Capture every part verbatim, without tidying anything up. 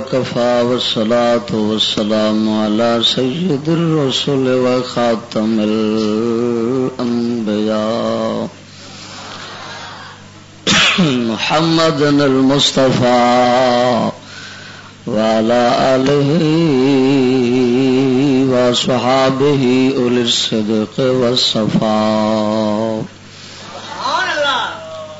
وكفى، والصلاة والسلام على سيد الرسل وخاتم الأنبياء محمد المصطفى وعلى آله وأصحابه أولي الصدق والصفاء.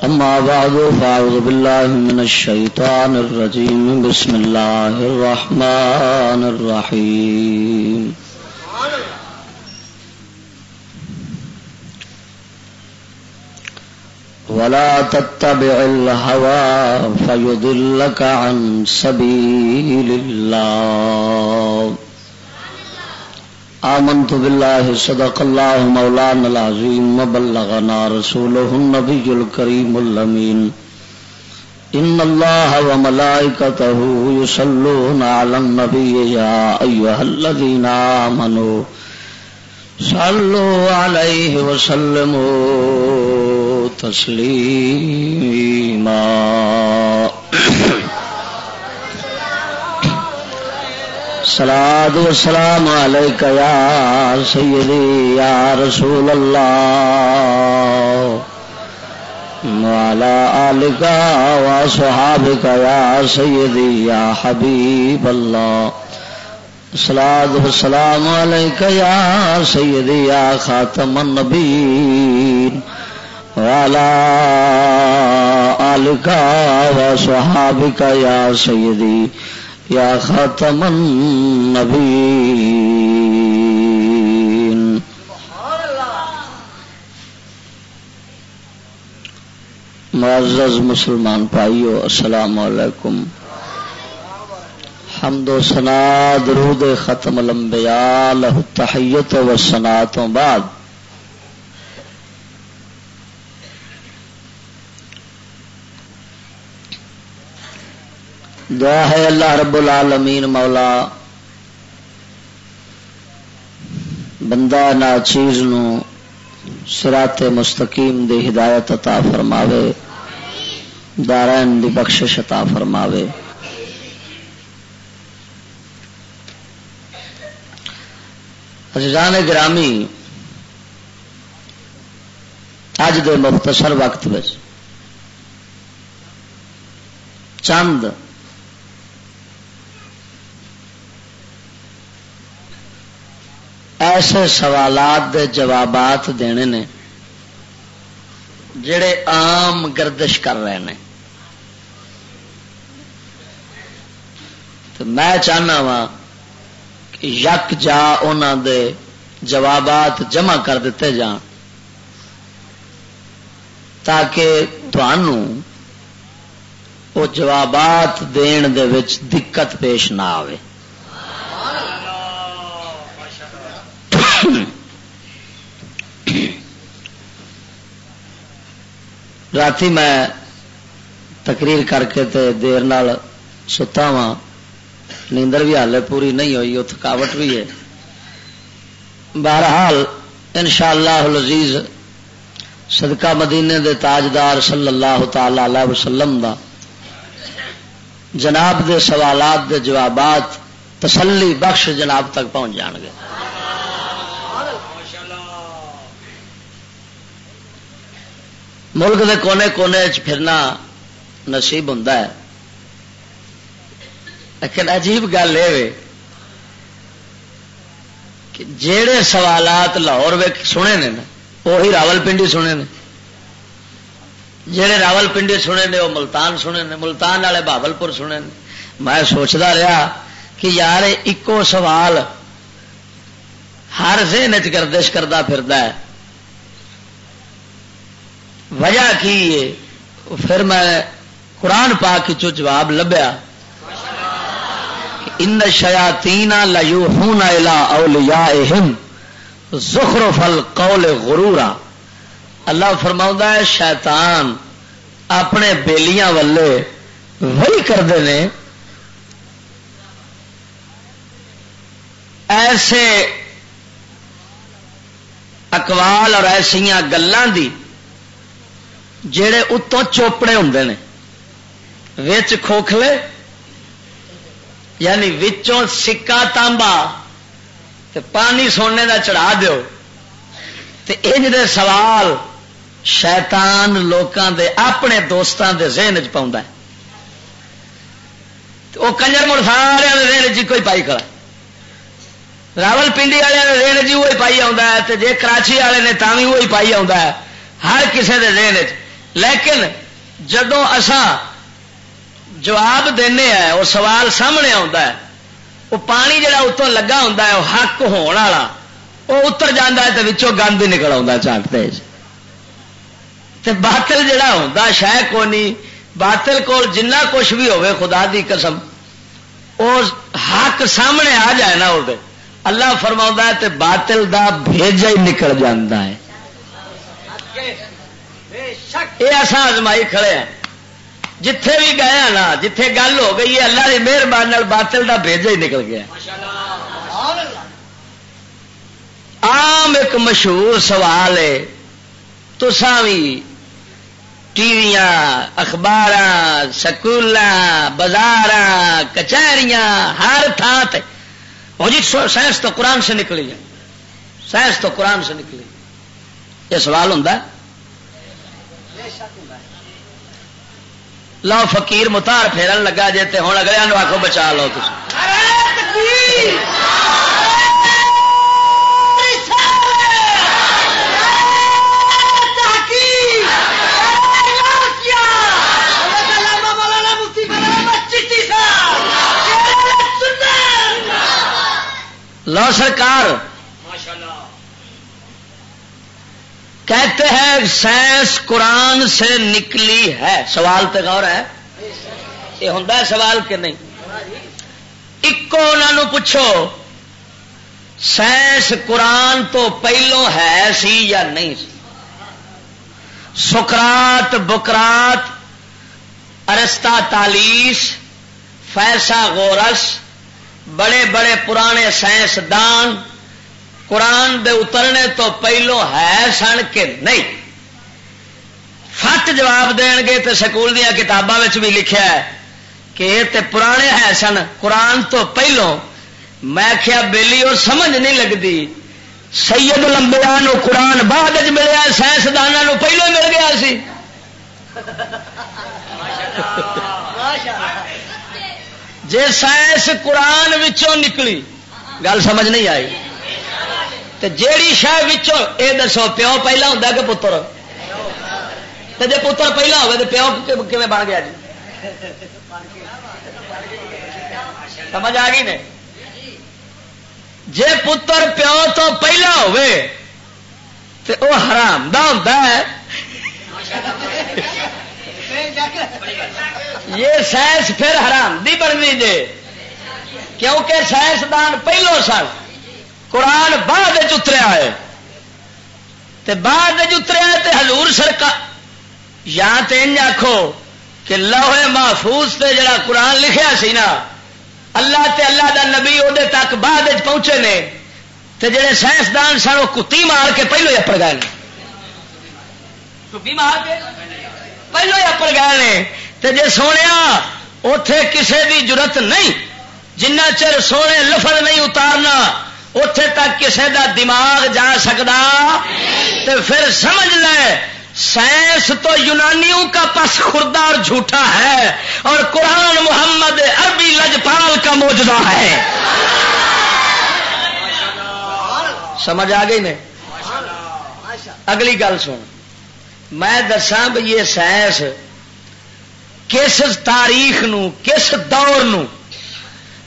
أما بعد، فأعوذ بالله من الشيطان الرجيم. بسم الله الرحمن الرحيم. ولا تتبع الهوى فيضلك عن سبيل الله. آمنت بالله، صدق الله مولانا العظيم وبلغنا رسوله النبي الكريم الأمين. إن الله وملائكته يصلون على النبي، يا أيها الذين آمنوا صلوا عليه وسلموا تسليما. الصلاة والسلام عليك يا سيدي يا رسول الله، وعلى آلك وأصحابك يا سيدي يا حبيب الله. الصلاة والسلام عليك يا سيدي يا خاتم النبيين، وعلى آلك وصحابك يا سيدي يا خاتم النبيين. معزز مسلمان بھائیو، السلام علیکم۔ حمد و ثنا، درود ختم الانبیاء، لہ التحیت و ثنا تو بعد، دعا ہے اللہ رب العالمین مولا بندہ ناچیز نو صراط مستقیم دی ہدایت عطا فرماوے، دارین دی بخشش عطا فرماوے۔ عزیزان گرامی، اج دے مختصر وقت وچ چند ایسے سوالات دے جوابات دینے نے جڑے عام گردش کر رہے نے۔ تے میں چاہنا وا کہ یک جا انہاں دے جوابات جمع کر دتے جان، تاکہ تھانوں او جوابات دین دے وچ دقت پیش نہ آوے۔ راتی میں تقریر کر کے تے دیر نال ستا واں، نیندر بھی حالے پوری نہیں ہوئی، او تھکاوٹ بھی ہے۔ بہرحال، انشاءاللہ العزیز، صدقہ مدینے دے تاجدار صلی اللہ تعالی علیہ وسلم دا جناب دے سوالات دے جوابات تسلی بخش جناب تک پہنچ جان گے۔ ملک دے کونے کونے چ پھرنا نصیب ہوندا ہے، لیکن عجیب گل اے وے کہ جیڑے سوالات لاہور وچ سنے نے نا، وہی راول پنڈی سنے نے۔ جیڑے راول پنڈی سنے نے، وہ ملتان سنے نے، ملتان والے بہاولپور سنے نے۔ میں سوچدا رہیا کہ یار، اکو سوال ہر ذہن وچ گردش کردا پھردا ہے، وجہ کی ہے؟ پھر میں قرآن پاک وچوں جواب لبھیا، "ان الشیاطین لیوحون الی اولیائہم زخرف القول غرورا۔" اللہ فرماؤندا ہے، شیطان اپنے بیلیاں ولے وہی کردے نے، ایسے اقوال اور ایسیاں گلاں دی جڑے اتوں چوپڑے ہوندے نے، وچ کھوکھلے، یعنی وچوں سکہ تانبا تے پانی سونے دا چڑھا دیو۔ تے انج دے سوال شیطان لوکاں دے اپنے دوستاں دے ذہن چ پاؤندا ہے۔ تے او کنجر مڑ سارے دے ذہن چ کوئی پائی کھڑا۔ راول پنڈی والے دے ذہن چ وہی پائی آوندا ہے، تے جے کراچی والے نے تاں وی وہی پائی آوندا ہے، ہر کسے دے ذہن چ۔ لیکن جدوں اساں جواب دینے ہیں، وہ سوال سامنے آتا ہے، وہ پانی جڑا اتوں لگا ہوتا ہے، وہ حق ہون والا، وہ اتر جاتا ہے تو وچوں گند ہی نکل آتا ہے، چٹ تیز۔ تے باطل جڑا ہوتا شے کونی، باطل کول جنہ کچھ بھی ہوئے، خدا دی قسم، وہ حق سامنے آ جائے نا، وہ اللہ فرماؤں ہے تے باطل دا بھیجا ہی نکل جاتا ہے۔ یہ ایسا آزمائی کھڑے ہیں، جتھے بھی گئے ہاں نا، جتھے گل ہو گئی ہے، اللہ دی مہربانی نال باطل دا بھیجا ہی نکل گیا۔ عام ایک مشہور سوال ہے، تساں وی ٹی ویاں، اخباراں، سکولاں، بازاراں، کچہریاں، ہر تھاں تے، "او جی، سو-، سائنس تو قرآن سے نکلی ہے، سائنس تو قرآن سے نکلی۔" یہ سوال ہوندا ہے؟ لو، فقیر متار پھیرن لگا جے، تے ہن اگلے نو آکھو، "بچا لو تسی۔" لو سرکار، کہتے ہیں سائنس قرآن سے نکلی ہے۔ سوال تے غور ہے، یہ ہوندا ہے سوال کہ نہیں؟ اکو انہاں نوں پوچھو، سائنس قرآن تو پہلوں ہے سی یا نہیں سی؟ سقراط، بقراط، ارسطاطالیس، فیثاغورث، بڑے بڑے پرانے سائنسدان قرآن دے اترنے تو پہلو ہے سن کہ نہیں؟ فٹ جواب دین گے تے سکول دیاں کتاباں وچ بھی لکھیا ہے کہ یہ تے پرانے ہے سن، قرآن تو پہلو۔ میں کیا بیلی، اور سمجھ نہیں لگدی، سید الانبیاء نو قرآن بعد وچ ملیا، سائنسداناں نو پہلو مل گیا سی۔ جے سائنس قرآن وچوں نکلی، گل سمجھ نہیں آئی، تے جیڑی شے وچوں، اے دسو، پیو پہلا ہوندا کہ پتر؟ تے جے پتر پہلا ہوئے، تے پیو کی-، کیویں بن گیا جی؟ سمجھ آ گئی نے؟ جے پتر پیو تو پہلا ہوئے، تے او حرام دا ہوندا ہے۔ یہ سائنس پھر حرام دی بننی جے، کیونکہ سائنسدان پہلو سن، قرآن بعد وچ اتریا ہے۔ تے بعد وچ اتریا تے حضور سرکار، یا تے انج آکھو کہ لوح محفوظ تے جڑا قرآن لکھیا سی نا، اللہ تے اللہ دا نبی اودے تک بعد وچ پہنچے نے، تے جڑے سائنسدان سن، وہ کتی مار کے پہلو ہی اپڑ گئے نے۔ کتی مار کے پہلو ہی اپڑ گئے نے۔ تے جے سونیا، اوتھے کسے دی جرت نہیں، جنہ چر سونے لفظ نہیں اتارنا، اتھے تک کسے دا دماغ جا سکدا؟ تے پھر سمجھ لے، سائنس تو یونانیوں کا پس خوردہ اور جھوٹا ہے، اور قرآن محمد عربی لجپال کا معجزہ ہے۔ سمجھ آ گئی نے؟ اگلی گل سن، میں دساں بھی یہ سائنس کس تاریخ نو، کس دور نو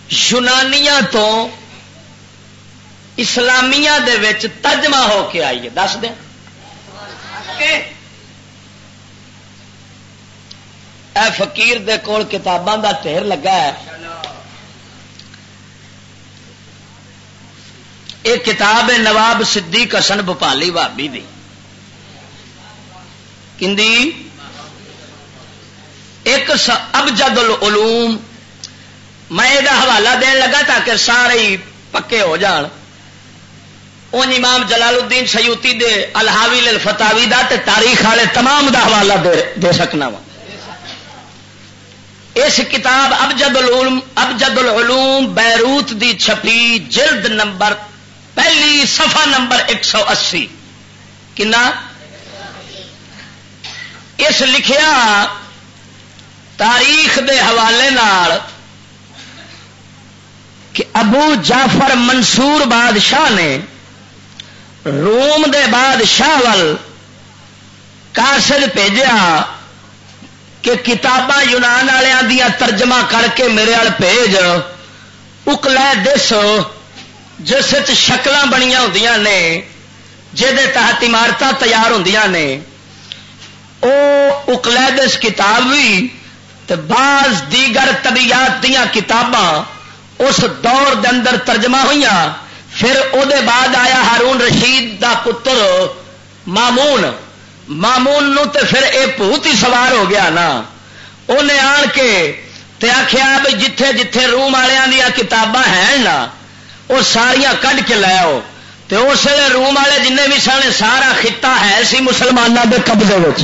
یونانیاں تو اسلامیہ دے وچ ترجمہ ہو کے آئی ہے، دس دیں؟ اے فقیر دے کول کتاباں دا ڈھیر لگا ہے۔ ایک کتاب ہے نواب صدیق حسن بھوپالی بھابی دی۔ کندی؟ ایک س-، ابجد العلوم۔ میں یہ حوالہ دین لگا تاکہ سارے ہی پکے ہو جان۔ ان امام جلال الدین سیوطی دے الحاوی للفتاوی دا تے تاریخ والے تمام دا حوالہ دے، دے سکنا وا۔ اس کتاب ابجد العلوم، ابجد العلوم بیروت دی چھپی، جلد نمبر پہلی، صفحہ نمبر ایک سو اسی۔ کنا؟ اس لکھیا تاریخ دے حوالے نال کہ ابو جعفر منصور بادشاہ نے روم دے بادشاہ ول قاصد بھیجیا کہ کتاباں یونان والوں دیاں ترجمہ کر کے میرے ال بھیج۔ اقلیدس، جس وچ شکلاں بنیاں ہوندیاں نے، جہدے تحت عمارتاں تیار ہوندیاں نے، او اقلیدس کتاب بھی تے بعض دیگر طبیعیات دیاں کتاباں اس دور دے اندر ترجمہ ہوئیاں۔ پھر او دے بعد آیا ہارون رشید دا پتر مامون۔ مامون نو تے پھر اے بھوت ہی سوار ہو گیا نا۔ اونے آن کے تے آکھیا بھی جتھے جتھے روم والیاں دیاں کتاباں ہیں نا، او ساریاں کڈ کے لے آؤ۔ تے اس ویلے روم والے جنہیں بھی سن، سارا خطہ ہے سی مسلماناں دے قبضے وچ۔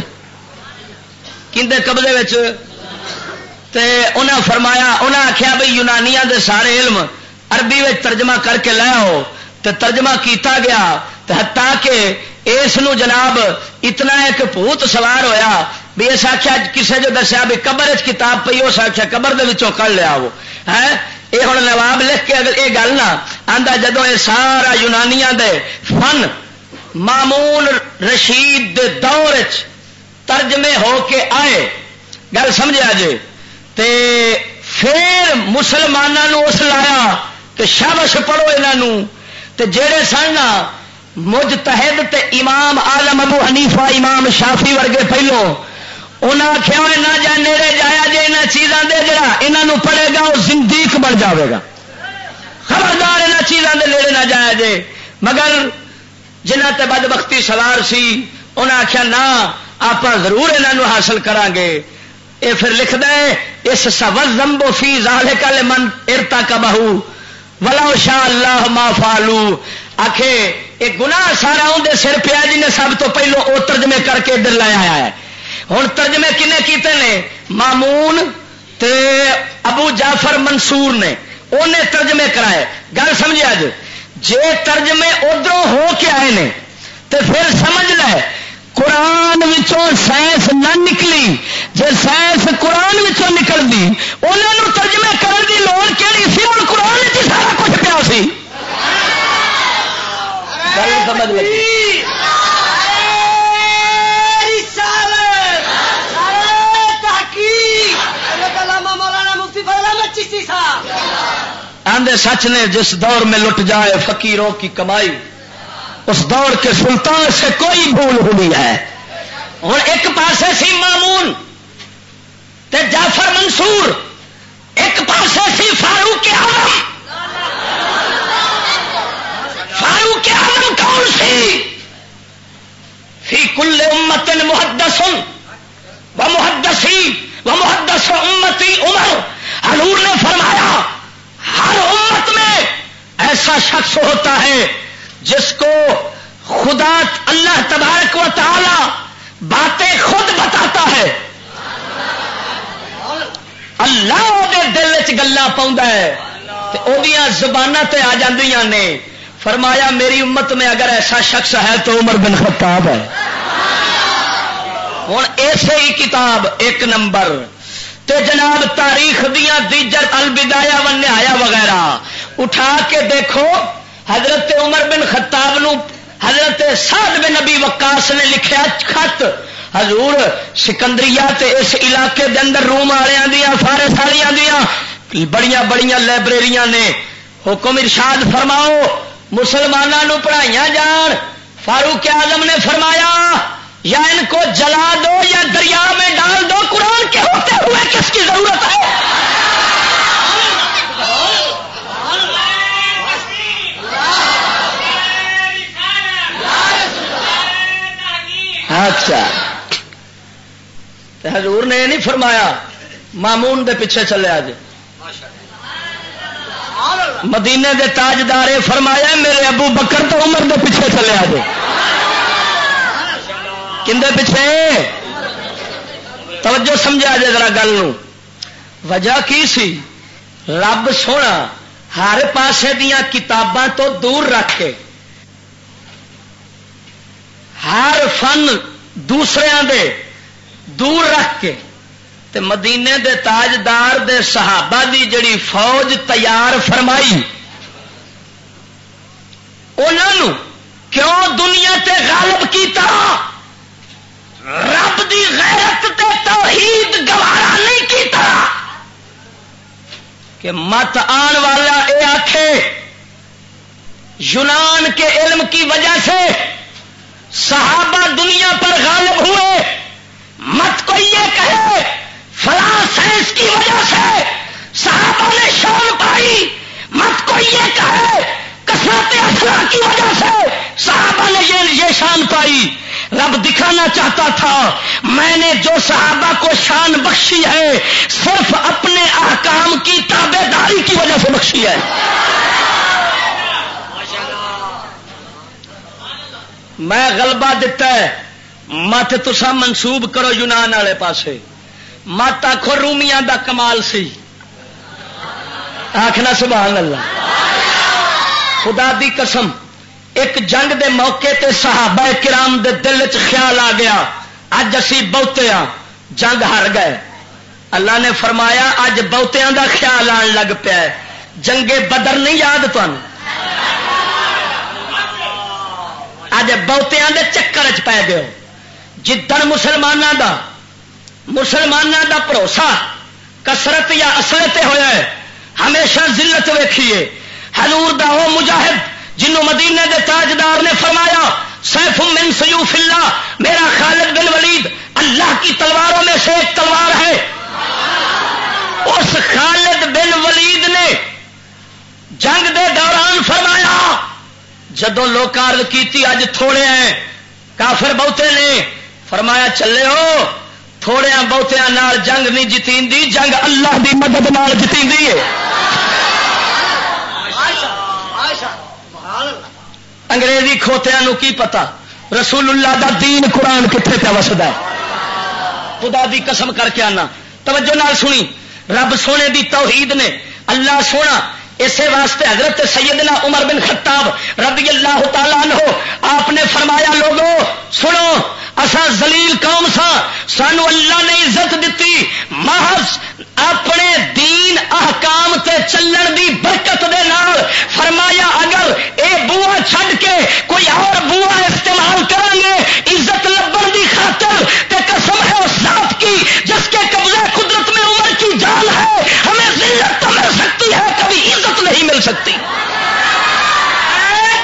کیندے قبضے وچ؟ تے انہاں فرمایا، انہاں آکھیا بھئی یونانیاں دے سارے علم عربی وچ ترجمہ کر کے لے آؤ۔ تے ترجمہ کیتا گیا، تے حتیٰ کہ اس نو جناب اتنا ایک بھوت سوار ہویا بھی اس آکھیا، کسے جو دسیا بھی قبر وچ کتاب پئی، اس آکھیا قبر دے وچوں کڈ لے آؤ۔ ہے اے ہن نواب لکھ کے اگر اے گل نہ آندا، جدوں اے سارا یونانیاں دے فن مامون رشید دے دور وچ ترجمے ہو کے آئے، گل سمجھیا جے؟ تے پھر مسلماناں نوں اس لایا کہ شابش پڑھو انہاں نوں۔ تے جڑے سن نا مجتہد تے امام اعظم ابو حنیفہ، امام شافعی ورگے پہلو، انہاں آکھیا، "اوئے نہ جا نیڑے جایا جے انہاں چیزاں دے، جڑا انہاں نوں پڑھے گا وہ زندیق بن جاوے گا، خبردار انہاں چیزاں دے نیڑے نہ جایا جے۔" مگر جنہاں تے بدبختی سوار سی، انہاں آکھیا، "نہ، آپاں ضرور انہاں نوں حاصل کراں گے۔" اے پھر لکھدا ہے، "اس سوال ذنب فی ذالک لمن ارتکبہ ولو شاء اللہ ما فعلوا۔" آکھے، اے گناہ سارا اون دے سر پیا جن نے سب تو پہلو او ترجمے کر کے ادھر لے آیا ہے۔ ہن ترجمے کنے کیتے نے؟ مامون تے ابو جعفر منصور نے، انہیں ترجمے کرائے۔ گل سمجھے اج؟ جے ترجمے ادھروں ہو کے آئے نے تے پھر سمجھ لے، قرآن وچوں سائنس نہ نکلی۔ جے سائنس قرآن وچوں نکلدی، انہاں نوں ترجمے کرن دی لوڑ کیڑی سی؟ ہن قرآن وچ ہی سارا کچھ پیا سی۔ گل سمجھ لگی؟ آندے سچ نے، جس دور میں لٹ جائے فقیروں کی کمائی، اس دور کے سلطان سے کوئی بھول ہوئی ہے۔ ہن ایک پاسے سی مامون تے جعفر منصور، ایک پاسے سی فاروق اعظم۔ فاروق اعظم کون سی؟ فی کل امت محدث و محدثی و محدث امتی عمر۔ حضور نے فرمایا، ہر امت میں ایسا شخص ہوتا ہے جس کو خدا اللہ تبارک و تعالی باتیں خود بتاتا ہے۔ اللہ دے دل وچ گلاں پاؤندا ہے تے اودیاں زباناں تے آ جاندیاں نے۔ فرمایا، میری امت میں اگر ایسا شخص ہے تو عمر بن خطاب ہے۔ ہن ایسے ہی کتاب ایک نمبر تے جناب تاریخ دیاں دیگر البدایہ و نہایہ وغیرہ اٹھا کے دیکھو، حضرت عمر بن خطاب نو حضرت سعد بن ابی وقاص نے لکھیا خط، حضور، سکندریہ تے اس علاقے دے اندر روم والیاں دیاں، فارس والیاں دیاں بڑیاں بڑیاں لائبریریاں نے، حکم ارشاد فرماؤ، مسلماناں نو پڑھائیاں جان۔ فاروق اعظم نے فرمایا، یا ان کو جلا دو یا دریا میں ڈال دو، قرآن کے ہوتے ہوئے کس کی ضرورت ہے؟ اچھا، تے حضور نے یہ نہیں فرمایا مامون دے پیچھے چلے آ جے۔ مدینے دے تاجدار، اے فرمایا، میرے ابو بکر تو عمر دے پیچھے چلے آ جے۔ کندے پیچھے؟ توجہ سمجھا جے ذرا گل نو۔ وجہ کی سی؟ رب سونا ہر پاسے دیاں کتاباں تو دور رکھ کے، ہر فن دوسریاں دے دور رکھ کے، تے مدینے دے تاجدار دے صحابہ دی جڑی فوج تیار فرمائی، انہاں نوں کیوں دنیا تے غالب کیتا؟ رب دی غیرت تے توحید گوارا نہیں کیتا کہ مت آن والا اے آکھے، یونان کے علم کی وجہ سے صحابہ دنیا پر غالب ہوئے۔ مت کوئی یہ کہے، فلاں سائنس کی وجہ سے صحابہ نے شان پائی۔ مت کوئی یہ کہے، کثرت اخلاق کی وجہ سے صحابہ نے یہ، یہ شان پائی۔ رب دکھانا چاہتا تھا، میں نے جو صحابہ کو شان بخشی ہے، صرف اپنے احکام کی تابع داری کی وجہ سے بخشی ہے۔ میں غلبہ دتا ہے، مت تساں منسوب کرو یونان والے پاسے، مت آکھو رومیاں دا کمال سی، آکھنا سبحان اللہ۔ خدا دی قسم، ایک جنگ دے موقع تے صحابہ کرام دے دل وچ خیال آ گیا، اج اسی بہتے ہاں، جنگ ہار گئے۔ اللہ نے فرمایا، اج بہتیاں دا خیال آن لگ پیا ہے۔ جنگ بدر نہیں یاد تانوں؟ اج بہتیاں دے چکر چ پے گئے ہو۔ جدن مسلماناں دا، مسلماناں دا بھروسہ کثرت یا اصل تے ہویا ہے، ہمیشہ ذلت ویکھیے۔ حضور دا او مجاہد جنوں مدینے دے تاجدار نے فرمایا، سیف من سیوف اللہ، میرا خالد بن ولید اللہ کی تلواروں میں سے ایک تلوار ہے۔ اس خالد بن ولید نے جنگ دے دوران فرمایا، جدوں لوکاں عرض کیتی، اج تھوڑے ہیں، کافر بہتے نے، فرمایا، چلے ہو، تھوڑیاں بہتیاں نال جنگ نہیں جتیندی، جنگ اللہ دی مدد نال جتیندی ہے۔ انگریزی کھوتیاں نو کی پتا رسول اللہ دا دین قرآن کتھے پیا وسدا ہے۔ خدا دی قسم کر کے آنا، توجہ نال سنی، رب سونے دی توحید نے، اللہ سونا، اسے واسطے حضرت سیدنا عمر بن خطاب رضی اللہ تعالیٰ عنہ آپ نے فرمایا، لوگو سنو، اساں ذلیل قوم ساں، سانو اللہ نے عزت دتی محض اپنے دین احکام تے چلن دی برکت دے نال۔ فرمایا، اگر اے بوا چھڈ کے کوئی اور بوا استعمال کریں گے عزت لبن دی خاطر، تے قسم ہے اس ذات کی جس کے قبضہ قدرت میں عمر کی جان ہے، ہمیں ذلت تو مل سکتی ہے، کبھی عزت نہیں مل سکتی۔ نعرہ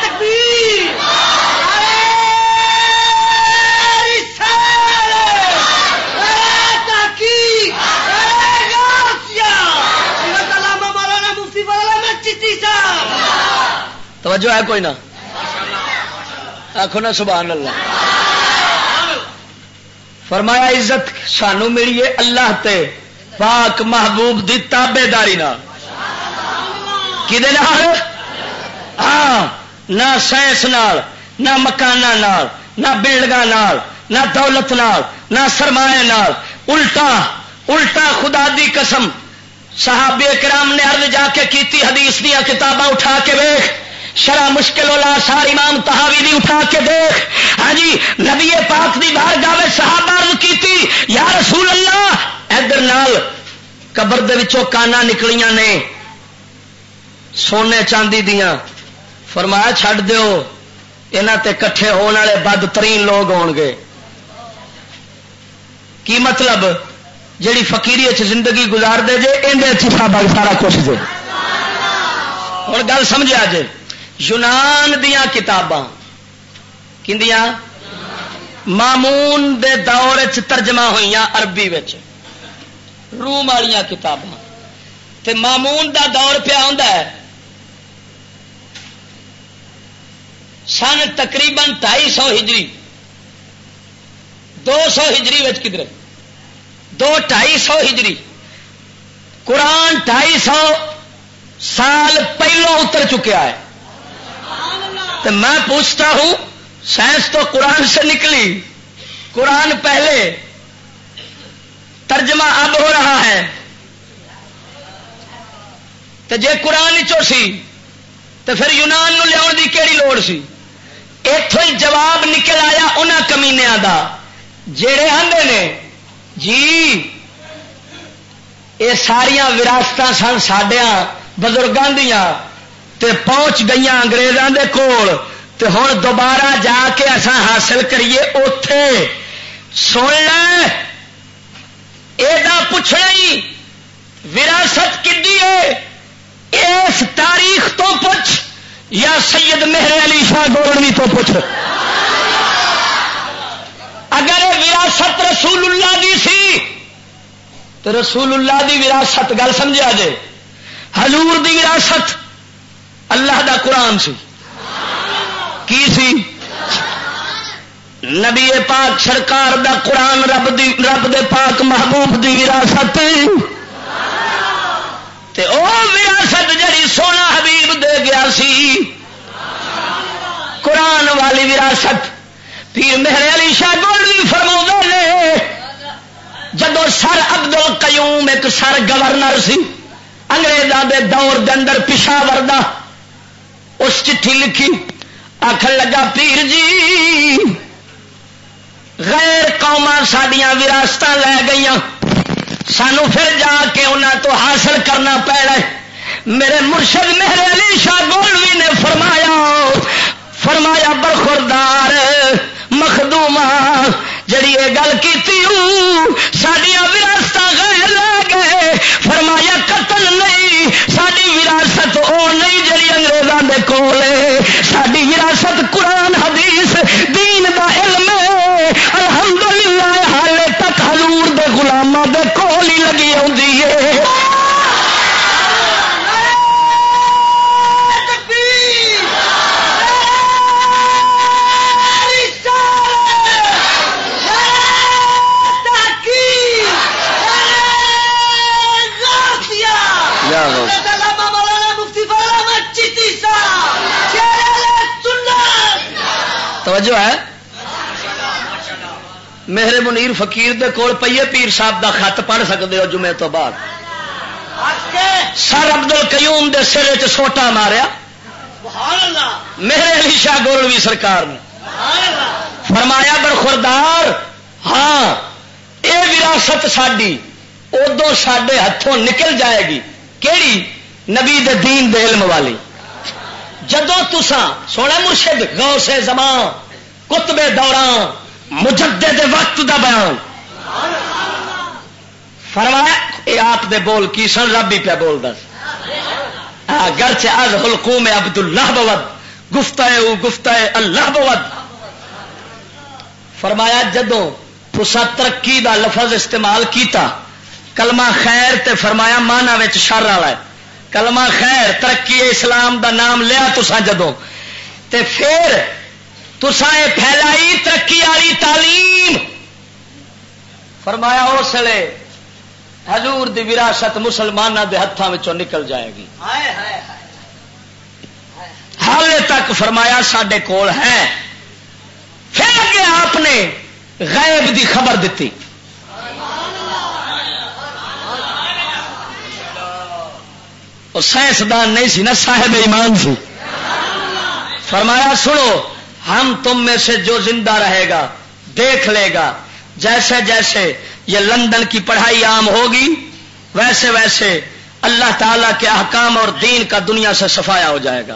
تکبیر، نعرہ رسالت، نعرہ تحقیق، نعرہ غوثیہ، حضرت علامہ مولانا مفتی فضل احمد چشتی صاحب۔ توجہ ہے کوئی نہ؟ آکھو نا سبحان اللہ۔ فرمایا، عزت سانو ملی ہے اللہ تے پاک محبوب دی تابعداری نال۔ کدے نال؟ ہاں، نہ سائنس نال، نہ مکاناں نال، نہ بلڈنگاں نال، نہ دولت نال، نہ سرمایہ نال۔ الٹا، الٹا خدا دی قسم، صحابہ کرام نے عرض جا کے کیتی، حدیث دیاں کتاباں اٹھا کے ویکھ، شرح مشکل الاثار امام طحاوی دی اٹھا کے دیکھ۔ ہاں جی، نبی پاک دی بارگاہ وچ صحابہ عرض کیتی، یا رسول اللہ، ادھر نال قبر دے وچوں کاناں نکلیاں نے سونے چاندی دیاں۔ فرمایا، چھڈ دیو، انہاں تے کٹھے ہون والے بدترین لوگ ہون گے۔ کی مطلب؟ جیڑی فقیری وچ زندگی گزار دے جے، ایندے وچ ہی سارا، سارا کچھ جے۔ ہن گل سمجھیا جے، یونان دیاں کتاباں کیندیاں؟ مامون دے دور وچ ترجمہ ہوئیاں عربی وچ، روم والیاں کتاباں۔ تے مامون دا دور پیا ہوندا ہے سن تقریباً ڈھائی سو ہجری، دو سو ہجری وچ کدھر، دو ڈھائی سو ہجری، قرآن ڈھائی سو سال پہلوں اتر چکیا ہے۔ تو میں پوچھتا ہوں، سائنس تو قرآن سے نکلی، قرآن پہلے، ترجمہ اب ہو رہا ہے، تے جے قرآن چوں سی، تے پھر یونان نوں لیاؤن دی کیڑی لوڑ سی؟ ایتھوں ہی جواب نکل آیا انہاں کمینیاں دا، جیڑے آندے نے، "جی، اے ساریاں وراثتاں سن ساڈیاں بزرگاں دیاں، تے پہنچ گئیاں انگریزاں دے کول، تے ہن دوبارہ جا کے اساں حاصل کریے اوتھے۔" سن لے، اے دا پچھنا ہی وراثت کدی ہے؟ اس تاریخ تو پچھ یا سید مہر علی شاہ گولڑوی تو پچھ۔ اگر یہ وراثت رسول اللہ دی سی، تو رسول اللہ دی وراثت، گل سمجھا جے، حضور دی وراثت اللہ دا قرآن سی۔ کی سی؟ نبی پاک سرکار دا قرآن رب دی، رب دے پاک محبوب دی وراثت۔ تے او وراثت جڑی سونا حبیب دے گیا سی، قرآن والی وراثت۔ پیر مہر علی شاہ گولڑوی فرماؤندے نے، جدوں سر عبد القیوم ایک سر گورنر سی انگریزاں دے دور دے اندر پشاور دا، اس چٹھی لکھی، آکھن لگا، "پیر جی، غیر قوماں ساڈیاں وراثتاں لے گئیاں، سانو پھر جا کے انہاں تو حاصل کرنا پینا ہے۔" میرے مرشد مہر علی شاہ گولوی نے فرمایا، فرمایا، "برخوردار مخدوما، جڑی یہ گل کیتی ہوں، ساڈیاں وراثتاں غیر لے گئے۔" فرمایا، "قطعاً نہیں، ساڈی وراثت او نہیں جڑی انگریزاں دے کول ہے۔ ساڈی وراثت قرآن حدیث دین دا علم ہے۔" الحمدللہ، حالے تک حضور دے غلاماں دے کول ہی لگی ہوندی ہے۔ توجہ ہے؟ مہر منیر فقیر دے کول پئیے، پیر صاحب دا خط پڑھ سکدے ہو جمعے تو بعد۔ سر عبد القیوم دے سر وچ سوٹا ماریا۔ مہر علی شاہ گولڑوی سرکار نے فرمایا، "برخوردار، ہاں، اے وراثت ساڈی ادوں ساڈے ہتھوں نکل جائے گی۔" کیڑی؟ نبی دے دین دے علم والی۔ جدوں تساں، سونا مرشد، غوث زمان، قطب دوران، مجدد وقت دا بیان۔ فرمایا، اے آپ دے بول کی سن، رب ہی پیا بولدا سی۔ اگرچہ از حلقوم عبداللہ بود، گفتہ او گفتہ اللہ بود۔ فرمایا، جدوں تساں ترقی دا لفظ استعمال کیتا، کلمہ خیر تے فرمایا معنی وچ شر والا ہے۔ کلمہ خیر، ترقی اسلام دا نام لیا تساں جدوں، تے پھر تساں اے پھیلائی ترقی والی تعلیم۔ فرمایا، اس ویلے حضور دی وراثت مسلماناں دے ہتھاں وچوں نکل جائے گی۔ حال تک فرمایا ساڈے کول ہے۔ پھر اگے آپ نے غیب دی خبر دتی۔ وہ سائنسدان نہیں سی نا، صاحب ایمان سی۔ فرمایا، "سنو، ہم تم میں سے جو زندہ رہے گا، دیکھ لے گا، جیسے جیسے یہ لندن کی پڑھائی عام ہوگی، ویسے ویسے اللہ تعالیٰ کے احکام اور دین کا دنیا سے صفایا ہو جائے گا۔"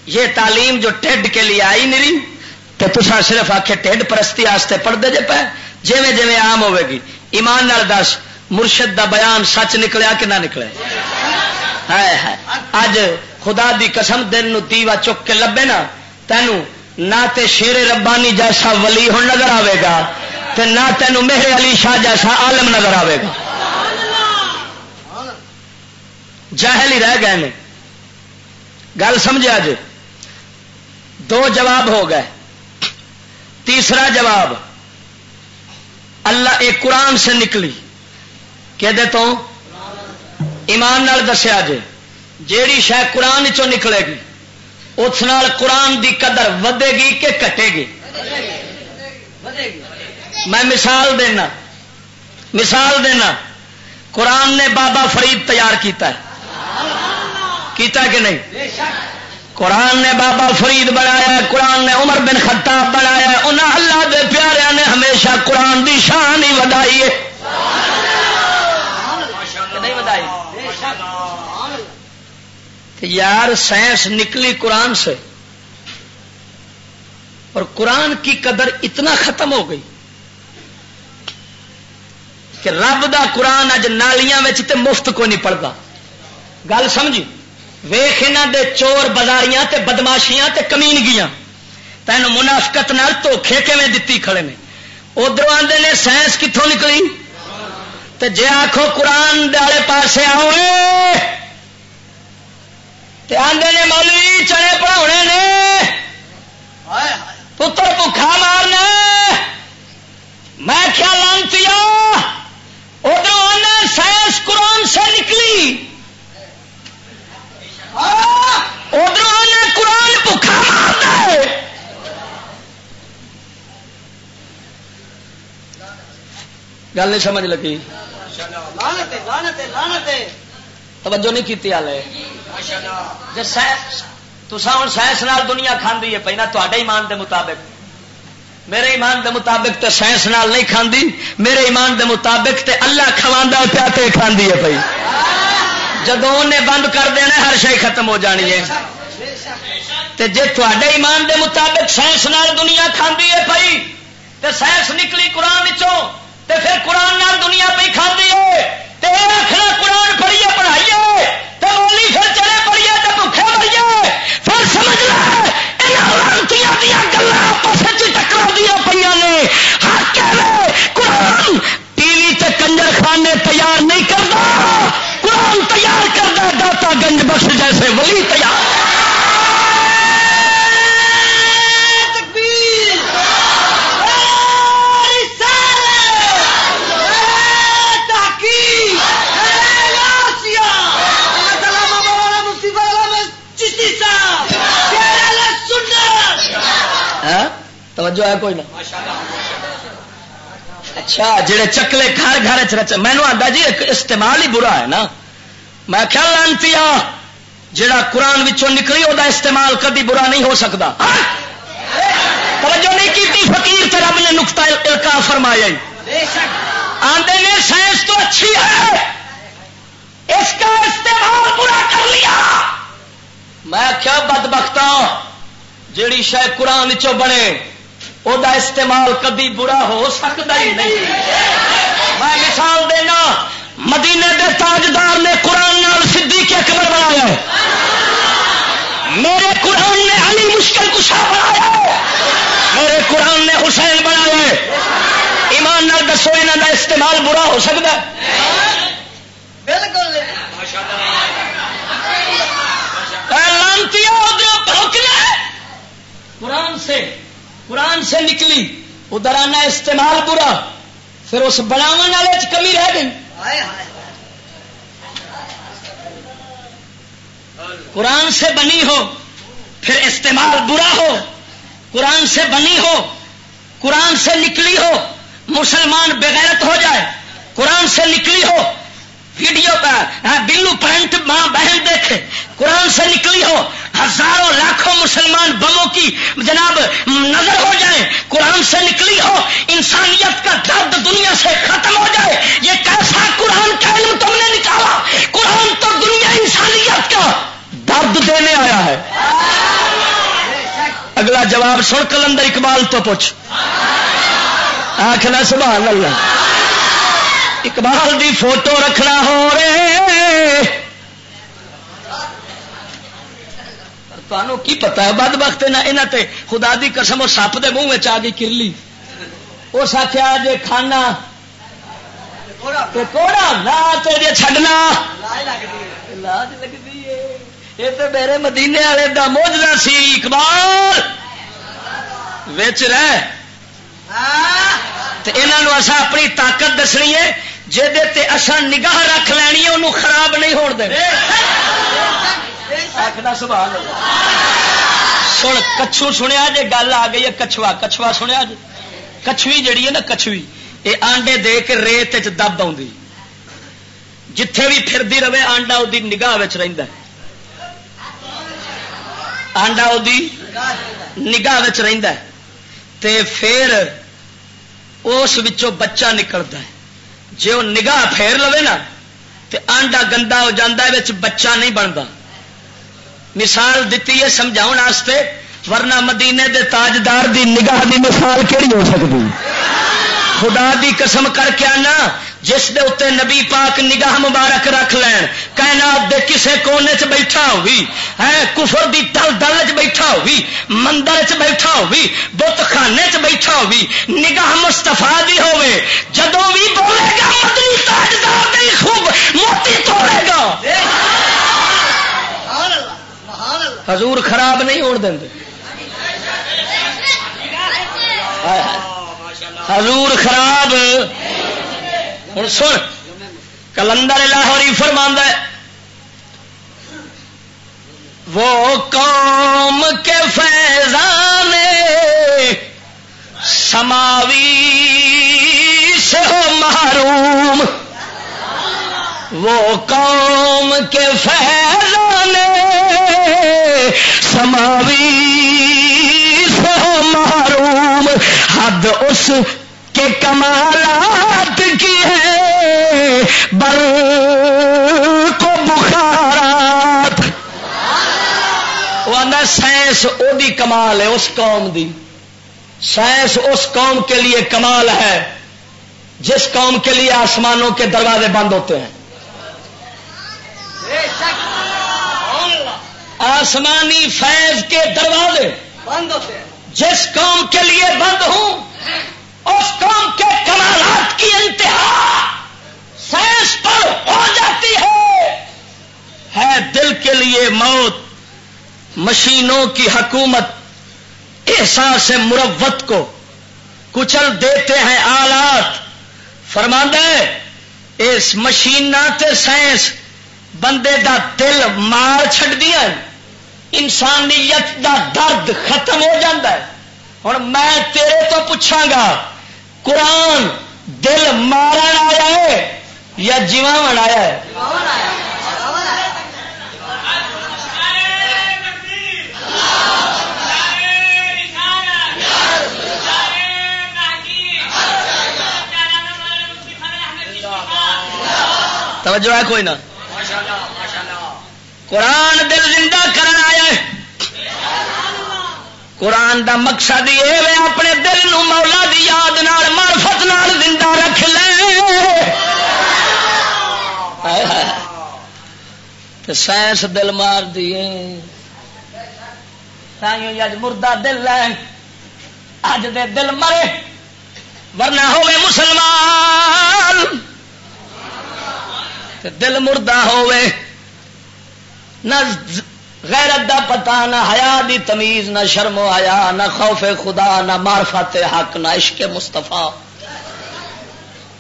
یہ تعلیم جو ٹھڈ کے لیے آئی نہیں، تے تساں صرف آکھے ٹھڈ پرستی آستے پڑھدے جے پے، جیویں جیویں عام ہوے گی۔ ایمان نال دس، مرشد دا بیان سچ نکلیا کہ نہ نکلے؟ ہے، ہے۔ اج خدا دی قسم، دل نو دیوا چک کے لبے نا، تینوں نہ تے شیر ربانی جیسا ولی ہن نظر آوے گا، تے نہ تینوں مہر علی شاہ جیسا عالم نظر آوے گا۔ جاہل ہی رہ گئے نے۔ گل سمجھا جے؟ دو جواب ہو گئے۔ تیسرا جواب، اللہ ایک قرآن سے نکلی، کہ دے تو ایمان نال دسیا جے، جیڑی شے قرآن چوں نکلے گی، اس نال قرآن دی قدر ودے گی کہ گھٹے گی؟ میں مثال دینا، مثال دینا، قرآن نے بابا فرید تیار کیتا ہے، کیتا کہ نہیں؟ قرآن نے بابا فرید بنایا ہے، قرآن نے عمر بن خطاب بنایا ہے۔ انہاں اللہ دے پیاریاں نے ہمیشہ قرآن دی شان ہی ودائی ہے۔ کہ نہیں ودائی؟ تے یار، سائنس نکلی قرآن سے، اور قرآن کی قدر اتنا ختم ہو گئی کہ رب دا قرآن اج نالیاں وچ تے مفت کوئی نہیں پڑھدا۔ گل سمجھی؟ ویکھ انہاں دے چور بازاریاں تے بدماشیاں تے کمینگیاں، تینوں منافقت نال دھوکھے کیویں دتی کھڑے نے۔ ادھروں آندے نے، "سائنس کتھوں نکلی؟" تے جے آکھو، "قرآن دے آلے پاسے آؤ اے۔" تے آندے نے، "مولوی، چنے پڑھاونے نے، پتر بھکھا مارنا ہے۔" میں کیا لانتی آ، ادھروں آنا سائنس قرآن سے نکلی، ادھروں آنا قرآن بھکھا مارنا ہے۔ گل نہیں سمجھ لگی؟ لعنت ہے، لعنت ہے، لعنت ہے۔ توجہ نہیں کیتی حالے۔ جے سائنس، تساں ہن سائنس نال دنیا کھاندی ہے پئی نا، تہاڈے ایمان دے مطابق۔ میرے ایمان دے مطابق تے سائنس نال نہیں کھاندی، میرے ایمان دے مطابق تے اللہ کھواندا ہے پیا تے کھاندی ہے پئی۔ جدوں انہیں بند کر دینا، ہر شے ختم ہو جانی ہے۔ تے جے تہاڈے ایمان دے مطابق سائنس نال دنیا کھاندی ہے پئی، تے سائنس نکلی قرآن وچوں، تے پھر قرآن نال دنیا پئی کھاندی ہے۔ تے اے آکھنا قرآن پڑھیے، پڑھائیے، تے مولی پھر چلے پڑھیے تے بھکھے مریے۔ پھر سمجھ لے، انہاں لعنتیاں دیاں گلاں آپس وچ ٹکراندیاں پئیاں نے۔ حق ہے وے، قرآن ٹی وی تے کنجر خانے تیار نہیں کردا، قرآن تیار کردا، داتا گنج بخش جیسے ولی تیار۔ تکبیر! نعرہ رسالت! نعرہ تحقیق! نعرہ غوثیہ! علامہ مولانا مفتی مولانا چشتی صاحب! شیر اہل سنت! ہاں؟ توجہ ہے کوئی نہ؟ اچھا، جڑے چکلے گھر گھر چ رچ، مینوں آندا جی، ایک استعمال ہی برا ہے نا۔ میں کیا لانتی آ، جڑا قرآن وچوں نکلی، او دا استعمال کدی برا نہیں ہو سکدا۔ ہاں؟ توجہ نہیں کیتی، فقیر تے رب نے نقطہ القاء فرمایا ہی۔ آندے نے سائنس تو اچھی ہے، اس کا استعمال برا کر لیا۔ میں کیا بدبختاں، جیڑی شے قرآن چوں بنے، او دا استعمال کدی برا ہو سکدا ہی نہیں۔ میں مثال دینا، مدینے دے تاجدار نے قرآن نال صدیق اکبر بنایا ہے۔ میرے قرآن نے علی مشکل کشا بنایا ہے۔ میرے قرآن نے حسین بنایا ہے۔ ایمان نال دسو، انہاں دا استعمال برا ہو سکدا ہے؟ بالکل نہیں۔ اے لعنتی، ادھر بھوک لے۔ قرآن سے، قرآن سے نکلی، ادھر آنا استعمال برا، پھر اس بناون والے چ کمی رہ گئی۔ قرآن سے بنی ہو، پھر استعمال برا ہو۔ قرآن سے بنی ہو، قرآن سے نکلی ہو، مسلمان بغیرت ہو جائے، قرآن سے نکلی ہو، ویڈیو کا، ہاں، بلو پرنٹ ماں بہن دیکھے، قرآن سے نکلی ہو، ہزاروں لاکھوں مسلمان بموں کی جناب نظر ہو جائے، قرآن سے نکلی ہو، انسانیت کا درد دنیا سے ختم ہو جائے۔ یہ کیسا قرآن کا علم تم نے نکالا؟ قرآن تو دنیا انسانیت کا درد دینے آیا ہے۔ اگلا جواب سن، قلندر اقبال تو پوچھ۔ آکھنا سبحان اللہ۔ اقبال دی فوٹو رکھنا ہو رہے۔ تانوں کی پتہ ہے، بدبخت انہاں، انہاں تے خدا دی قسم، او سپ دے منہ وچ آ گئی کرلی۔ اس آکھیا، "جے کھانا تے کوڑا نہ تے جے چھڈنا۔" لاج لگدی ہے۔ یہ تے میرے مدینے والے دا معجزہ سی، اقبال۔ وچ رہ۔ تے انہاں نوں اساں اپنی طاقت دسنی ہے، جہدے تے اساں نگاہ رکھ لینی ہے، انہوں خراب نہیں ہون دینا۔ آکھنا سبحان اللہ۔ سن، کچھو سنیا جے، گل آ گئی ہے کچھوا، کچھوا سنیا جے؟ کچھوی جڑی ہے نا، کچھوی، اے آنڈے دے کے ریت وچ دب آوندی۔ جتھے بھی پھردی رہے، آنڈا اودی نگاہ وچ رہندا ہے۔ آنڈا اودی نگاہ وچ رہندا ہے۔ تے پھر اس وچوں بچہ نکلدا ہے۔ جے وہ نگاہ پھیر لوے نا، تے آنڈا گندا ہو جاندا ہے، وچ بچہ نہیں بندا۔ مثال دتی ہے سمجھاؤن واسطے، ورنہ مدینے دے تاجدار دی نگاہ دی مثال کیڑی ہو سکدی؟ خدا دی قسم کر کے آنا، جس دے اُتے نبی پاک نگاہ مبارک رکھ لین، کائنات دے کسے کونے چ بیٹھا ہوئی، ہے کفر دی دل دل چ بیٹھا ہوئی، مندر چ بیٹھا ہوئی، بت خانے چ بیٹھا ہوئی، نگاہ مصطفیٰ دی ہووے، جدوں وی بولے گا، مدنی تاجدار دے خوب موتی توڑے گا۔ حضور خراب نہیں ہون دیندے۔ حضور خراب۔ ہن سن، کلندر لاہوری فرماندا ہے، وہ قوم کے فیضان سماوی سے ہو محروم، وہ قوم کے فیضان سماوی سے ہو محروم، حد اس کے کمالات کی ہے برق و بخارات۔ وہ آندا سائنس او دی کمال ہے، اس قوم دی۔ سائنس اس قوم کے لیے کمال ہے جس قوم کے لیے آسمانوں کے دروازے بند ہوتے ہیں۔ آسمانی فیض کے دروازے بند ہوتے ہیں۔ جس قوم کے لیے بند ہوں، اس قوم کے کمالات کی انتہا سائنس پر ہو جاتی ہے۔ ہے دل کے لیے موت، مشینوں کی حکومت احساس مروت کو کچل دیتے ہیں آلات۔ فرماندا ہے، اس مشیناں تے سائنس بندے دا دل مار چھڈدیاں، انسانیت دا درد ختم ہو جاندا ہے۔ ہن میں تیرے تو پچھاں گا، قرآن دل مارن آیا ہے یا جیواون آیا ہے؟ توجہ ہے کوئی نہ؟ قرآن دل زندہ کرن آیا ہے۔ قرآن دا مقصد یہ ہے، اپنے دل نو مولا دی یاد نال، معرفت نال زندہ رکھ لے۔ ہائے ہائے۔ تے سائنس دل مار دیے۔ تائیوں اج مردہ دل ہے، اج دے دل مرے، ورنہ ہوے مسلمان تے دل مردہ ہوے۔ نہ ز-، غیرت دا پتہ، نہ حیا دی تمیز، نہ شرم و حیا، نہ خوف خدا، نہ معرفت حق، نہ عشق مصطفیٰ،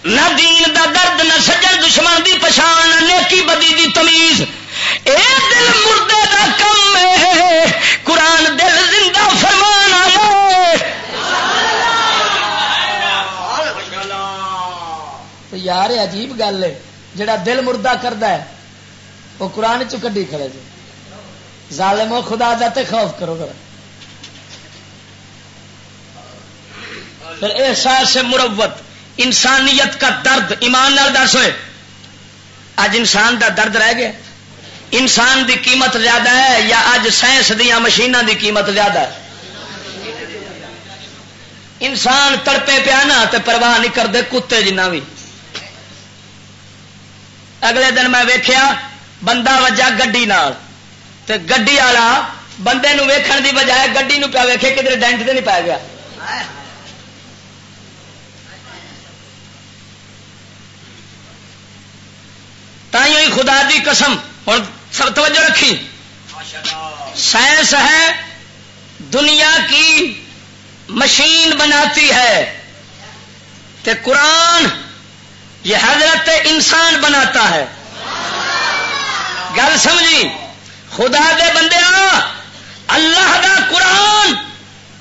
نہ دین دا درد، نہ سجن دشمن دی پچھان، نہ نیکی بدی دی تمیز۔ اے دل مردے دا کم ہے، قرآن دل زندہ فرمان آیا ہے۔ تو یار، یہ عجیب گل ہے، جڑا دل مردہ کردا ہے، وہ قرآن چوں کڈی کھڑے جے۔ ظالمو، خدا دا تے خوف کرو ذرا۔ پھر احساس مروت، انسانیت کا درد، ایمان نال دس ہوئے، اج انسان دا درد رہ گیا؟ انسان دی قیمت زیادہ ہے یا اج سائنس دیاں مشیناں دی قیمت زیادہ ہے؟ انسان تڑپے پیا نا تے پرواہ نہیں کردے کتے جنہ بھی۔ اگلے دن میں ویکھیا بندہ وجہ گڈی نال، تے گڈی والا بندے نو ویکھن دی بجائے گڈی نو پیا ویکھے کدھر ڈینٹ تے نہیں پی گیا۔ تائیوں ہی خدا دی قسم، ہن سب توجہ رکھی، سائنس ہے دنیا کی مشین بناتی ہے، تے قرآن یہ حضرت انسان بناتا ہے۔ گل سمجھی؟ خدا دے بندیاں، اللہ دا قرآن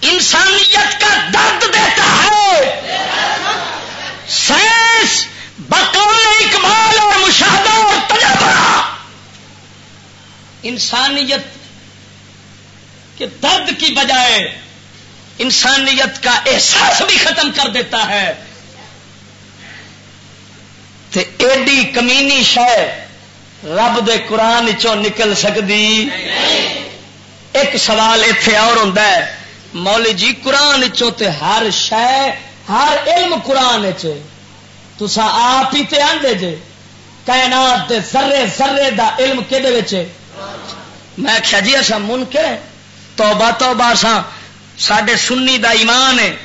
انسانیت کا درد دیتا ہے۔ سائنس بقول اقبال اور مشاہدہ اور انسانیت کے درد کی بجائے انسانیت کا احساس بھی ختم کر دیتا ہے۔ تے ایڈی کمینی شے رب دے قرآن چوں نکل سکدی؟ ایک سوال ایتھے اور ہوندا ہے، مولوی جی، قرآن چوں تے ہر شے، ہر علم قرآن چ ہے۔ تساں آپ ہی تے آندے جے، کائنات دے ذرے ذرے دا علم کدے وچ ہے؟ میں آکھیا، جی، اساں منکر ہیں۔ توبہ، توبہ، اساں، ساڈے سنی دا ایمان ہے،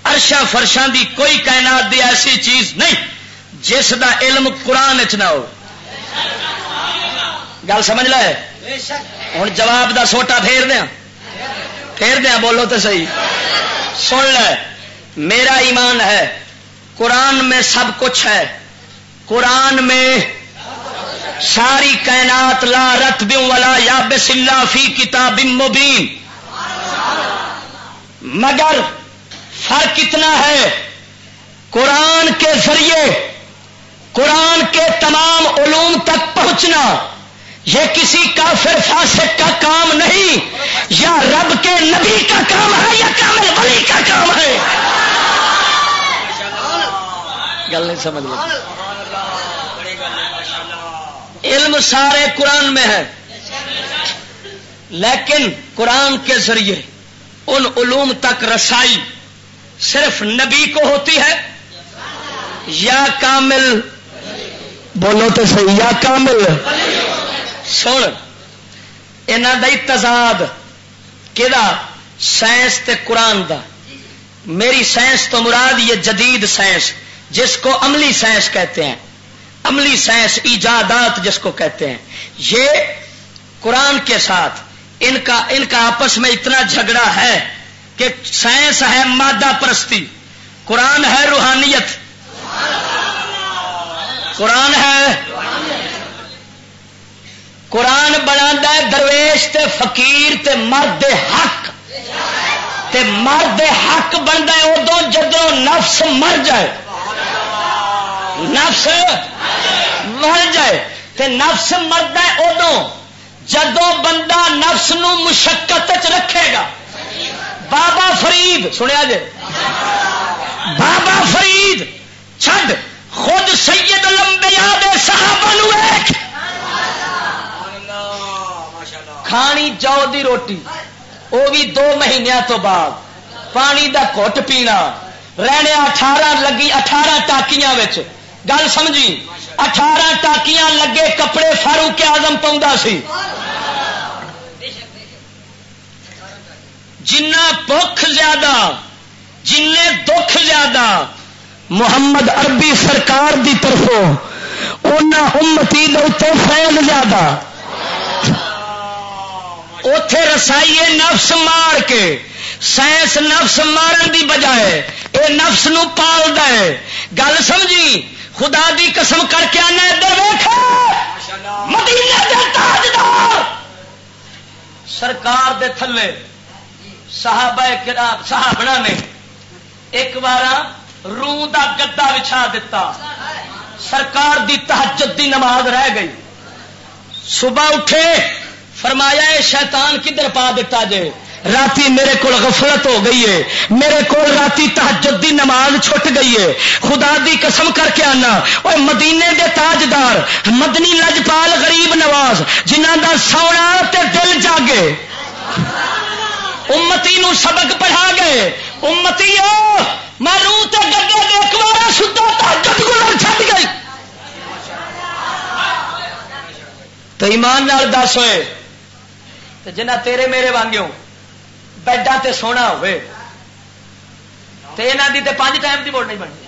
عرشاں فرشاں دی کوئی کائنات دی ایسی چیز نہیں جس دا علم قرآن وچ نہ ہو۔ گل سمجھ لے؟ ہن جواب دا سوٹا پھیر دیاں، پھیر دیاں، بولو تے صحیح۔ سن لے، میرا ایمان ہے، قرآن میں سب کچھ ہے۔ قرآن میں ساری کائنات، لا رطب ولا یابس الا فی کتاب مبین۔ مگر فرق اتنا ہے، قرآن کے ذریعے قرآن کے تمام علوم تک پہنچنا، یہ کسی کافر فاسق کا کام نہیں، یا رب کے نبی کا کام ہے، یا کامل ولی کا کام ہے۔ گل نہیں سمجھ لگی۔ علم سارے قرآن میں ہے، لیکن قرآن کے ذریعے ان علوم تک رسائی صرف نبی کو ہوتی ہے یا کامل؟ بولو تو صحیح، یا کامل؟ سن، انہاں دا ہی تضاد کہڑا؟ سائنس تے قرآن دا۔ میری سائنس تو مراد یہ جدید سائنس، جس کو عملی سائنس کہتے ہیں، عملی سائنس، ایجادات جس کو کہتے ہیں، یہ قرآن کے ساتھ ان کا، ان کا آپس میں اتنا جھگڑا ہے کہ سائنس ہے مادہ پرستی، قرآن ہے روحانیت۔ قرآن ہے، قرآن بناندا ہے درویش تے فقیر تے مرد حق، تے مرد حق بندا ہے ادوں جدوں نفس مر جائے۔ نفس مر جائے، تے نفس مردا ہے ادوں جدوں بندہ نفس نو مشقت وچ رکھے گا۔ بابا فرید، سنیا جے؟ بابا فرید چھڈ، خود سید الانبیاء دے صحابہ نو ویکھ۔ کھانی جو دی روٹی، او بھی دو مہینیاں تو بعد، پانی دا گھٹ پینا، رہنے اٹھارہ لگی، اٹھارہ ٹاکیاں وچ۔ گل سمجھی؟ اٹھارہ ٹاکیاں لگے کپڑے فاروق اعظم پاؤندا سی۔ جنہ بھکھ زیادہ، جنہ دکھ زیادہ، محمد عربی سرکار دی طرفوں انہاں امتی دے اُتے فیض زیادہ۔ اوتھے رسائی ہے نفس مار کے، سائنس نفس مارن دی بجائے اے نفس نو پالدا ہے۔ گل سمجھی؟ خدا دی قسم کر کے آنا، ادھر ویکھ، مدینے دے تاجدار سرکار دے تھلے صحابہ کرام، صحابنا نے ایک بار روح دا گدا وچھا دتا۔ سرکار دی تہجد دی نماز رہ گئی۔ صبح اٹھے، فرمایا، "اے شیطان کدھر پا دتا جے؟ راتی میرے کول غفلت ہو گئی ہے، میرے کول راتی تہجد دی نماز چھٹ گئی ہے۔" خدا دی قسم کر کے آنا، اوے مدینے دے تاجدار، مدنی لجپال غریب نواز، جنہاں دا سونا تے دل جاگے، امتی نو سبق پڑھا گئے۔ امتی او، میں روح تے گدے دے اکوارا ستا تہجد گزر چھڈ گئی۔ تے ایمان نال دس ہوئے، تے جنہ تیرے میرے وانگیوں بیڈاں تے سونا ہوئے، تے انہاں دی تے پنج ٹائم دی ووٹ نہیں بننی۔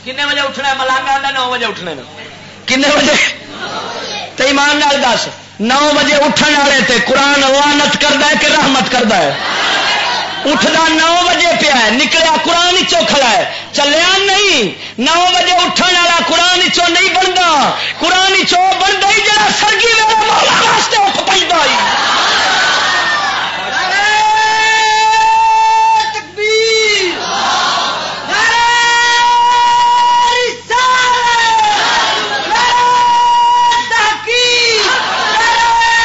کنے بجے اٹھنا ہے؟ ملانگا آندا نو بجے اٹھنے نے۔ کنے بجے؟ تے ایمان نال دس، نو بجے اٹھن والے تے قرآن لعنت کردا ہے کہ رحمت کردا ہے؟ اٹھدا نو بجے پیا ہے، نکلیا قرآن چوں کھڑا ہے، چلیا نہیں۔ نو بجے اٹھن والا قرآن چوں نہیں بندا، قرآن چوں بندا ہی جڑا سرگی ویلے مولا واسطے اٹھ پیندا ہی۔ تکبیر! نعرہ رسالت! نعرہ تحقیق! نعرہ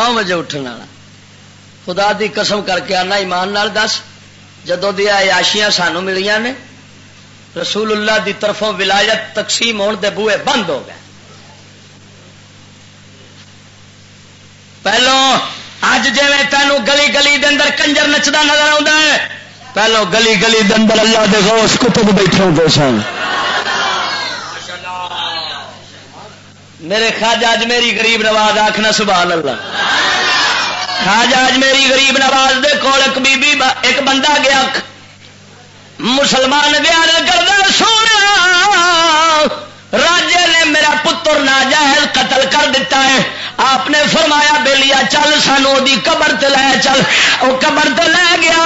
نو بجے اٹھن والا۔ خدا دی قسم کر کے آنا، ایمان نال دس، جدوں دی عیاشیاں سانوں ملیاں نے، رسول اللہ دی طرفوں ولایت تقسیم ہون دے بوئے بند ہو گئے۔ پہلو، اج جویں تینوں گلی گلی دے اندر کنجر نچدا نظر آوندا ہے، پہلو گلی گلی دے اندر اللہ دے غوث کتب بیٹھے ہوندے سن۔ میرے خواجہ اج میری غریب نواز، آکھنا سبحان اللہ۔ خواجہ اج میری غریب نواز دے کول ایک بی بی با-، ایک بندہ گیا، مسلمان گیا، عرض کردا، "سونا، راجے نے میرا پتر ناجائز قتل کر دیتا ہے۔" آپ نے فرمایا، "بیلیا، چل، سانو دی قبر تے لے چل۔" او قبر تے لے گیا۔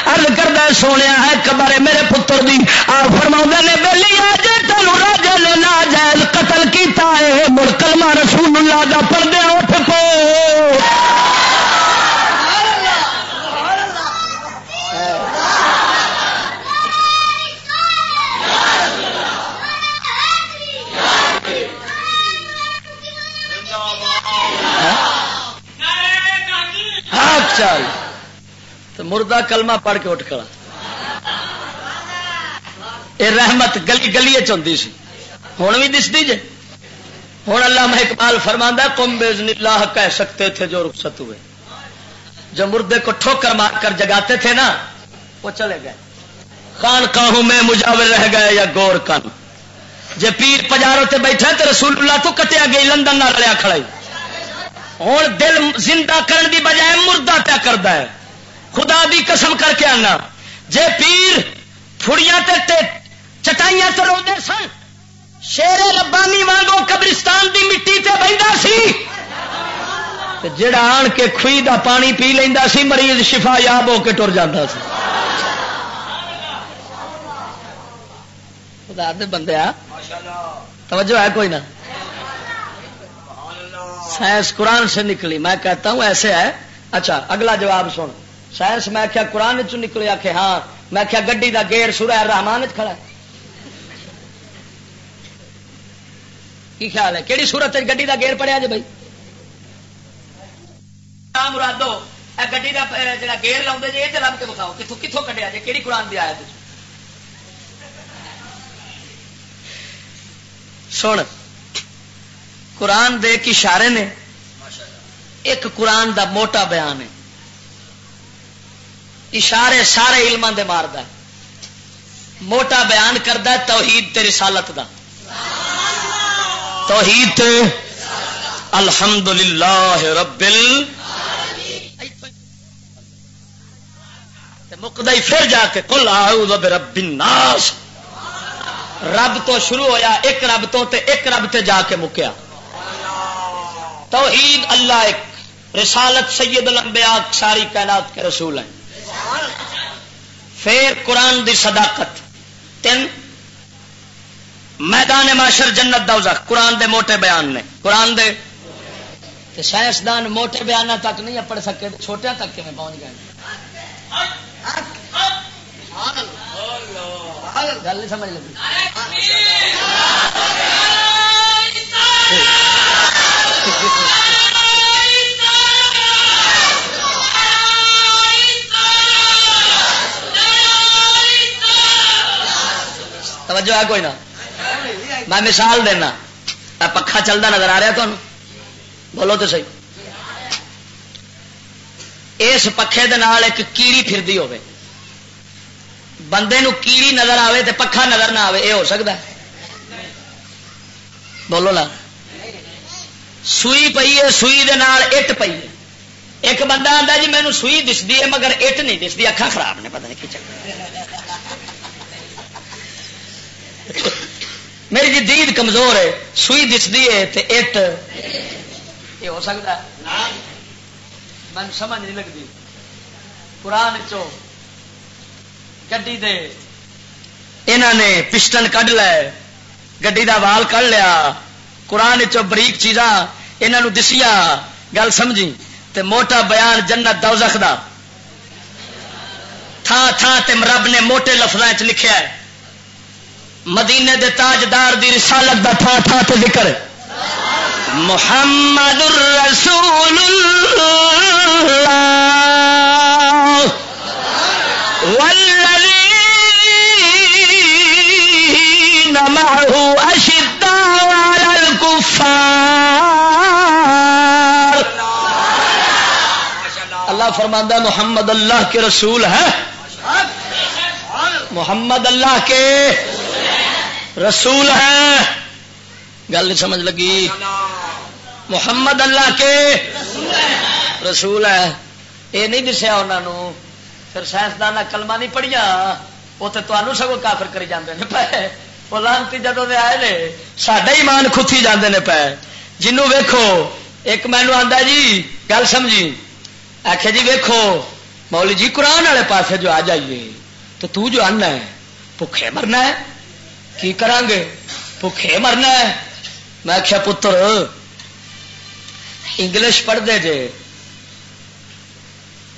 عرض کردا، "سونیا، اے قبر ہے میرے پتر دی۔" آپ فرماؤندے نے، "بیلیا، جے تینوں راجے نے ناجائز قتل کیتا ہے، مڑ کلمہ رسول اللہ دا پڑھ دے، اٹھ پو۔" ہاں؟ ہاں، چل۔ تو مردہ کلمہ پڑھ کے اٹھ کھڑا۔ اے رحمت گلی گلی چ ہوندی سی، ہن وی دسدی جے۔ ہن علامہ اقبال فرماندا، "قم باذن اللہ کہہ سکتے تھے جو رخصت ہوئے۔" جو مردے کو ٹھوکر مار کر جگاتے تھے نا، وہ چلے گئے۔ خانقاہوں میں مجاور رہ گئے یا گور کن۔ جے پیر پجاروں تے بیٹھا تے رسول اللہ تو کٹیا گئی، لندن نال رلیا کھڑا ہی۔ ہن دل زندہ کرن دی بجائے مردہ پیا کردا ہے۔ خدا دی قسم کر کے آنا، جے پیر پھڑیاں تے، تے چٹائیاں تے روندے سن، شیر ربانی وانگو قبرستان دی مٹی تے بہندا سی، تے جڑا آن کے کھوئی دا پانی پی لیندا سی، مریض شفا یاب ہو کے ٹر جاندا سی۔ خدا دے بندے آ، توجہ ہے کوئی نہ؟ سائنس قرآن سے نکلی، میں کہتا ہوں ایسے ہے۔ اچھا، اگلا جواب سن۔ سائنس، میں کیا قرآن چ نکلے؟ آکھے ہاں۔ میں کیا گڈی دا گیئر سورہ الرحمان وچ کھڑا ہے؟ کی خیال ہے، کیڑی سورت وچ گڈی دا گیئر پڑیا جے بھائی؟ آ مرادو، اے گڈی دا، اے، جڑا گیئر لاوندے جے، اے تے لب کے بتاؤ، کتھوں، کتھوں کڈیا جے، کیڑی قرآن دی آیت وچ؟ سن، قرآن دے ایک اشارے نے، ایک قرآن دا موٹا بیان ہے۔ اشارے سارے علماں دے ماردا ہے۔ موٹا بیان کردا ہے توحید تے رسالت دا۔ توحید تے الحمدللہ رب ال-، تے مکدا ہی پھر جا کے قل اعوذ برب الناس۔ رب تو شروع ہویا، ایک رب تو تے ایک رب تے جا کے مکیا۔ توحید اللہ ایک، رسالت سید الانبیاء، ساری کائنات کے رسول ہیں۔ پھر قرآن دی صداقت، تین، میدان محشر، جنت، دوزخ، قرآن دے موٹے بیان نے۔ قرآن دے تے سائنسدان موٹے بیاناں تک نہیں پڑھ سکے، تے چھوٹیاں تک کیویں پہنچ گئے؟ گل نہیں سمجھ لگی۔ توجہ ہے کوئی نہ؟ میں مثال دینا، اے پکھا چلدا نظر آ رہا تمہیں؟ بولو تو صحیح۔ اس پکھے دے نال ایک کیڑی پھردی ہوے، بندے نو کیڑی نظر آوے تے پکھا نظر نہ آوے، اے ہو سکدا ہے؟ بولو نا۔ سوئی پئی ہے، سوئی دے نال اٹ پئی ہے۔ ایک بندہ آندا، "جی، مینوں سوئی دسدی ہے، مگر اٹ نہیں دسدی، اکھاں خراب نے، پتہ نہیں کی چکر ہے۔ میری جی دید کمزور ہے، سوئی دسدی ہے تے اٹ۔" یہ ہو سکتا ہے؟ مینوں سمجھ نہیں لگدی۔ قرآن چوں گڈی دے انہاں نے پسٹن کڈ لے، گڈی دا وال کڈ لیا، قرآن چوں بریک چیزاں انہاں نوں دسیاں، گل سمجھی؟ تے موٹا بیان جنت دوزخ دا تھاں تھاں تے رب نے موٹے لفظاں چ لکھیا ہے۔ مدینے دے تاجدار دی رسالت دا تھاں تھاں تے ذکر ہے۔ محمد رسول اللہ والذین معه اشداء علی الکفار۔ اللہ فرماندا ہے، محمد اللہ کے رسول ہیں، محمد اللہ کے رسول ہیں۔ گل نہیں سمجھ لگی؟ محمد اللہ کے رسول ہے۔ یہ نہیں دسیا انہاں نوں۔ پھر سائنسدان کلمہ نہیں پڑھیا، وہ تو تمہوں سگوں کافر کری جاندے نے پے۔ وہ لعنتی جدوں دے آئے نے، ساڈا ایمان کھتی جاندے نے پے۔ جنوں ویکھو، ایک مینوں آندا جی، گل سمجھی، آکھیا جی ویکھو، مولوی جی قرآن والے پاسے جو آ جائیے تو تو جو آنا ہے، بھکھے مرنا ہے، کی کراں گے؟ بھکھے مرنا ہے۔ میں آکھیا پتر، انگلش پڑھ دے جے،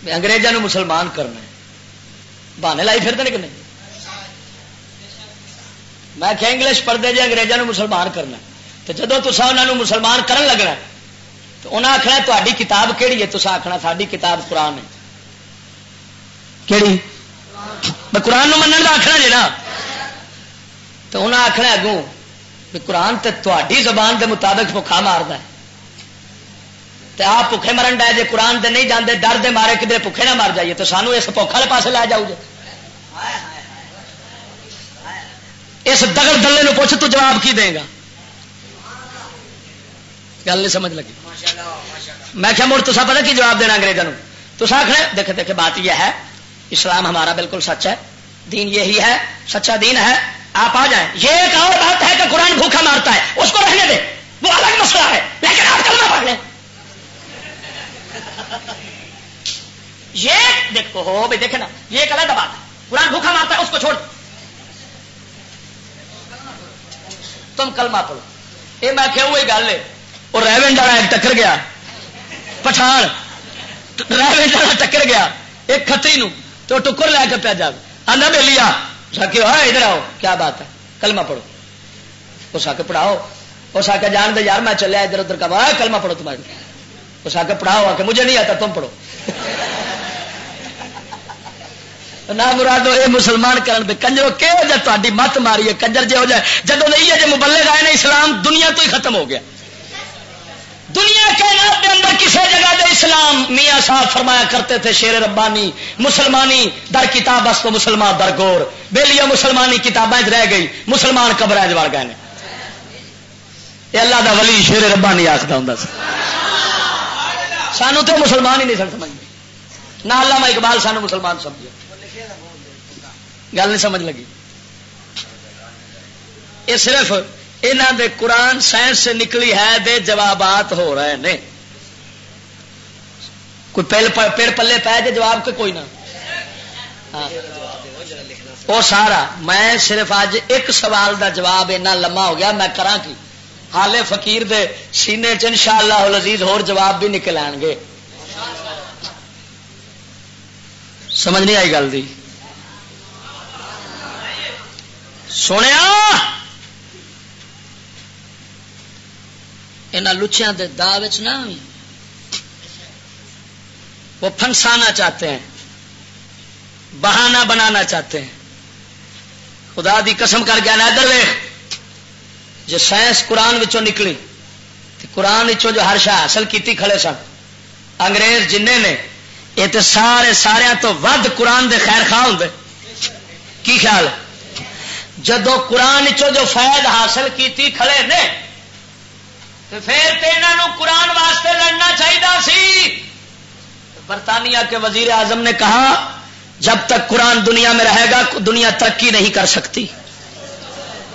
انگریزاں نوں مسلمان کرنا ہے، بہانے لائی پھر دے کہ نہیں؟ میں آکھیا انگلش پڑھ دے جے، انگریزاں نوں مسلمان کرنا ہے۔ تو جدوں تساں انہاں نوں مسلمان کرن لگنا ہے، تو انہاں آکھنا تہاڈی کتاب کیڑی ہے؟ تساں آکھنا ساڈی کتاب قرآن ہے۔ کیڑی؟ میں قرآن نوں منن دا آکھنا جے نا، تو انہاں آکھنا اگوں کہ قرآن تے تہاڈی زبان دے مطابق بھکھا ماردا ہے۔ تے آپ بھکھے مرن ڈے جے، قرآن دے نہیں جاندے، ڈر دے مارے کدھر بھکھے نہ مر جائیے، تو سانو اس بھوک والے پاسے لے جاؤ جے۔ اس دگڑ دلے نو پوچھ، تو جواب کی دیں گا؟ گل نہیں سمجھ لگی۔ میں کہا، مڑ تسا پتہ کی جواب دینا انگریزاں نو؟ تسا آخنا، دیکھے، دیکھے، بات یہ ہے، اسلام ہمارا بالکل سچ ہے، دین یہی ہے، سچا دین ہے، آپ آ جائیں۔ یہ ایک اور بات ہے کہ قرآن بھوکا مارتا ہے، اس کو رہنے دیں، وہ الگ مسئلہ ہے، لیکن آپ کلمہ پڑھ لیں۔ یہ دیکھو، ہو بھائی، دیکھے نا، یہ ایک علیحدہ بات ہے۔ قرآن بھوکا مارتا ہے، اس کو چھوڑ۔ تم کلمہ پڑھو۔ یہ میں کہا، وہی گل ہے۔ وہ ریونڈ والا ایک ٹکر گیا، پٹھان ریونڈ والا ٹکر گیا ایک کھتری نو، تو ٹکر لے کے پیا جاوے۔ آندا، "بے لیا۔" اس آکھیا، "ہائے، ادھر آؤ، کیا بات ہے، کلمہ پڑھو۔" اس آکھیا، "پڑھاؤ۔" اس آکھیا، "جان دے یار، میں چلیا ادھر ادھر کا۔" "ہائے، کلمہ پڑھو تمہارے۔" اس آکھیا، "پڑھاؤ۔" آکھیا، "مجھے نہیں آتا، تم پڑھو۔" نہ مرادو، اے مسلمان کرن دے کنجرو، کہو جا تہاڈی مت ماری ہے، کنجر جے ہو جائے۔ جدوں دے ایہہ جے مبلغ آئے نے، اسلام دنیا تو ہی ختم ہو گیا۔ دنیا کائنات دے اندر کسے جگہ دے اسلام، میاں صاحب فرمایا کرتے تھے، شیر ربانی، مسلمانی در کتاب است و مسلمان در گور۔ بیلیا مسلمانی کتاباں وچ رہ گئی، مسلمان قبراں وچ وڑ گئے نے۔ اے اللہ دا ولی شیر ربانی آکھدا ہوندا سی۔ سانو تے مسلمان ہی نہیں سن سمجھدے۔ نہ علامہ اقبال سانو مسلمان سمجھے۔ گل نہیں سمجھ لگی۔ یہ صرف انہاں دے قرآن سائنس سے نکلی ہے دے جوابات ہو رہے نے۔ کوئی پل-، پ-، پڑ پلے پے جے جواب کے کوئی نہ۔ ہاں۔ وہ سارا، میں صرف اج ایک سوال دا جواب اینا لمحہ ہو گیا، میں کراں کی؟ حالے فقیر دے سینے چ انشاءاللہ العزیز ہور جواب بھی نکل آن گے۔ سمجھ نہیں آئی گل دی؟ سنیا، انہاں لچیاں دے داء وچ نہ آویں۔ وہ پھنسانا چاہتے ہیں، بہانہ بنانا چاہتے ہیں۔ خدا دی قسم کر گیا نا، ادھر ویکھ، جے سائنس قرآن وچوں نکلی تے قرآن وچوں جو ہر شے حاصل کیتی کھڑے سن، انگریز جنہیں نے، یہ تے سارے، ساریاں تو ود قرآن دے خیر خواہ ہوندے۔ کی خیال ہے؟ جدوں قرآن وچوں جو فیض حاصل کیتی کھڑے نے، تے پھر تے انہاں نوں قرآن واسطے لڑنا چاہیدا سی۔ برطانیہ کے وزیر اعظم نے کہا، "جب تک قرآن دنیا میں رہے گا، دنیا ترقی نہیں کر سکتی۔"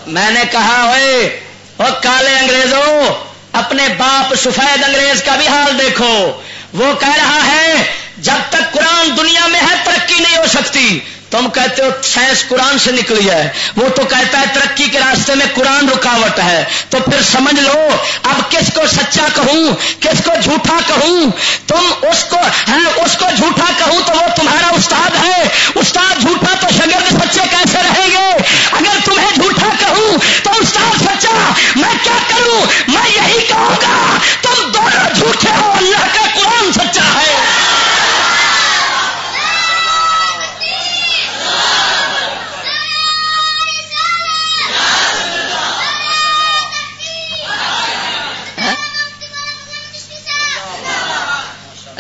میں نے کہا، "اوئے، او کالے انگریزوں، اپنے باپ سفید انگریز کا بھی حال دیکھو۔ وہ کہہ رہا ہے، جب تک قرآن دنیا میں ہے، ترقی نہیں ہو سکتی۔" تم کہتے ہو سائنس قرآن سے نکلی ہے، وہ تو کہتا ہے ترقی کے راستے میں قرآن رکاوٹ ہے۔ تو پھر سمجھ لو، اب کس کو سچا کہوں، کس کو جھوٹا کہوں؟ تم اس کو، ہیں، اس کو جھوٹا کہوں تو وہ تمہارا استاد ہے، استاد جھوٹا تو شاگرد سچے کیسے رہیں گے؟ اگر تمہیں جھوٹا کہوں تو استاد سچا، میں کیا کروں؟ میں یہی کہوں گا،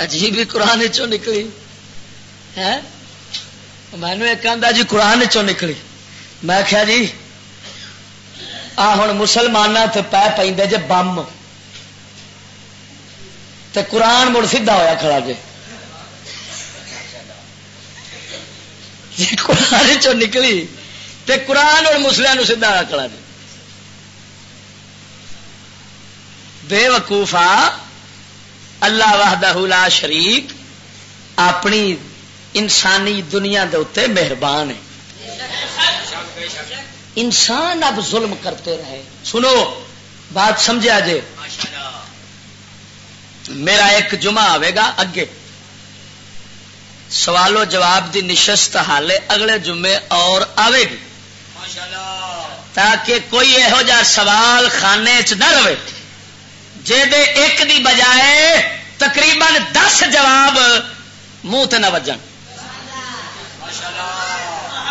عجیب ہی قرآن چوں نکلی ہے۔ مینوں ایک آندا جی قرآن چوں نکلی۔ میں آخیا جی، آ ہن مسلماناں تے پے پیندے جے بم، تے قرآن مڑ سیدھا ہویا کھڑا جے۔ جی قرآن چوں نکلی تے قرآن ہن مسلماناں نوں سیدھا ہویا کھڑا جے۔ بے وقوفا، اللہ وحدہ لا شریک اپنی انسانی دنیا دے اُتے مہربان ہے۔ انسان اب ظلم کرتے رہے۔ سنو، بات سمجھا جے۔ میرا ایک جمعہ آوے گا اگے، سوال و جواب دی نشست حالے اگلے جمعے اور آوے گی، تاکہ کوئی یہو جا سوال خانے چ نہ رہے جے دے ایک دی بجائے تقریباً دس جواب منہ تے نہ وجن۔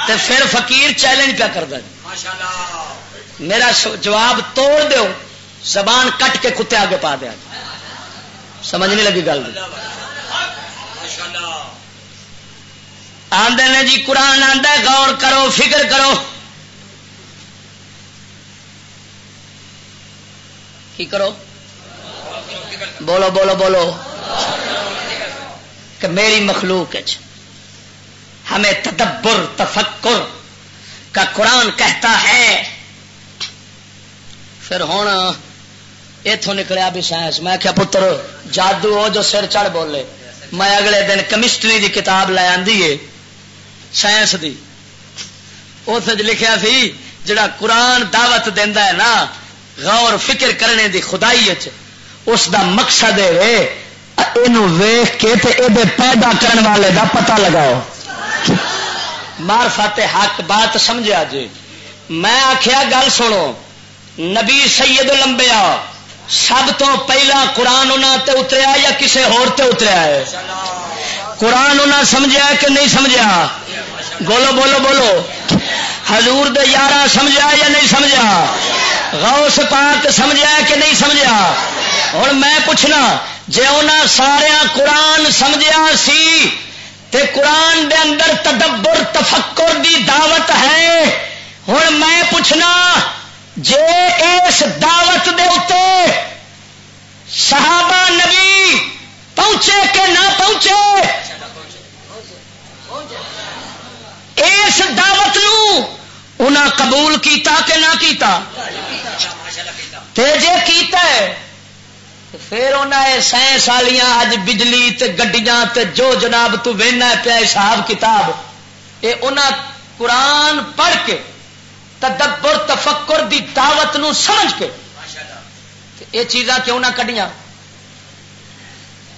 تے پھر فقیر چیلنج پیا کردا جی، میرا س-، جواب توڑ دیو، زبان کٹ کے کتے آگے پا دیا جی۔ سمجھ نہیں لگی گل دی؟ آندے نے جی، قرآن آندا ہے، غور کرو، فکر کرو۔ کی کرو؟ بولو، بولو، بولو۔ کہ میری مخلوق اچ ہمیں تدبر، تفکر کا قرآن کہتا ہے۔ پھر ہن ایتھوں نکلیا بھی سائنس۔ میں کہیا، پتر، جادو ہو جو سر چڑھ بولے۔ میں اگلے دن کیمسٹری دی کتاب لے آندی ہے، سائنس دی۔ اس وچ لکھیا سی، جڑا قرآن دعوت دیندا ہے نا، غور فکر کرنے دی خدائی وچ، اس دا مقصد اے وے، اینو ویکھ کے تے اے دے پیدا کرن والے دا پتہ لگاؤ۔ معرفت حق، بات سمجھیا جی۔ میں آکھیا، گل سنو، نبی سید الانبیاء سب تو پہلا قرآن انہاں تے اتریا یا کسے ہور تے اتریا ہے؟ قرآن انہاں سمجھیا ہے کہ نہیں سمجھیا؟ بولو، بولو، بولو۔ حضور دے یاراں سمجھیا یا نہیں سمجھیا؟ غوث پاک سمجھیا ہے کہ نہیں سمجھیا؟ ہن میں پوچھنا، جے انہاں سارے قرآن سمجھیا سی تے قرآن دے اندر تدبر، تفکر دی دعوت ہے، ہن میں پوچھنا، جے اس دعوت دے اُتے صحابہ نبی پہنچے کہ نہ پہنچے، اس دعوت نو انہاں قبول کیتا کہ نہ کیتا؟ تے جے کیتا ہے، تے پھر انہاں اے سائنس والیاں اج بجلی تے گڈیاں تے جو جناب تو وینا پیا حساب کتاب، اے انہاں قرآن پڑھ کے تدبر تفکر دی دعوت نو سمجھ کے تے اے چیزاں کیوں نہ کڈیاں؟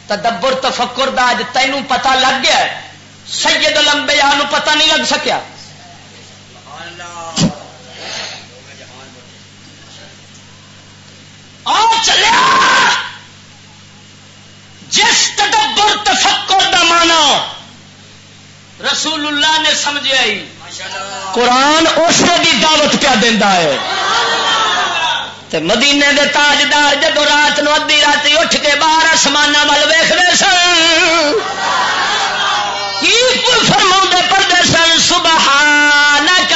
تدبر تفکر دا اج تینوں پتہ لگ گیا ہے، سید الانبیاء نو پتہ نہیں لگ سکیا۔ آ چلیا، جس تدبر تفکر دا معنی رسول اللہ نے سمجھیا ہی، قرآن اس دی دعوت پیا دیندا ہے۔ تے مدینے دے تاجدار جدوں رات نو ادھی راتی اٹھ کے باہر آسماناں ول ویکھدے سن، کی فرماؤندے پڑھدے سن، سبحانک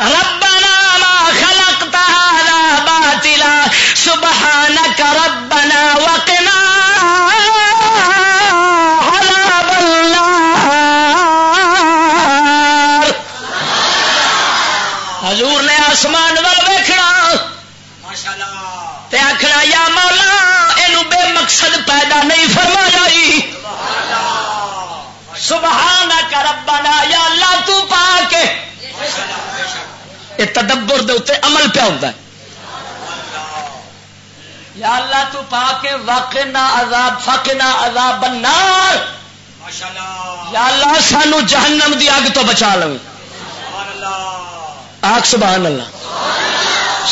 ربنا ما خلقت هذا باطلا، سبحانک ربنا وقنا عذاب النار۔ حضور نے آسمان ول ویکھنا تے آکھنا، یا مولا، اینو بے مقصد پیدا نہیں فرمایا ای۔ سبحانک ربنا، یا اللہ تو پاک ہے۔ یہ تدبر دے اُتے عمل پیا ہوندا ہے۔ یا اللہ تو پاک ہے، وقنا عذاب، فقنا عذاب النار۔ یا اللہ سانو جہنم دی اگ تو بچا لویں۔ آکھ سبحان اللہ۔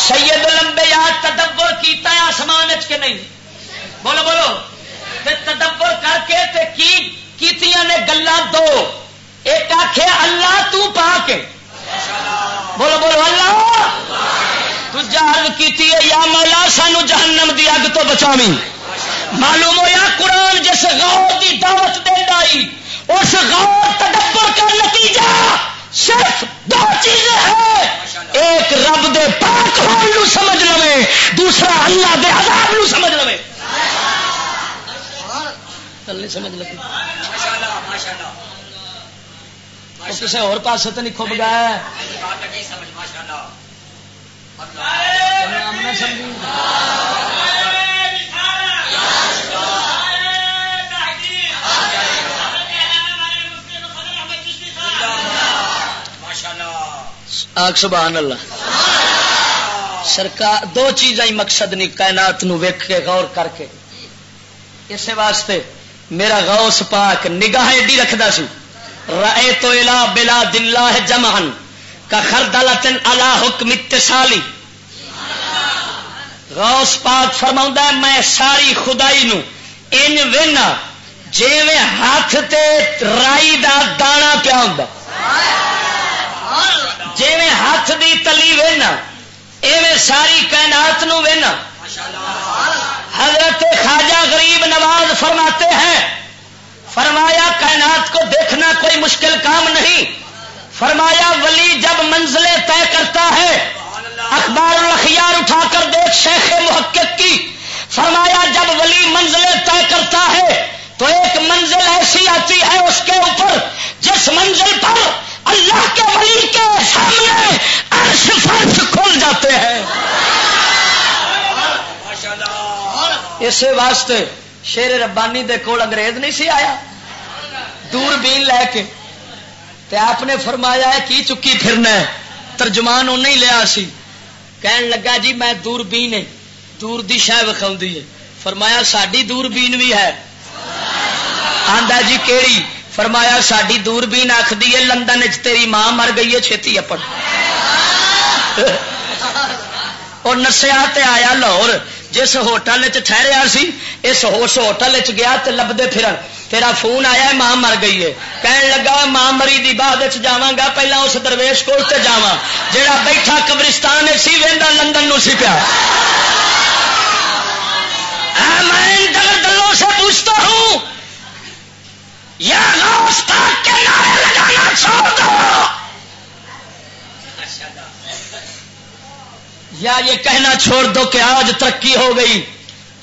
سید الانبیاء تدبر کیتا ہے آسمان اچ کہ نہیں؟ بولو، بولو۔ تے تدبر کر کے تے کی کیتیاں نے گلاں دو؟ ایک آکھے اللہ تو پاک ہے۔ بولو، بولو، اللہ۔ دوجا عرض کیتی ہے، یا مولا سانو جہنم دی اگ تو بچاویں۔ معلوم ہویا، قرآن جس غور دی دعوت دیندا ای، اس غور تدبر کا نتیجہ صرف دو چیزیں ہیں۔ ایک رب دے پاک ہون نو سمجھ لوے، دوسرا اللہ دے عذاب نو سمجھ لوے۔ گل نہیں سمجھ لگی؟ وہ کسے اور پاسے تے نہیں کھب گیا ہے۔ آگ سبحان اللہ۔ سرکار دو چیزاں ہی مقصد نہیں، کائنات نو ویکھ کے، غور کر کے۔ اسے واسطے میرا غوث پاک نگاہ ایڈی رکھدا سی، رأیت الی بلاد اللہ جمعا کخردلۃ علی حکم اتصالی۔ غوث پاک فرماؤندا ہے، میں ساری خدائی نو ان وینا جویں ہاتھ تے رائی دا دانا پیا ہوندا، جویں ہاتھ دی تلی وینا، ایویں ساری کائنات نو وینا۔ حضرت خواجہ غریب نواز فرماتے ہیں، فرمایا، کائنات کو دیکھنا کوئی مشکل کام نہیں۔ فرمایا، ولی جب منزلیں طے کرتا ہے، اخبار الاخیار اٹھا کر دیکھ شیخ محقق کی۔ فرمایا، جب ولی منزلیں طے کرتا ہے تو ایک منزل ایسی آتی ہے اس کے اوپر، جس منزل پر اللہ کے ولی کے سامنے عرش فرش کھل جاتے ہیں۔ اسے واسطے شیر ربانی دے کول انگریز نہیں سی آیا دوربین لے کے، تے آپ نے فرمایا، "ہے کی چکی پھرنا ہے؟" ترجمان انہیں ہی لیا سی۔ کہن لگا، "جی، میں دوربین ہے، دور دی شے وکھاؤندی ہے۔" فرمایا، "ساڈی دوربین بھی ہے۔" آندا، "جی، کیڑی؟" فرمایا، "ساڈی دوربین آکھدی ہے، لندن وچ تیری ماں مر گئی ہے، چھتی اپڑ۔" اور نسیا تے آیا لاہور، جس ہوٹل وچ ٹھہریا سی، اس، اس ہوٹل وچ گیا تے لبدے پھرن، تیرا فون آیا ہے، ماں مر گئی ہے۔ کہن لگا، "ماں مری دی بعد وچ جاواں گا، پہلا اس درویش کول تے جاواں، جیڑا بیٹھا قبرستان وچ سی، ویندا لندن نو سی پیا۔" اے میں ان دغر دلوں سے پوچھتا ہوں، یا غوث پاک کے نعرے لگانا چھوڑ دو، یا یہ کہنا چھوڑ دو کہ آج ترقی ہو گئی،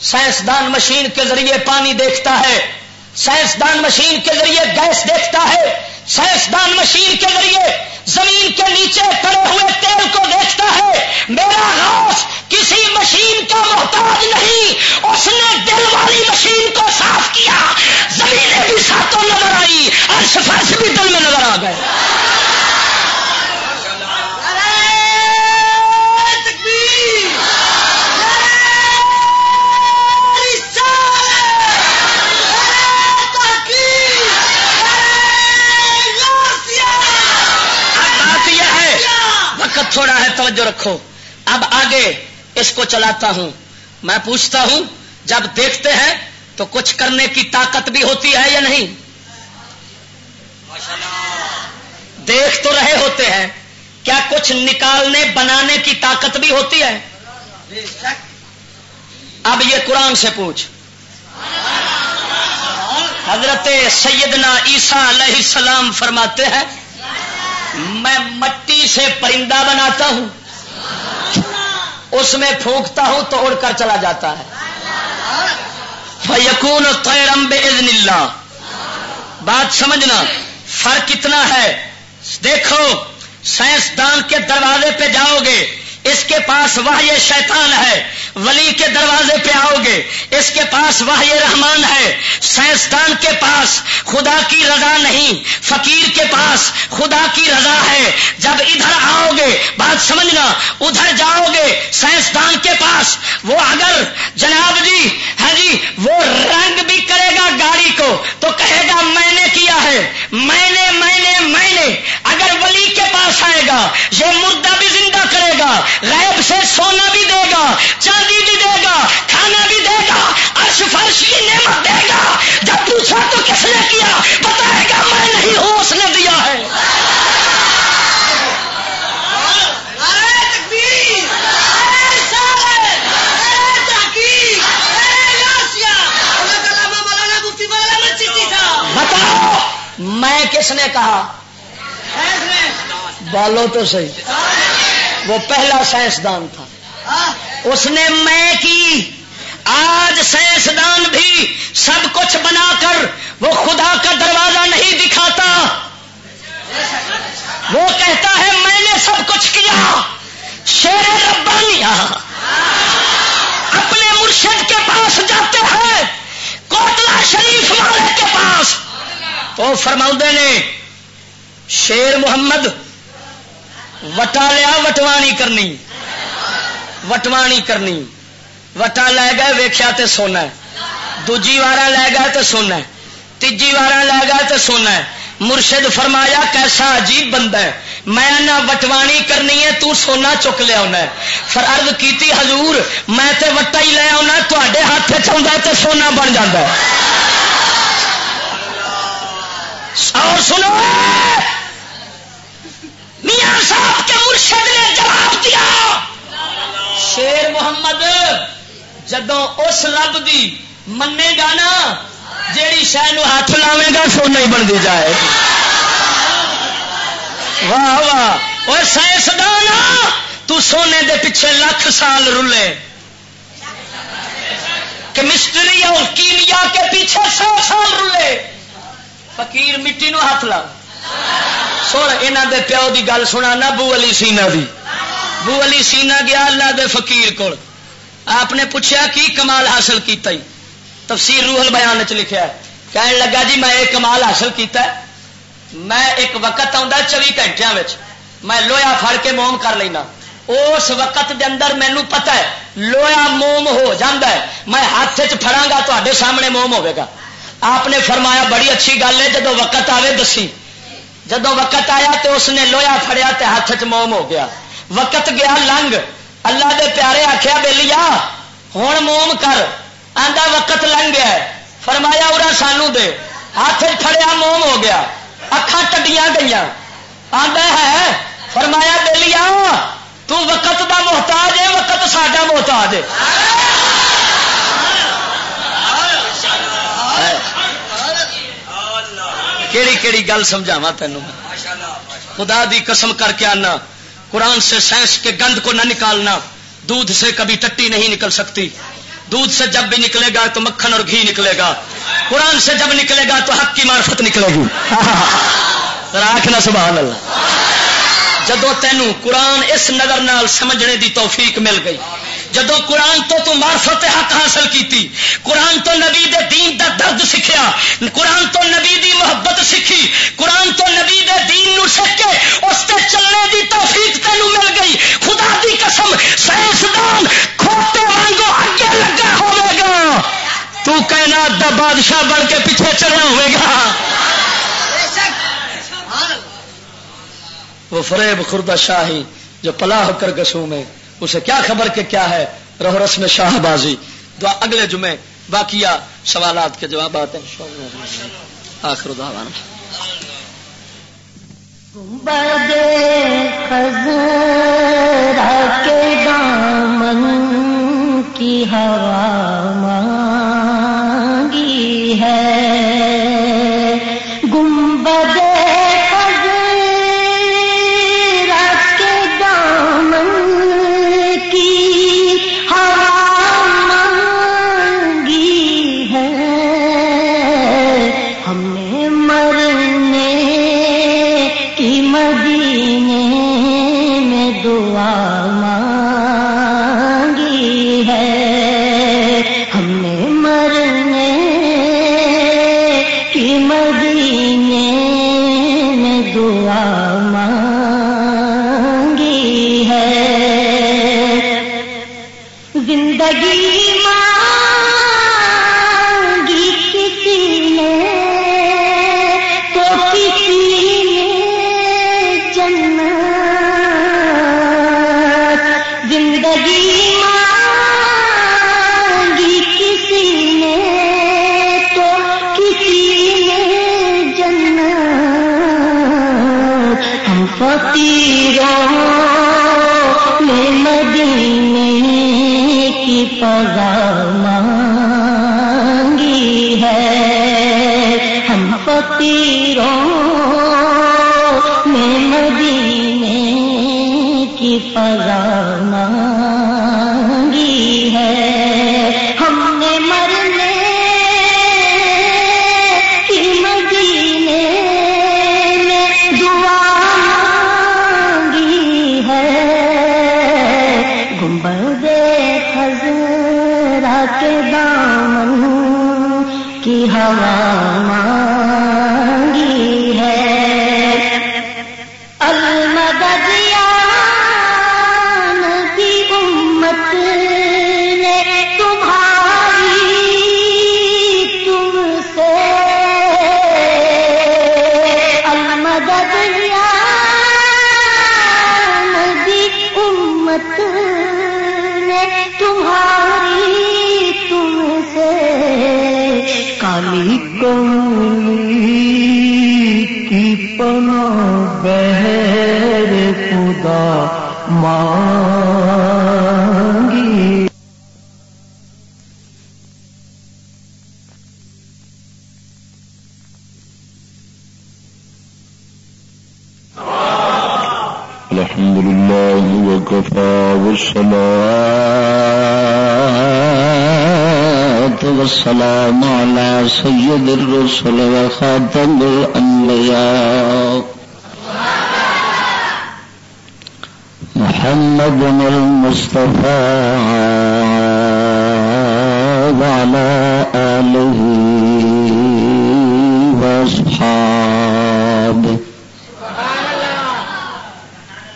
سائنسدان مشین کے ذریعے پانی دیکھتا ہے، سائنسدان مشین کے ذریعے گیس دیکھتا ہے، سائنسدان مشین کے ذریعے زمین کے نیچے پڑے ہوئے تیل کو دیکھتا ہے۔ میرا غوث کسی مشین کا محتاج نہیں، اس نے دل والی مشین کو صاف کیا، زمینیں بھی ساتوں نظر آئی، عرش فرش بھی دل میں نظر آ گئے۔ اب بات یہ ہے، وقت تھوڑا ہے، توجہ رکھو۔ اب آگے اس کو چلاتا ہوں۔ میں پوچھتا ہوں، جب دیکھتے ہیں تو کچھ کرنے کی طاقت بھی ہوتی ہے یا نہیں؟ دیکھ تو رہے ہوتے ہیں، کیا کچھ نکالنے، بنانے کی طاقت بھی ہوتی ہے؟ اب یہ قرآن سے پوچھ۔ حضرت سیدنا عیسیٰ علیہ السلام فرماتے ہیں، میں مٹی سے پرندہ بناتا ہوں، اس میں پھونکتا ہوں تو اڑ کر چلا جاتا ہے۔ فَيَكُونُ طَيْرًا بِإِذْنِ اللَّهِ۔ بات سمجھنا، فرق اتنا ہے۔ دیکھو، سائنسدان کے دروازے پہ جاؤ گے، اس کے پاس وحی شیطان ہے۔ ولی کے دروازے پہ آؤ گے، اس کے پاس وحی رحمان ہے۔ سائنسدان کے پاس خدا کی رضا نہیں، فقیر کے پاس خدا کی رضا ہے۔ جب ادھر آؤ گے، بات سمجھنا، ادھر جاؤ گے سائنسدان کے پاس، وہ اگر جناب جی، ہاں جی، وہ رنگ بھی کرے گا گاڑی کو تو کہے گا، "میں نے کیا ہے، میں نے، میں نے، میں نے۔" اگر ولی کے پاس آئے گا، یہ مردہ بھی زندہ کرے گا، غیب سے سونا بھی دے گا، چاندی بھی دے گا، کھانا بھی دے گا، عرش فرش کی نعمت دے گا۔ جب پوچھا تو کس نے کیا، بتائے گا، "میں نہیں ہوں، اس نے دیا ہے۔" نعرہ تکبیر، نعرہ رسالت، نعرہ تحقیق، نعرہ غوثیہ، کس نے کہا؟ بالو تو صحیح۔ وہ پہلا سائنسدان تھا۔ اس نے میں کی۔ آج سائنسدان بھی سب کچھ بنا کر وہ خدا کا دروازہ نہیں دکھاتا۔ وہ کہتا ہے، میں نے سب کچھ کیا۔ شیر ربانی اپنے مرشد کے پاس جاتے ہیں، کوٹلہ شریف والے کے پاس۔ تو فرماؤندے نے، شیر محمد وٹا لیا، وٹوانی کرنی، وٹوانی کرنی۔ وٹا لے گئے، ویکھیا تے سونا ہے۔ دوجی وارا لے گئے تے سونا ہے۔ تیجی وارا لے گئے تے سونا ہے۔ مرشد فرمایا، کیسا عجیب بندہ ہے، میں نہ وٹوانی کرنی ہے، تو سونا چک لیا ہونا ہے۔ فر عرض کیتی، حضور، میں تے وٹا ہی لے آؤنا، تہاڈے ہاتھ وچ آوندا ہے تے سونا بن جاندا ہے۔ اور سنو، میاں صاحب کے مرشد نے جواب دیا، شیر محمد، جدوں اس رب دی منے گا نا، جیڑی شے نو ہاتھ لاویں گا، سونا ہی بندی جائے۔ واہ واہ۔ اور سائنسدان، تو سونے دے پیچھے لکھ سال رلے، کیمسٹری اور کیمیا کے پیچھے سو سال رلے، فقیر مٹی نو ہاتھ لا۔ سن، انہاں دے پیو دی گل سنا نا، بو علی سینا دی۔ بو علی سینا گیا اللہ دے فقیر کول۔ آپ نے پوچھا، "کی کمال حاصل کیتا ای؟" تفسیر روح البیان وچ لکھیا ہے۔ کہن لگا، "جی، میں ایک کمال حاصل کیتا ہے۔ میں ایک وقت آندا چوی گھنٹیاں وچ، میں لوہا پھڑ کے موم کر لینا۔ اس وقت دے اندر مینوں پتہ ہے، لوہا موم ہو جاندا ہے۔ میں ہاتھ وچ پھڑاں گا، تہاڈے سامنے موم ہوے گا۔" آپ نے فرمایا، "بڑی اچھی گل ہے، جدوں وقت آوے، دسی۔" جدوں وقت آیا تے اس نے لوہا پھڑیا تے ہاتھ وچ موم ہو گیا۔ وقت گیا لنگ۔ اللہ دے پیارے آکھیا، "بیلیا، ہن موم کر۔" آندا، "وقت لنگ گیا ہے۔" فرمایا، "ارا سانو دے۔" ہاتھ وچ پھڑیا، موم ہو گیا، اکھاں ٹڈیاں گئیاں۔ آندا ہے، فرمایا، "بیلیا، تو وقت دا محتاج ہے، وقت ساڈا محتاج ہے۔" کیڑی کیڑی گل سمجھاواں تینوں؟ خدا دی قسم کر کے آنا، قرآن سے سائنس کے گند کو نہ نکالنا۔ دودھ سے کبھی ٹٹی نہیں نکل سکتی، دودھ سے جب بھی نکلے گا تو مکھن اور گھی نکلے گا، قرآن سے جب نکلے گا تو حق کی معرفت نکلے گی۔ ذرا آکھ نا سبحان اللہ۔ جدوں تینوں قرآن اس نظر نال سمجھنے دی توفیق مل گئی، جدوں قرآن تو تو معرفت حق حاصل کیتی، قرآن تو نبی دے دین دا درد سکھیا، قرآن تو نبی دی محبت سکھی، قرآن تو نبی دے دین نو سکھ کے اس تے چلنے دی توفیق تینوں مل گئی۔ خدا دی قسم، سائنسدان کھوتے وانگو اگے لگا ہوے گا، تو کائنات دا بادشاہ بن کے پیچھے چڑھیا ہوے گا۔ وہ فریب خوردہ شاہی جو پلا ہو کر گسوں میں، اسے کیا خبر کہ کیا ہے روح رسم شاہ بازی۔ دعا اگلے جمعے، باقیہ سوالات کے جوابات ہیں۔ آخر دعوانا۔ گنبد خزرا کے دامن کی ہوا مانگی ہے، گنبد خزرا کے دامن کی ہوا مانگی ہے، ہم نے مرنے کی مدینے میں دعا مانگی ہے، ہم نے مرنے کی مدینے میں دعا مانگی ہے۔ زندگی مانگی کسی نے تو کسی نے جنت، زندگی مانگی کسی نے تو کسی نے جنت، ہم فقیروں نے مدینے کی فضا مانگی ہے، ہم فقیروں فضا مانگی ہے، ہم نے مرنے کی مدینے میں دعا مانگی ہے، گنبد خزرا کے دامن کی ہوا مانگی ہے۔ المدد یا نبی، امت نے تمہاری تم سے۔ المدد یا نبی، امت نے تمہاری تم سے۔ کالی کملی کی پناہ بحر خدا مانگی۔ الحمد لله وكفى، والصلاة والسلام على سيد الرسل وخاتم الأنبياء محمد المصطفى وعلى آله وأصحابه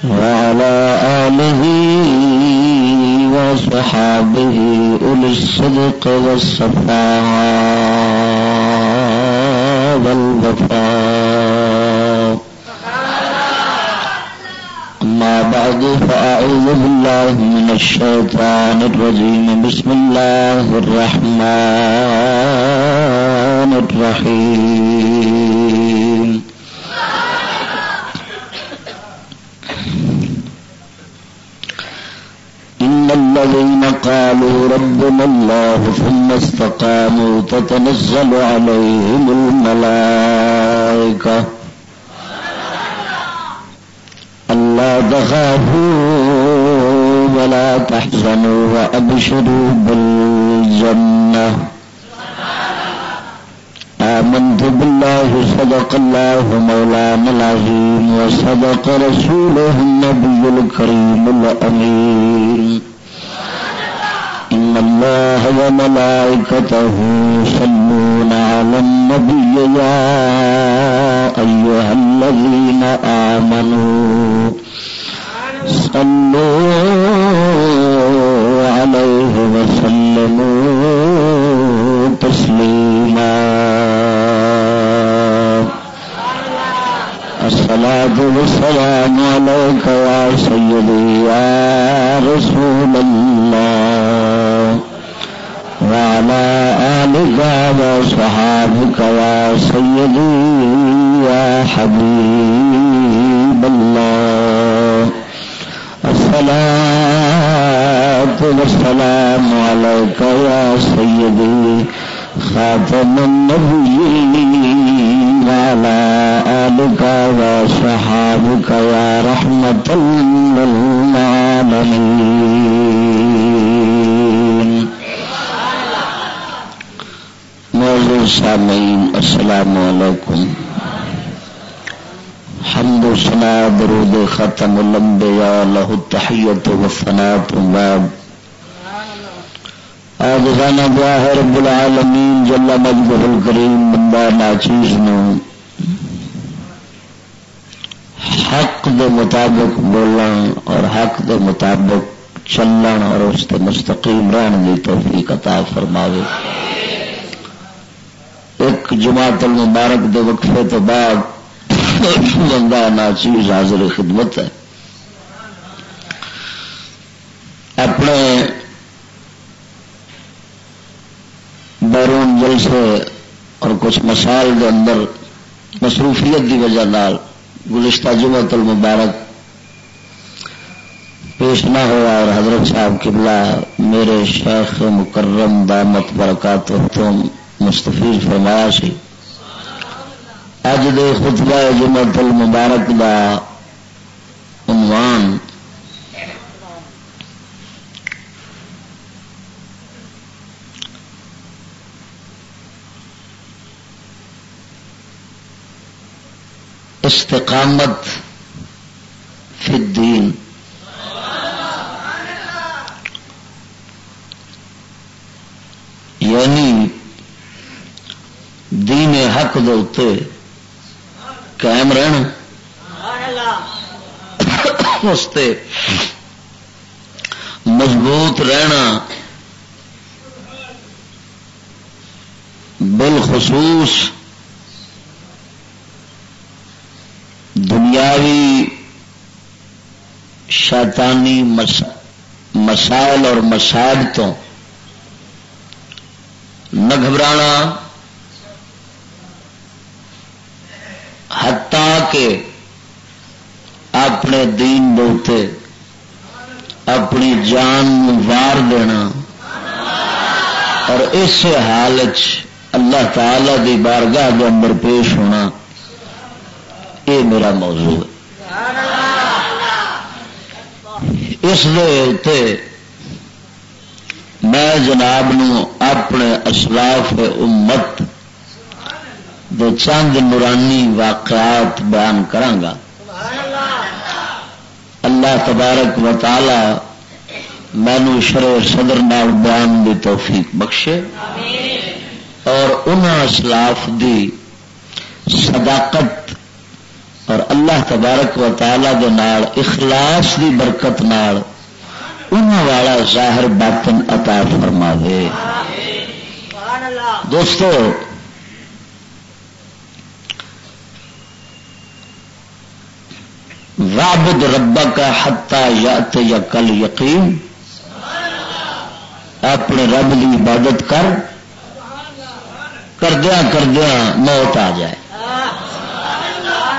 وعلى آله وصحابه أولي الصدق والصفاء والوفاء. أما بعد، فأعوذ بالله من الشيطان الرجيم. بسم الله الرحمن الرحيم. إن الذين قالوا ربنا الله ثم استقاموا تتنزل عليهم الملائكة ألا تخافوا ولا تحزنوا وأبشروا بالجنة. آمنت بالله، صدق الله مولانا العظيم، وصدق رسوله النبي الكريم الأمين. إن الله وملائكته يصلون على النبي، يا أيها الذين آمنوا صلوا عليه وسلموا تسليما. الصلاة والسلام عليك يا سيدي يا رسول الله، وعلى آلك وصحابك يا سيدي يا حبيب الله. الصلاة والسلام عليك يا سيدي خاتم النبيين وعلى آلك وصحابك يا رحمة للعالمين. معزز سامعین، السلام علیکم۔ حمد و ثنا، درود ختم الانبیاء، لہ التحیت و ثنا تو بعد، عاجزانہ دعا ہے رب العالمین جل مجدہ الکریم، بندہ ناچیز نو حق دے مطابق بولن اور حق دے مطابق چلن اور اس تے مستقیم رہن دی توفیق عطا فرماوے۔ ایک جماعت المبارک دے وقفے تو بعد بندہ ناچیز حاضر خدمت ہے۔ اپنے بیرون جلسے اور کچھ مسائل دے اندر مصروفیت دی وجہ نال گزشتہ جمعۃ المبارک پیش نہ ہوا اور حضرت صاحب قبلہ میرے شیخ مکرم دامت برکاتہ تو مستفیض فرمایا سی۔ اج دے خطبہ جمعۃ المبارک دا عنوان استقامت فی الدین، یعنی دین حق دے اُتے قائم رہنا، اس تے مضبوط رہنا، بالخصوص دنیاوی شیطانی مس-، مسائل اور مصائب تو نہ گھبرانا، حتیٰ کہ اپنے دین دے اُتے اپنی جان نوں وار دینا اور اس حال وچ اللہ تعالی دی بارگاہ دے اندر پیش ہونا، یہ میرا موضوع ہے۔ اس دے اُتے میں جناب نوں اپنے اسلاف امت دے چند نورانی واقعات بیان کراں گا۔ اللہ تبارک و تعالی مینوں شرح صدر نال بیان دی توفیق بخشے اور انہاں اسلاف دی صداقت اور اللہ تبارک و تعالی دے نال اخلاص دی برکت نال انہاں والا ظاہر باطن عطا فرماوے۔ دوستو، "واعبد ربک حتی یأتیک الیقین"، اپنے رب دی عبادت کر، کردیاں کردیاں موت آ جائے۔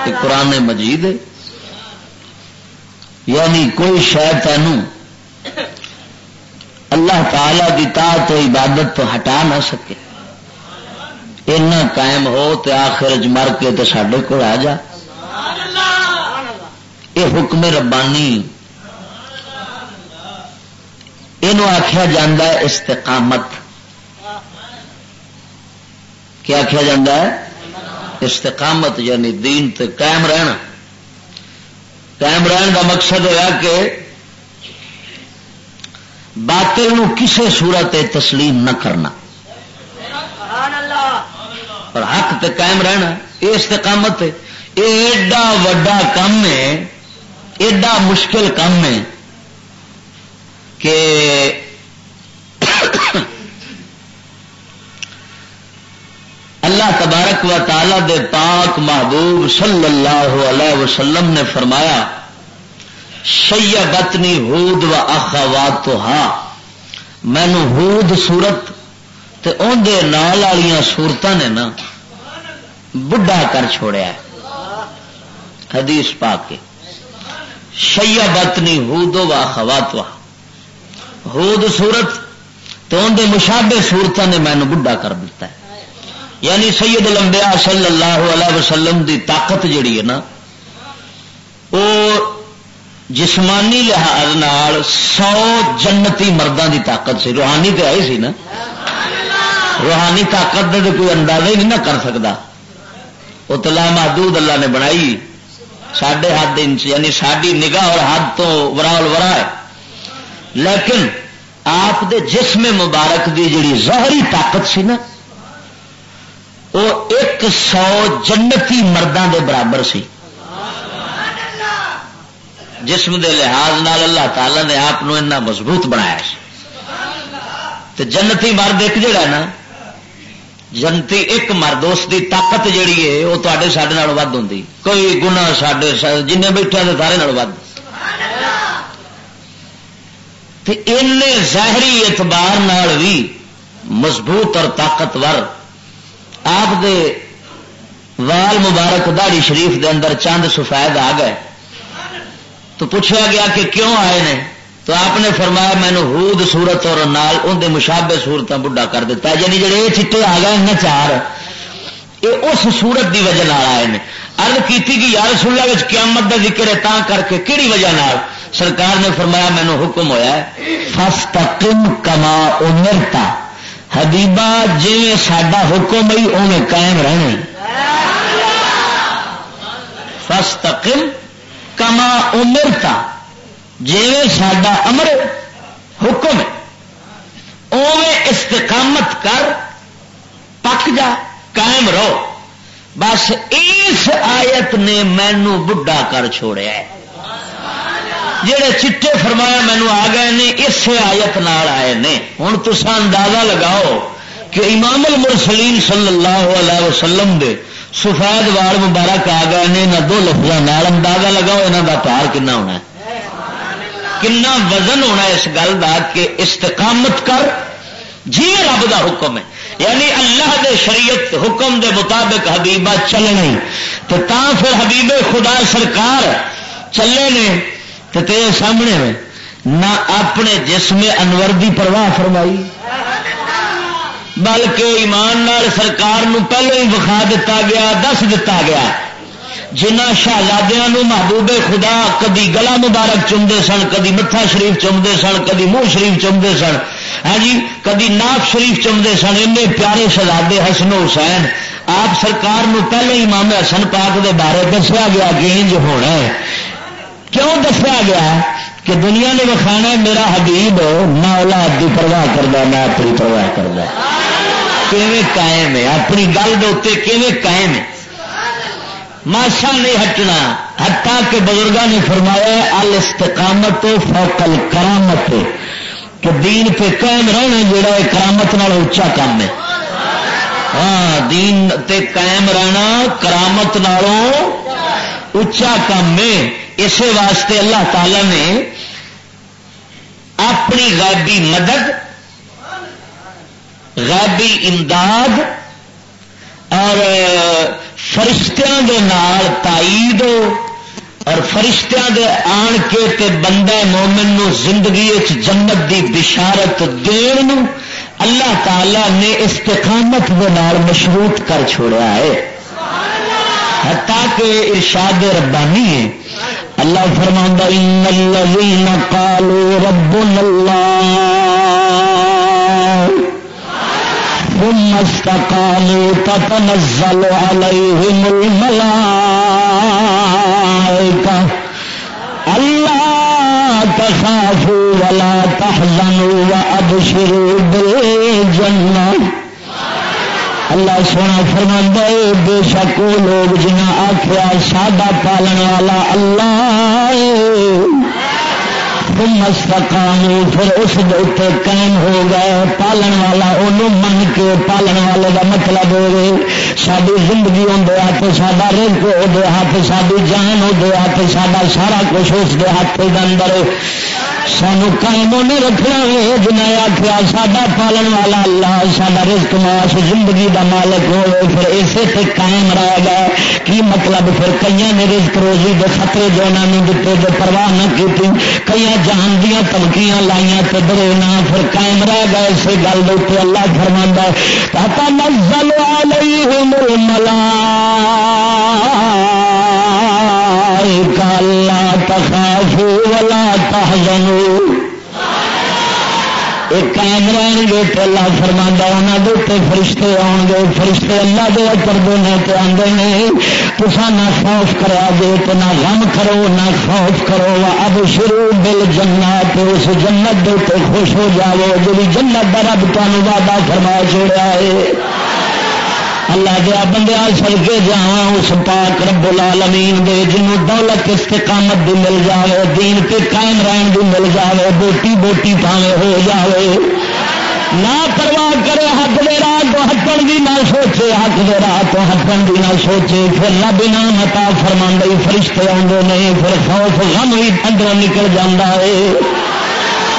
یہ قرآن مجید ہے۔ یعنی کوئی شے تینوں اللہ تعالی دی طاعت و عبادت تو ہٹا نہ سکے۔ اینا قائم ہو تے آخر وچ مر کے تے ساڈے کول آ جا۔ یہ حکم ربانی، اینو آکھیا جاندا ہے استقامت۔ کیا آکھیا جاندا ہے؟ استقامت، یعنی دین تے قائم رہنا۔ قائم رہن دا مقصد ہویا کہ باطل نو کسے صورت تے تسلیم نہ کرنا، پر حق تے قائم رہنا۔ یہ استقامت ہے۔ یہ ایڈا وڈا کم ہے، ایڈا مشکل کم ہے کہ اللہ تبارک و تعالی دے پاک محبوب صلی اللہ علیہ وسلم نے فرمایا، "شیبتنی ہود و اخواتہا"، مینوں ہود سورت تے اون دے نال والیاں سورتاں نے نا بڈھا کر چھوڑیا ہے۔ حدیث پاک ہے، "شیبتنی ہود و اخواتہا"، ہود سورت تے اون دے مشابہ سورتاں نے مینوں بڈھا کر دتا ہے۔ یعنی سید الانبیاء صلی اللہ علیہ وسلم دی طاقت جڑی ہے نا، او جسمانی لحاظ نال سو جنتی مرداں دی طاقت سی، روحانی تے آئی سی نا۔ روحانی طاقت دے تے کوئی اندازہ ہی نہیں نہ کر سکدا۔ وہ تو لامحدود اللہ نے بنائی، ساڈے حد انچ، یعنی ساڈی نگاہ اور حد تو ورا الورا ہے۔ لیکن آپ دے جسم مبارک دی جڑی ظاہری طاقت سی نا، وہ ایک سو جنتی مرداں دے برابر سی۔ جسم دے لحاظ نال اللہ تعالی نے آپ نو اتنا مضبوط بنایا سی۔ تے جنتی مرد ایک جڑا نا، جنتی ایک مرد، اس دی طاقت جڑی ہے، وہ تواڈے ساڈے نال ودھ ہوندی، کئی گنا ساڈے سا-، جنہیں بیٹھے نے سارے نال ودھ۔ تے اینے ظاہری اعتبار نال بھی مضبوط اور طاقتور، آپ دے وال مبارک داڑھی شریف دے اندر چند سفید آ گئے۔ تو پوچھا گیا کہ کیوں آئے نے؟ تو آپ نے فرمایا، "مینوں ہود صورت اور نال اون دے مشابہ صورتاں بڈھا کر دیتا ہے۔" یعنی جڑے یہ چٹے آ گئے نا چار، یہ اس صورت دی وجہ نال آئے نے۔ عرض کیتی کہ یا رسول اللہ، وچ قیامت دا ذکر ہے، تاں کر کے کیڑی وجہ نال؟ سرکار نے فرمایا، "مینوں حکم ہویا ہے، فاستقم کما امرت۔" حبیبا، جویں ساڈا حکم ہے، اوویں قائم رہنا ہے۔ فاستقم کما امرتا، جیویں ساڈا امر، حکم ہے، اوویں استقامت کر، پک جا، قائم رہو۔ بس اس آیت نے مینوں بڈھا کر چھوڑیا ہے۔ جڑے چٹے فرمایا مینوں آ گئے نے، اسے آیت نال آئے نے۔ ہن تساں اندازہ لگاؤ کہ امام المرسلین صلی اللہ علیہ وسلم دے سفید وال مبارک آ گئے نے انہاں دو لفظاں نال۔ اندازہ لگاؤ انہاں دا بھار کنا ہونا ہے، کنا وزن ہونا ہے اس گل دا کہ استقامت کر، جی رب دا حکم ہے۔ یعنی اللہ دے شریعت حکم دے مطابق حبیبہ چلنا ہی۔ تے تاں پھر حبیب خدا سرکار چلے نے، تے تیرے سامنے ہوئے نہ اپنے جسم انور دی پرواہ فرمائی، بلکہ ایمان نال سرکار نو پہلے ہی وکھا دتا گیا، دس دتا گیا۔ جنہاں شہزادیاں نو محبوب خدا کدی گلا مبارک چمدے سن، کدی متھا شریف چمدے سن، کدی منہ شریف چمدے سن، ہاں جی، کدی ناف شریف چمدے سن، اینے پیارے شہزادے حسن و حسین، آپ سرکار نو پہلے امام حسن پاک دے بارے دسیا گیا کہ انج ہونا ہے۔ کیوں دسیا گیا؟ کہ دنیا نے وکھانا ہے میرا حبیب نہ اولاد دی پرواہ کردا، نہ اپنی پرواہ کردا۔ کیویں قائم ہے، اپنی گل دے اُتے کیویں قائم ہے، ماسا نہیں ہٹنا۔ حتیٰ کہ بزرگاں نے فرمایا ہے، الاستقامت فوق الکرامت، کہ دین تے قائم رہنا جڑا ہے کرامت نال اچا کام ہے۔ ہاں، دین تے قائم رہنا کرامت نالوں اچا کام ہے۔ اسے واسطے اللہ تعالی نے اپنی غیبی مدد، غیبی امداد اور فرشتیاں دے نال تائید اور فرشتیاں دے آن کے تے بندہ مومن نو زندگی وچ جنت دی بشارت دین نو اللہ تعالی نے استقامت دے نال مشروط کر چھوڑیا ہے۔ حتیٰ کہ ارشاد ربانی ہے، اللہ فرماندا، ان الذین قالوا ربنا اللہ ثم استقاموا تتنزل عليهم الملائكة ألا تخافوا ولا تحزنوا وأبشروا بالجنة۔ اللہ سونا فرماندا ہے، بے شک وہ لوگ جنہاں آکھیا ساڈا پالن والا اللہ ہے، ثم استقاموا، پھر اس دے اُتے قائم ہو گئے۔ پالن والا اونوں من کے، پالن والے دا مطلب ہوے ساڈی زندگی اوندے ہاتھ، ساڈا رزق اوندے ہاتھ، ساڈی جان اوندے ہاتھ، ساڈا سارا کچھ اس دے ہاتھ دے اندر ہے۔ سانو قائم اونے رکھنا ہے۔ جنہیں آکھیا ساڈا پالن والا اللہ، ساڈا رزق معاش زندگی دا مالک ہوے، پھر اسے تے قائم رہ گئے۔ کی مطلب؟ پھر کئیاں نے رزق روزی دے خطرے جو انہاں نوں دتے، جو پرواہ نہ کیتی، کئیاں جان دیاں دھمکیاں لائیاں تے ڈرے نہ، پھر قائم رہ گئے اسے گل دے اُتے۔ اللہ فرماندا ہے، تتنزل علیہم الملائکہ الا تخافوا ولا تحزنوا۔ ایک قائم رہن گے تے اللہ فرماندا انہاں دے تے فرشتے آن گے، فرشتے اللہ دے اتردے نے تے آندے نے، تساں نہ خوف کریا جے تے نہ غم کرو، نہ خوف کرو، وابشروا بالجنہ، تے اس جنت دے تے خوش ہو جاؤ جڑی جنت دا رب تانوں وعدہ فرما چھوڑیا ہے۔ اللہ دیا بندیاں، صدقے جاواں اس پاک رب العالمین دے، جنوں دولت استقامت دی مل جاوے، دین تے قائم رہن دی مل جاوے، بوٹی بوٹی پاوے ہو جاوے، نہ پرواہ کرے، حق دے راہ تو ہٹن دی نہ سوچے، حق دے راہ تو ہٹن دی نہ سوچے۔ پھر رب انعام عطا فرماندا، فرشتے آندے نے، پھر خوف غم وی اندروں نکل جاندا ہے۔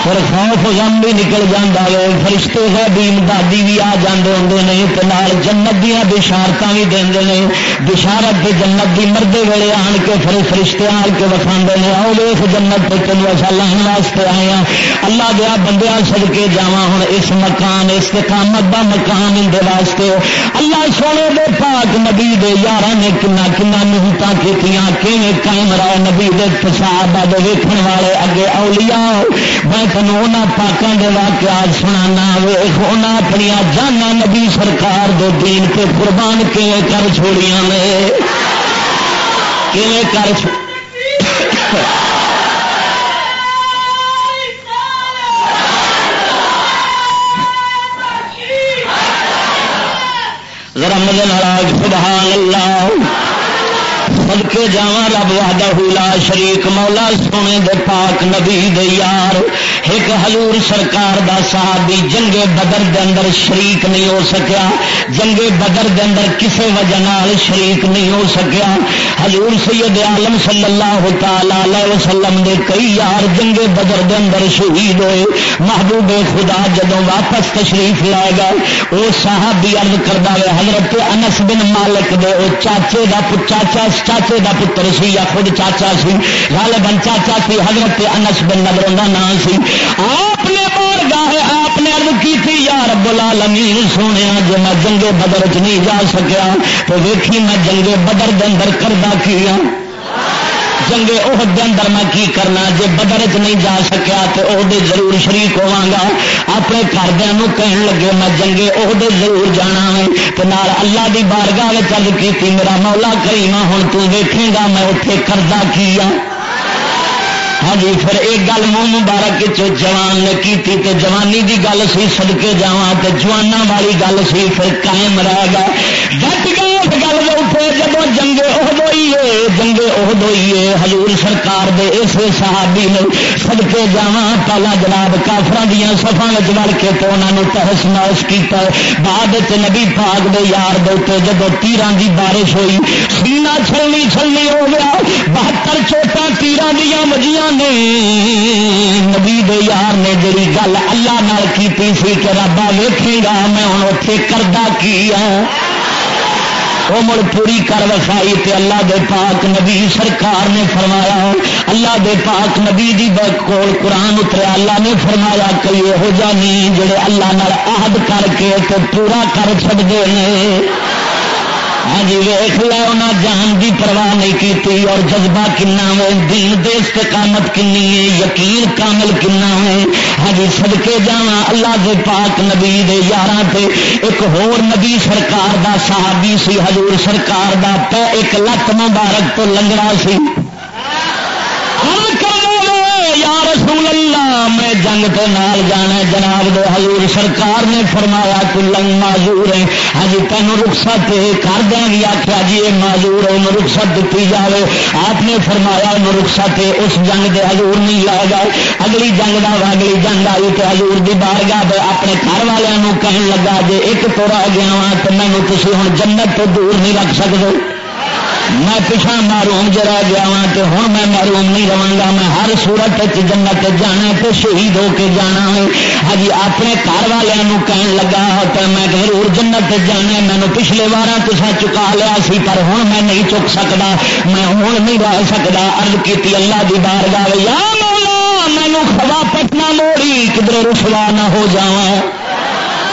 پھر خوف غم بھی نکل جاندا وے، فرشتے غیبی امدادی بھی آ جاندے ہوندے نے، تے نال جنت دیاں بشارتاں بھی دیندے نے۔ بشارت تے جنت دی مردے ویلے آن کے پھر فرشتے آن کے وکھاندے نے، "آؤ ویکھ جنت تے تینوں اساں لان واسطے آئے ہاں۔" اللہ دیا بندیاں، صدقے جاواں، ہن اس مکان استقامت دا مکان اندے واسطے اللہ سونے دے پاک نبی دے یاراں نے کنا کنا محنتاں کیتیاں، کیویں قائم رہے نبی دے صحابہ دے ویکھن والے اگے اولیاء۔ میں تینوں انہاں پاکاں دے واقعات سنانا، ویکھ انہاں اپنیاں جاناں نبی سرکار دے دین تے قربان کیویں کر چھوڑیاں نے۔ کیویں کر چ-، ذرا مزے نال آکھ، سبحان اللہ۔ صدقے جاواں رب وحدہ لا شریک، مولا سونے دے پاک نبی دے یار۔ ایک حضور سرکار دا صحابی جنگ بدر دے اندر شریک نہیں ہو سکیا، جنگ بدر دے اندر کسے وجہ نال شریک نہیں ہو سکیا۔ حضور سید عالم صلی اللہ تعالی علیہ وسلم دے کئی یار جنگ بدر دے اندر شہید ہوئے۔ محبوب خدا جدوں واپس تشریف لے گئے، او صحابی عرض کردا وے، حضرت انس بن مالک دے او چاچے دا پت-، چاچا، چاچے دا پتر سی یا خود چاچا سی، غالباً چاچا سی، حضرت انس بن نضر دا نام سی۔ آپ نے بارگاہ، آپ نے عرض کی تھی، یا رب العالمین سونیا، جے میں جنگ بدر چ نہیں جا سکیا تو ویکھی میں جنگ بدر دے اندر کردا کی ہاں۔ جنگ احد دے اندر میں کی کرنا؟ جے بدر چ نہیں جا سکیا تے احد وچ ضرور شریک ہوواں گا۔ اپنے گھر دیاں نوں کہن لگے، میں جنگ احد وچ ضرور جانا وے۔ تے نال اللہ دی بارگاہ وچ عرض کیتی، میرا مولا کریمہ، ہن تو ویکھیں گا میں اوتھے کردا کی آ۔ ہاں جی، پھر ایک گل منہ مبارک وچ جوان نے کیتی تے جوانی دی گل سی، صدقے جاواں، تے جواناں والی گل سی، پھر قائم رہ گیا۔ ڈٹ گئے اس گل دے اوپر۔ جدوں جنگ احد ہوئی ہے، جنگ احد ہوئی ہے، حضور سرکار دے ایسے صحابی نے، صدقے جاواں، پہلا جناب کافراں دیاں صفاں وچ وڑ کے تے انہاں نوں تہس نہس کیتا۔ بعد وچ نبی پاک دے یار دے اوتے جدوں تیراں دی بارش ہوئی، سینہ چھلنی چھلنی ہو گیا، بہتر چوٹاں تیراں دیاں وجیاں نے۔ نبی دے یار نے جڑی گل اللہ نال کیتی سی کہ ربا ویکھیں گا میں ہن اوتھے کردا کی آ، او مڑ پوری کر وکھائی۔ تے اللہ دے پاک نبی سرکار نے فرمایا، اللہ دے پاک نبی دی ب-، کول قرآن اتریا، اللہ نے فرمایا، کوئی یہو جہا نہیں جڑے اللہ نال عہد کر کے تے پورا کر چھڈدے نے۔ ہاں جی، ویکھ لے، انہاں جان دی پرواہ نہیں کیتی۔ اور جذبہ کنا وے، دین دے استقامت کنی ہے، یقین کامل کنا وے۔ ہاں جی، صدقے جاواں اللہ دے پاک نبی دے یاراں تے۔ ایک ہور نبی سرکار دا صحابی سی، حضور سرکار دا پے ایک لت مبارک تو لنگڑا سی۔ عرض کردا وے، یا رسول اللہ، میں جنگ تے نال جانا ہے۔ جناب دے حضور سرکار نے فرمایا، تو لنگ معذور ہے، ہاں جی، تینوں رخصت ہے۔ گھر دیاں بھی آکھیا جی، اے معذور ہے، انہوں رخصت دتی جاوے۔ آپ نے فرمایا، انہوں رخصت ہے۔ اس جنگ دے حضور نہیں لے گئے۔ اگلی جنگ دا، اگلی جنگ آئی تے حضور دی بارگاہ دے اپنے گھر والیاں نوں کہن لگا، جے ایک تو رہ گیا واں تے مینوں تسی ہن جنت تو دور نہیں رکھ سکدے۔ میں پچھاں محروم جے رہ گیا واں تے ہن میں محروم نہیں رہواں گا، میں ہر صورت وچ جنت وچ جانا ہے تے شہید ہو کے جانا ہے۔ ہاں جی، اپنے گھر والیاں نوں کہن لگا تے میں ضرور جنت وچ جانا ہے، مینوں پچھلے واراں تساں چکا لیا سی پر ہن میں نہیں چک سکدا، میں ہن نہیں رہ سکدا۔ عرض کیتی اللہ دی بارگاہ وچ، یا مولا، مینوں واپس نہ موڑی، کدھر رسوا نہ ہو جاواں۔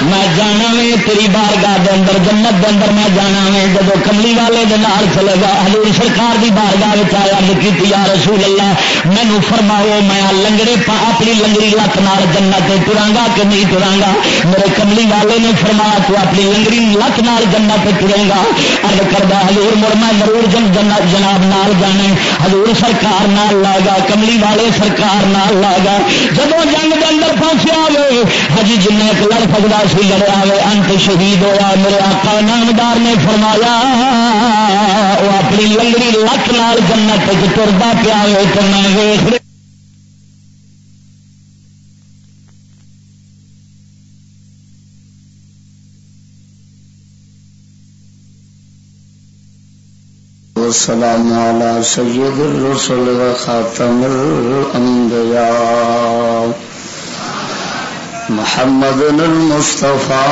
میں جانا وے تیری بارگاہ دے اندر، جنت دے اندر میں جانا وے۔ جدوں کملی والے دے نال چلے گا، حضور سرکار دی بارگاہ وچ آیا، عرض کیتی، یا رسول اللہ، مینوں فرماؤ، میں آ لنگڑے پا-، اپنی لنگڑی لت نال جنت تے ٹراں گا کہ نہیں ٹراں گا؟ میرے کملی والے نے فرمایا، تو اپنی لنگڑی لت نال جنت تے ٹرے گا۔ عرض کردا، حضور، مڑ میں ضرور جن-، جنت جناب نال جانا ہے۔ حضور سرکار نال لے گا، کملی والے سرکار نال لے گا۔ جدوں جنگ دے اندر پہنچیا وے، حجی جنہیں ایک لڑ سکدا سی، لڑیا وے، انت شہید ہویا۔ میرے آقا نامدار نے فرمایا، وہ اپنی لنگڑی لت نال جنت وچ ٹردا پیا وے، تے میں ویکھ والسلام على سيد الرسل وخاتم الأنبياء محمد المصطفى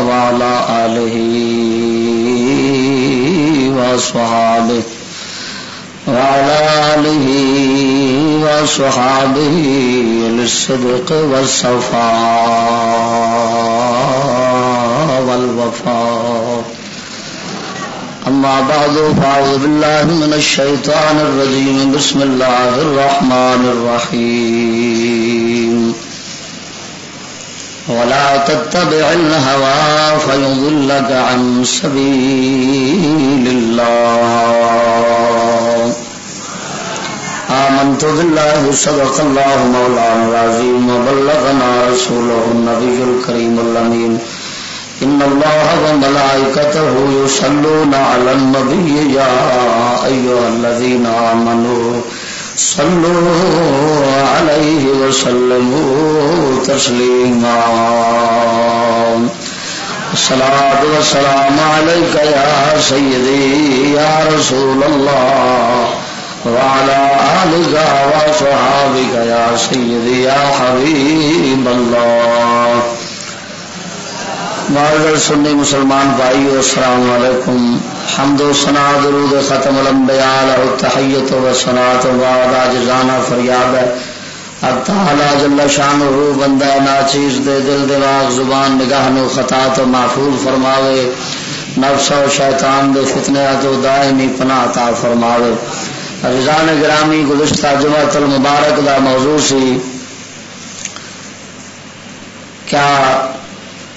وعلى آله وأصحابه وعلى آله وأصحابه للصدق والصفاء والوفاء. أما بعد، فأعوذ بالله من الشيطان الرجيم. بسم الله الرحمن الرحيم. ولا تتبع الهوى فيضلك عن سبيل الله. آمنت بالله، صدق الله مولانا العظيم، وبلغنا رسوله النبي الكريم الأمين. إن الله وملائكته يصلون على النبي، يا أيها الذين آمنوا صلوا عليه وسلموا تسليما. الصلاة والسلام عليك يا سيدي يا رسول الله، وعلى آلك وصحابك يا سيدي يا حبيب الله. معزز سنی مسلمان بھائیو، السلام علیکم۔ حمد و ثنا، درود ختم الانبیاء علیہ التحیت و ثنا تو بعد عاجزانہ فریاد ہے، اللہ تعالیٰ جل شانہ بندہ ناچیز دے دل، دماغ، زبان، نگاہ نو خطا تو محفوظ فرماوے، نفس و شیطان دے فتنیاں تو دائمی پناہ عطا فرماوے۔ عزیزان گرامی، گزشتہ جمعۃ المبارک دا موضوع سی، کیا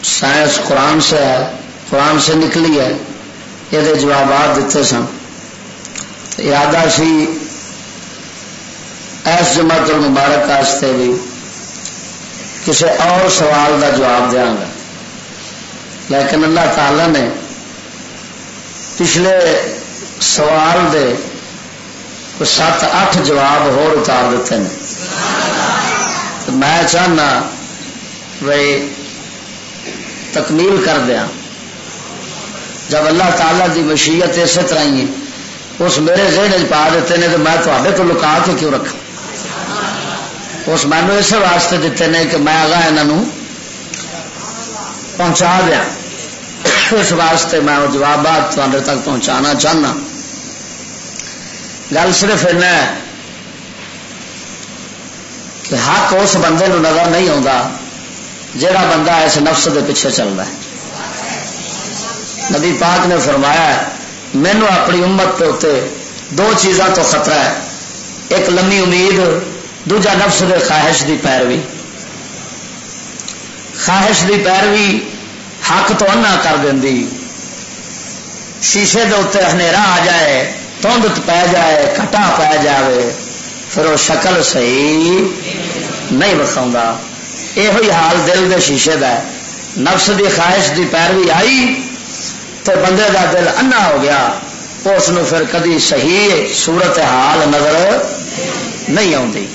سائنس قرآن سے ہے، قرآن سے نکلی ہے؟ یہ دے جوابات دیتے سن۔ ارادہ سی ایس جمعۃ المبارک واسطے بھی کسی اور سوال دا جواب دیاں گا، لیکن اللہ تعالیٰ نے پچھلے سوال دے کوئی ست اٹھ جواب ہور اتار دیتے ہیں۔ تو میں چاہنا بھائی تکمیل کر دیاں۔ جب اللہ تعالیٰ دی مشیت اسی طرح ہی ہے، اس میرے ذہن وچ پا دیتے نے تو میں تہاڈے تو لکا کے کیوں رکھاں؟ اس مینوں اس واسطے دیتے نے کہ میں اگاں انہاں نوں پہنچا دیاں۔ اس واسطے میں وہ جوابات تہاڈے تک پہنچانا چاہنا۔ گل صرف اینا ہے کہ حق اس بندے نوں نظر نہیں آتا جڑا بندہ اس نفس دے پیچھے چلدا ہے۔ نبی پاک نے فرمایا ہے، مینوں اپنی امت دے اُتے دو چیزاں تو خطرہ ہے، ایک لمبی امید، دوجا نفس دے خواہش دی پیروی۔ خواہش دی پیروی حق تو انا کر دیندی۔ شیشے دے اُتے ہنیرا آ جائے، دھند پے جائے، گھٹا پے جاوے، پھر وہ شکل صحیح نہیں وکھاؤندا۔ ایہو ہی حال دل دے شیشے دا ہے۔ نفس دی خواہش دی پیروی آئی تے بندے دا دل انا ہو گیا، اس نوں پھر کدی صحیح صورت حال نظر نہیں آوندی۔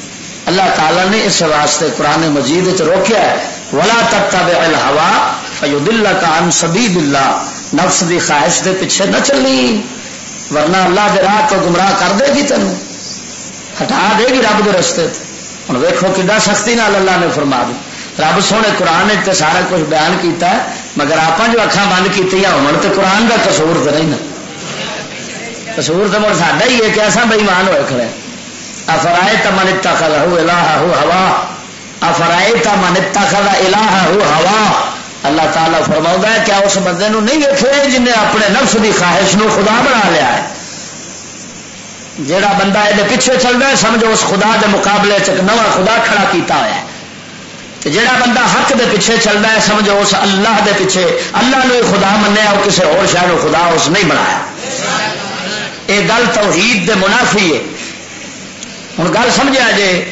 اللہ تعالیٰ نے اس واسطے قرآن مجید وچ روکیا ہے، "ولا تتبع الهوى فيضلك عن سبيل الله"، نفس دی خواہش دے پیچھے نہ چلی، ورنہ اللہ دے راہ تو گمراہ کر دے گی، تینوں ہٹا دے گی رب دے رستے تے۔ ہن ویکھو کڈا سختی نال اللہ نے فرما دی۔ رب سونے قرآن وچ تے سارا کچھ بیان کیتا ہے، مگر آپاں جو اکھاں بند کیتیاں ہون تے قرآن دا قصور تے نہیں نا، قصور تے مڑ ساڈا ہی ہے کہ اساں بے ایمان ہوئے کھڑے۔ افرائیت من اتخذ الہہ ہوا، افرائیت من اتخذ الہہ ہوا۔ اللہ تعالیٰ فرماؤندا ہے، کیا اس بندے نو نہیں ویکھے جن نے اپنے نفس دی خواہش نو خدا بنا لیا ہے؟ جیڑا بندہ اے دے پیچھے چلدا ہے، سمجھو اس خدا دے مقابلے چ ایک نواں خدا کھڑا کیتا ہوا ہے۔ تے جیڑا بندہ حق دے پیچھے چلدا ہے، سمجھو اس اللہ دے پیچھے، اللہ نو ہی خدا منیا، او کسے ہور شے نو خدا اس نہیں بنایا۔ اے گل توحید دے منافی ہے۔ ہن گل سمجھیا جے،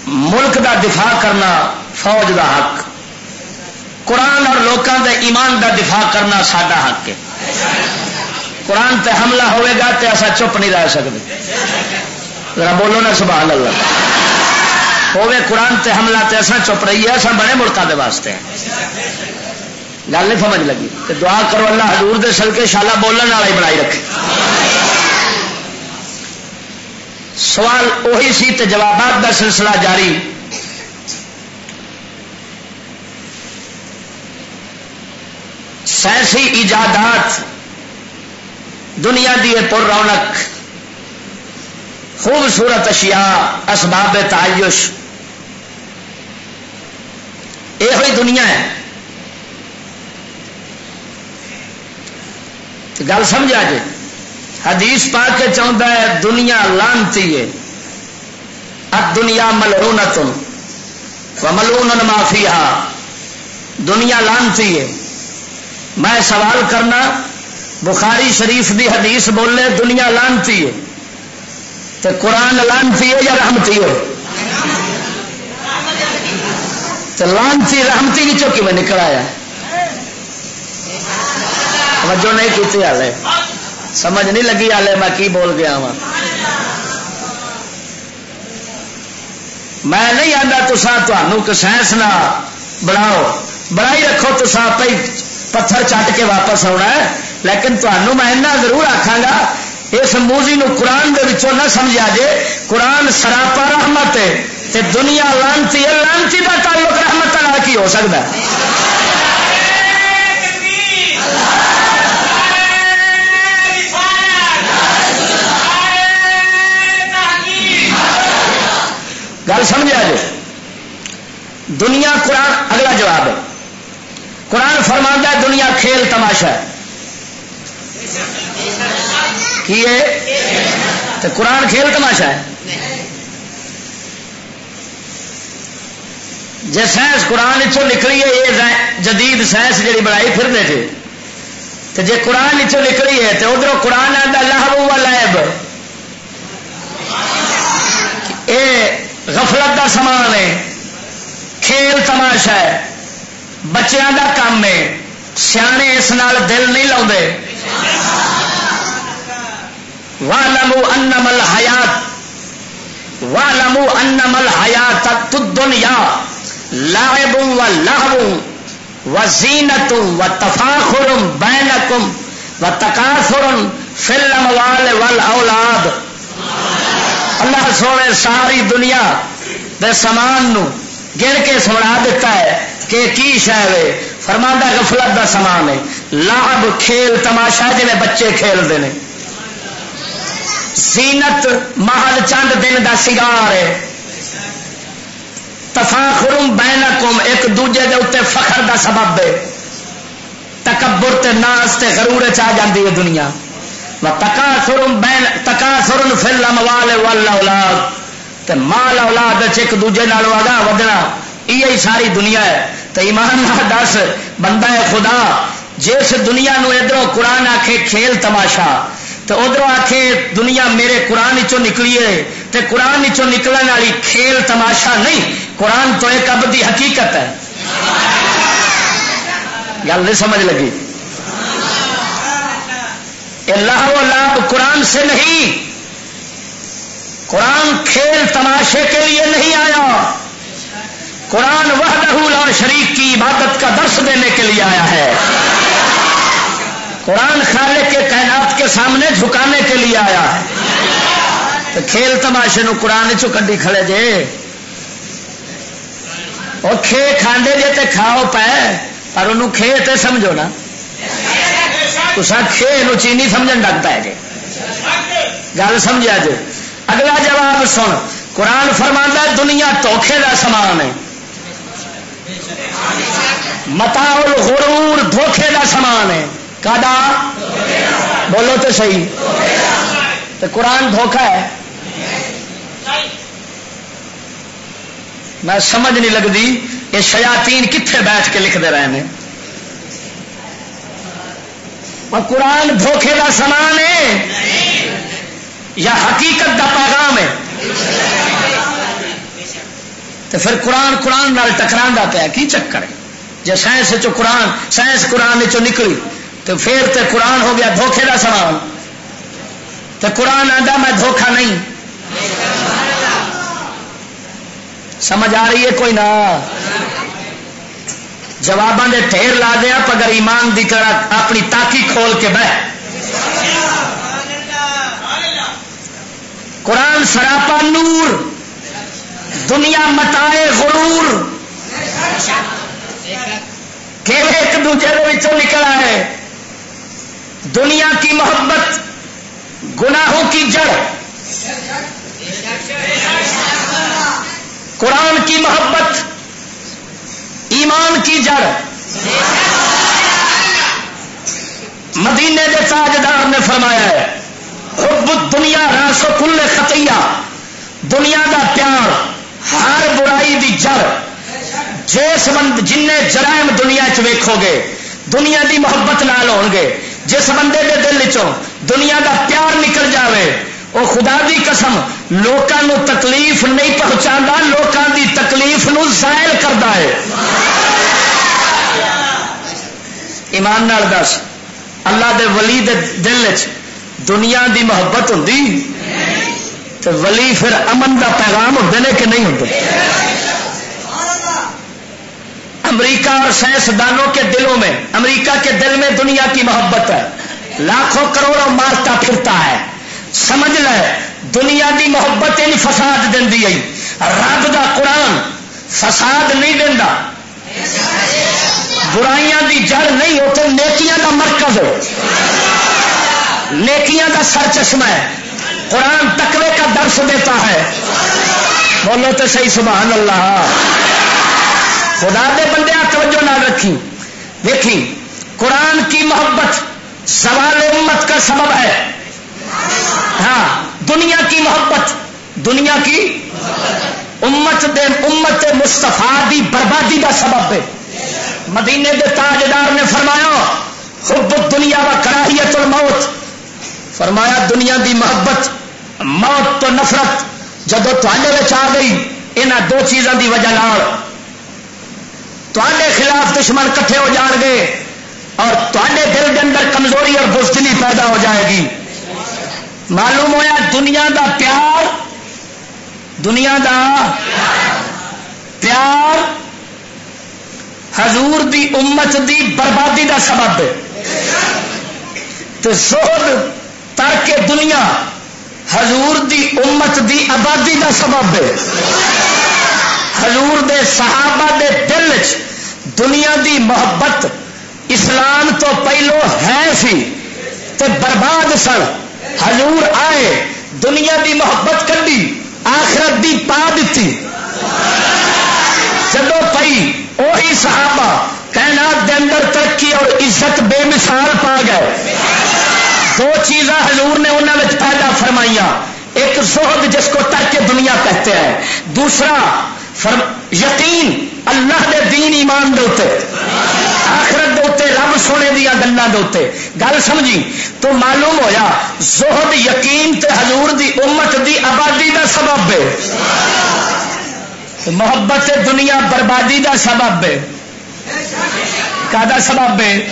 ملک دا دفاع کرنا فوج دا حق، قرآن اور لوکاں دے ایمان دا دفاع کرنا ساڈا حق ہے۔ قرآن تے حملہ ہوئے گا تے اسا چپ نہیں رہ سکدے۔ ذرا بولو نا سبحان اللہ۔ ہوئے قرآن تے حملہ تے اسا چپ رہیے، اسا بڑے ملکاں دے واسطے ہیں۔ گل نہیں سمجھ لگی تے دعا کرو اللہ حضور دے صدقے شالا بولن والا ہی بنائی رکھے۔ سوال اوہی سی تے جوابات دا سلسلہ جاری۔ سائنسی ایجادات، دنیا دی یہ پر رونق، خوبصورت اشیاء، اسباب تعیش، یہ ہوئی دنیا ہے۔ تے گل سمجھا جے، حدیث پاک کے چاہتا ہے، دنیا لعنتی ہے، الدنیا ملعونۃ و ملعون ما فیہا۔ دنیا لانتی ہے۔ میں سوال کرنا، بخاری شریف دی حدیث بولے دنیا لانتی ہے، تے قرآن لانتی ہے یا رحمتی ہے؟ تے لانتی رحمتی وچوں کیویں نکل آیا؟ توجہ نہیں کیتی حالے، سمجھ نہیں لگی حالے میں کی بول گیا ہاں۔ میں نہیں آتا تسا تہانوں کہ سائنس نہ بناؤ، بنائی رکھو، تسا آپ ہی پتھر چٹ کے واپس آنا ہے، لیکن تہانوں میں اتنا ضرور آکھاں گا، اس موضوع نو قرآن دے وچوں نہ سمجھا جے۔ قرآن سراپا رحمت ہے، تے دنیا لانتی ہے۔ لانتی دا تعلق رحمت نال کی ہو سکدا ہے؟ گل سمجھا جے؟ دنیا قرآن، اگلا جواب ہے، قرآن فرماندا ہے دنیا کھیل تماشا ہے۔ کی ہے؟ تے قرآن کھیل تماشا ہے؟ جے سائنس قرآن وچوں نکلی ہے، یہ جدید سائنس جڑی بنائی پھر دے تھے، تے جے قرآن وچوں نکلی ہے، تے ادھروں قرآن آندا لہو و لعب، اے غفلت دا سامان ہے، کھیل تماشا ہے، بچیاں دا کام ہے، سیانے اس نال دل نہیں لاؤندے۔ وَاعْلَمُوا أَنَّمَا الْحَيَاةُ، وَاعْلَمُوا أَنَّمَا الْحَيَاةُ الدُّنْيَا لَعِبٌ وَلَهْوٌ وَزِينَةٌ وَتَفَاخُرٌ بَيْنَكُمْ وَتَكَاثُرٌ فِي الْأَمْوَالِ وَالْأَوْلَادِ۔ اللہ سونے ساری دنیا دے سامان نو گن کے سمجھا دیتا ہے کہ کی شے ہے۔ فرماندا غفلت دا سامان ہے، لعب، کھیل تماشا، جویں بچے کھیلدے نے۔ زینت محض چند دن دا سنگار ہے۔ تفاخر بینکم، ایک دوجے دے اُتے فخر دا سبب ہے۔ تکبر تے ناز تے غرور چ آ جاندی ہے دنیا۔ و تکاثر بین، تکاثر فی الاموال والاولاد، تے مال اولاد وچ ایک دوجے نالوں اگاں ودنا، ایہی ساری دنیا ہے۔ تے ایمان نال دس، بندہ ہے خدا، جس دنیا نو ادھروں قرآن آکھے کھیل تماشا، تے ادھروں آکھے دنیا میرے قرآن وچوں نکلی ہے، تے قرآن وچوں نکلن والی کھیل تماشا نہیں، قرآن تو ایک ابدی حقیقت ہے۔ گل نہیں سمجھ لگی؟ یہ لہو و لعب قرآن سے نہیں، قرآن کھیل تماشے کے لیے نہیں آیا۔ قرآن وحدہ لا شریک کی عبادت کا درس دینے کے لیے آیا ہے۔ قرآن خالق کے کائنات کے سامنے جھکانے کے لیے آیا ہے۔ تو کھیل تماشے نو قرآن چوں کڈی کھڑے جے۔ او کھے کھاندے جے تے کھاؤ پے، پر انہوں کھے تے سمجھو نا۔ تساں کھے نو چینی سمجھن لگ پے جے۔ گل سمجھیا جے؟ اگلا جواب سن، قرآن فرماندا ہے دنیا دھوکھے دا سامان ہے۔ متاع الغرور، دھوکھے دا سامان ہے۔ کدا؟ بولو تے صحیح۔ تے قرآن دھوکھا ہے؟ میں سمجھ نہیں لگدی، یہ شیاطین کتھے بیٹھ کے لکھتے رہے نے۔ اور قرآن دھوکھے دا سامان ہے یا حقیقت دا پیغام ہے؟ تو پھر قرآن قرآن نال ٹکراندا پیا، کی چکر ہے؟ جے سائنس چوں قرآن، سائنس قرآن چوں نکلی، تو پھر تے قرآن ہو گیا دھوکھے دا سامان۔ تے قرآن آندا میں دھوکھا نہیں۔ سمجھ آ رہی ہے کوئی نہ؟ جواباں دے ڈھیر لا دے آپ، اگر ایمان دی طرح اپنی تاکی کھول کے بہ۔ قرآن سراپا نور، دنیا متاع غرور۔ کہ ایک دوجے دے وچوں نکل آئے۔ دنیا کی محبت گناہوں کی جڑ، قرآن کی محبت ایمان کی جڑ۔ مدینے دے تاجدار نے فرمایا ہے، حب الدنیا راس کل خطیہ، دنیا دا پیار ہر برائی دی جڑ۔ جس بند جن جرائم دنیا چ ویکھو گے، دنیا دی محبت نال ہون گے۔ جس بندے دے دل چوں دنیا دا پیار نکل جاوے، او خدا دی قسم، لوکاں نو تکلیف نہیں پہنچاندا، لوکاں دی تکلیف نو زائل کردا ہے۔ ایمان نال دس، اللہ دے ولی دے دل وچ دنیا دی محبت ہوندی تے ولی پھر امن دا پیغام ہوندے نے کہ نہیں ہوندے؟ امریکہ اور سائنسدانوں کے دلوں میں، امریکہ کے دل میں دنیا کی محبت ہے، لاکھوں کروڑوں مارتا پھرتا ہے۔ سمجھ لے، دنیا دی محبت ان فساد دیندی ہے۔ رب دا قرآن فساد نہیں دیندا۔ برائیاں دی جڑ نہیں، اتنے نیکیاں دا مرکز ہے، نیکیاں دا سر چشمہ ہے۔ قرآن تقوی کا درس دیتا ہے۔ بولو تو صحیح، سبحان اللہ۔ خدا دے بندے، توجہ نہ رکھی، دیکھی، قرآن کی محبت زوال امت کا سبب ہے۔ ہاں، دنیا کی محبت، دنیا کی امت دے، امت مصطفیٰ دی بربادی دا سبب ہے۔ مدینے دے تاجدار نے فرمایا، "حب الدنیا و کراہیت الموت"، فرمایا، دنیا دی محبت، موت تو نفرت جدوں تہاڈے وچ آ گئی، انہاں دو چیزاں دی وجہ نال تہاڈے خلاف دشمن کٹھے ہو جان گے اور تہاڈے دل دے اندر کمزوری اور بزدلی پیدا ہو جائے گی۔ معلوم ہویا، دنیا دا پیار، دنیا دا پیار حضور دی امت دی بربادی دا سبب ہے۔ تے زہد، ترک دنیا، حضور دی امت دی آبادی دا سبب ہے۔ حضور دے صحابہ دے دل وچ دنیا دی محبت اسلام تو پہلو ہے سی تے برباد سن۔ حضور آئے، دنیا دی محبت کڈی، آخرت دی پا دتی۔ جدوں پئی، اوہی صحابہ کائنات دے اندر ترقی اور عزت بے مثال پا گئے۔ دو چیزاں حضور نے انہاں وچ پیدا فرمائیاں، ایک زہد جس کو ترک دنیا کہتے ہیں، دوسرا فرم-، یقین اللہ دے دین ایمان دے اُتے، آخرت دے اُتے، رب سونے دیاں گلاں دے اُتے۔ گل سمجھی؟ تو معلوم ہویا، زہد یقین تے حضور دی امت دی آبادی دا سبب ہے۔ محبت دنیا بربادی دا سبب ہے۔ کادا سبب ہے؟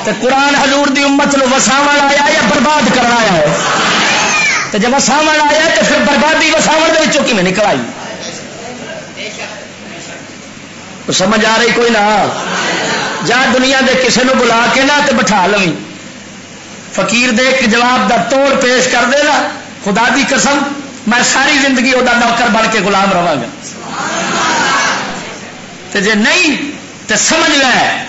تے قرآن حضور دی امت نو وساون آیا یا برباد کرن آیا ہے؟ تے جے وساون آیا تے پھر بربادی وساون دے وچوں کیویں نکل آئی؟ سمجھ آ رہی کوئی نہ؟ جا دنیا دے کسے نو بلا کے نہ تے بٹھا لویں۔ فقیر دے ایک جواب دا توڑ پیش کر دے نا، خدا دی قسم، میں ساری زندگی او دا نوکر بن کے غلام رہواں گا۔ تے جے نہیں، تے سمجھ لے،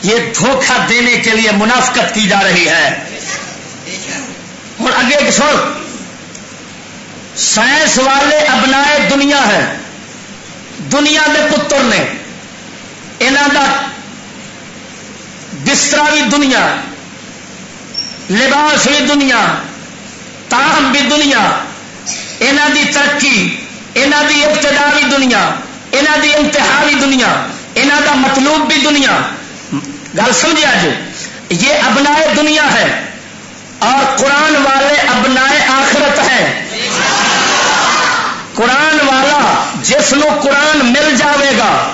یہ دھوکہ دینے کے لیے منافقت کی جا رہی ہے۔ ہن اگے ایک سن، سائنس والے ابنائے دنیا ہیں، دنیا دے پتر نے، انہاں دا بسترا بھی دنیا، لباس بھی دنیا، تاہم بھی دنیا، انہاں دی ترقی، انہاں دی ابتدا بھی دنیا، انہاں دی انتہا بھی دنیا، انہاں دا مطلوب بھی دنیا۔ گل سمجھیا جی؟ یہ ابنائے دنیا ہے اور قرآن والے ابنائے آخرت ہیں۔ قرآن والا جس نو قرآن مل جاوے گا،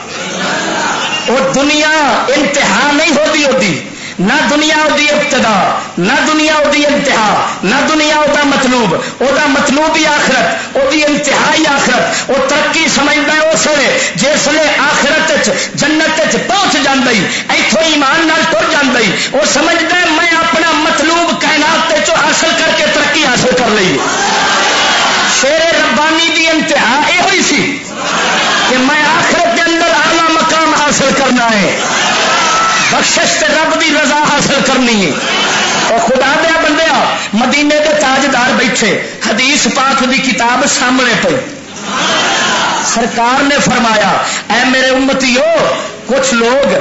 وہ دنیا انتہا نہیں ہوتی ہوتی، نہ دنیا دی ابتدا، نہ دنیا دی انتہا، نہ دنیا دا مطلوب۔ او دا مطلوب ہی آخرت، او دی انتہا ہی آخرت۔ او ترقی سمجھدا ہے اس ویلے جس ویلے آخرت وچ، جنت وچ پہنچ جاندا ہے، ایتھوں ایمان نال ٹر جاندا ہے۔ او سمجھدا ہے میں اپنا مطلوب کائنات وچوں حاصل کر کے ترقی حاصل کر لئی۔ شیر ربانی دی انتہا یہ ہوئی سی کہ میں آخرت دے اندر اعلیٰ مقام حاصل کرنا ہے، بخشش تے رب دی رضا حاصل کرنی ہے۔ اور خدا دیا بندیا، مدینے دے تاجدار بیٹھے، حدیث پاک دی کتاب سامنے پئی۔ سرکار نے فرمایا، اے میرے امتیو، کچھ لوگ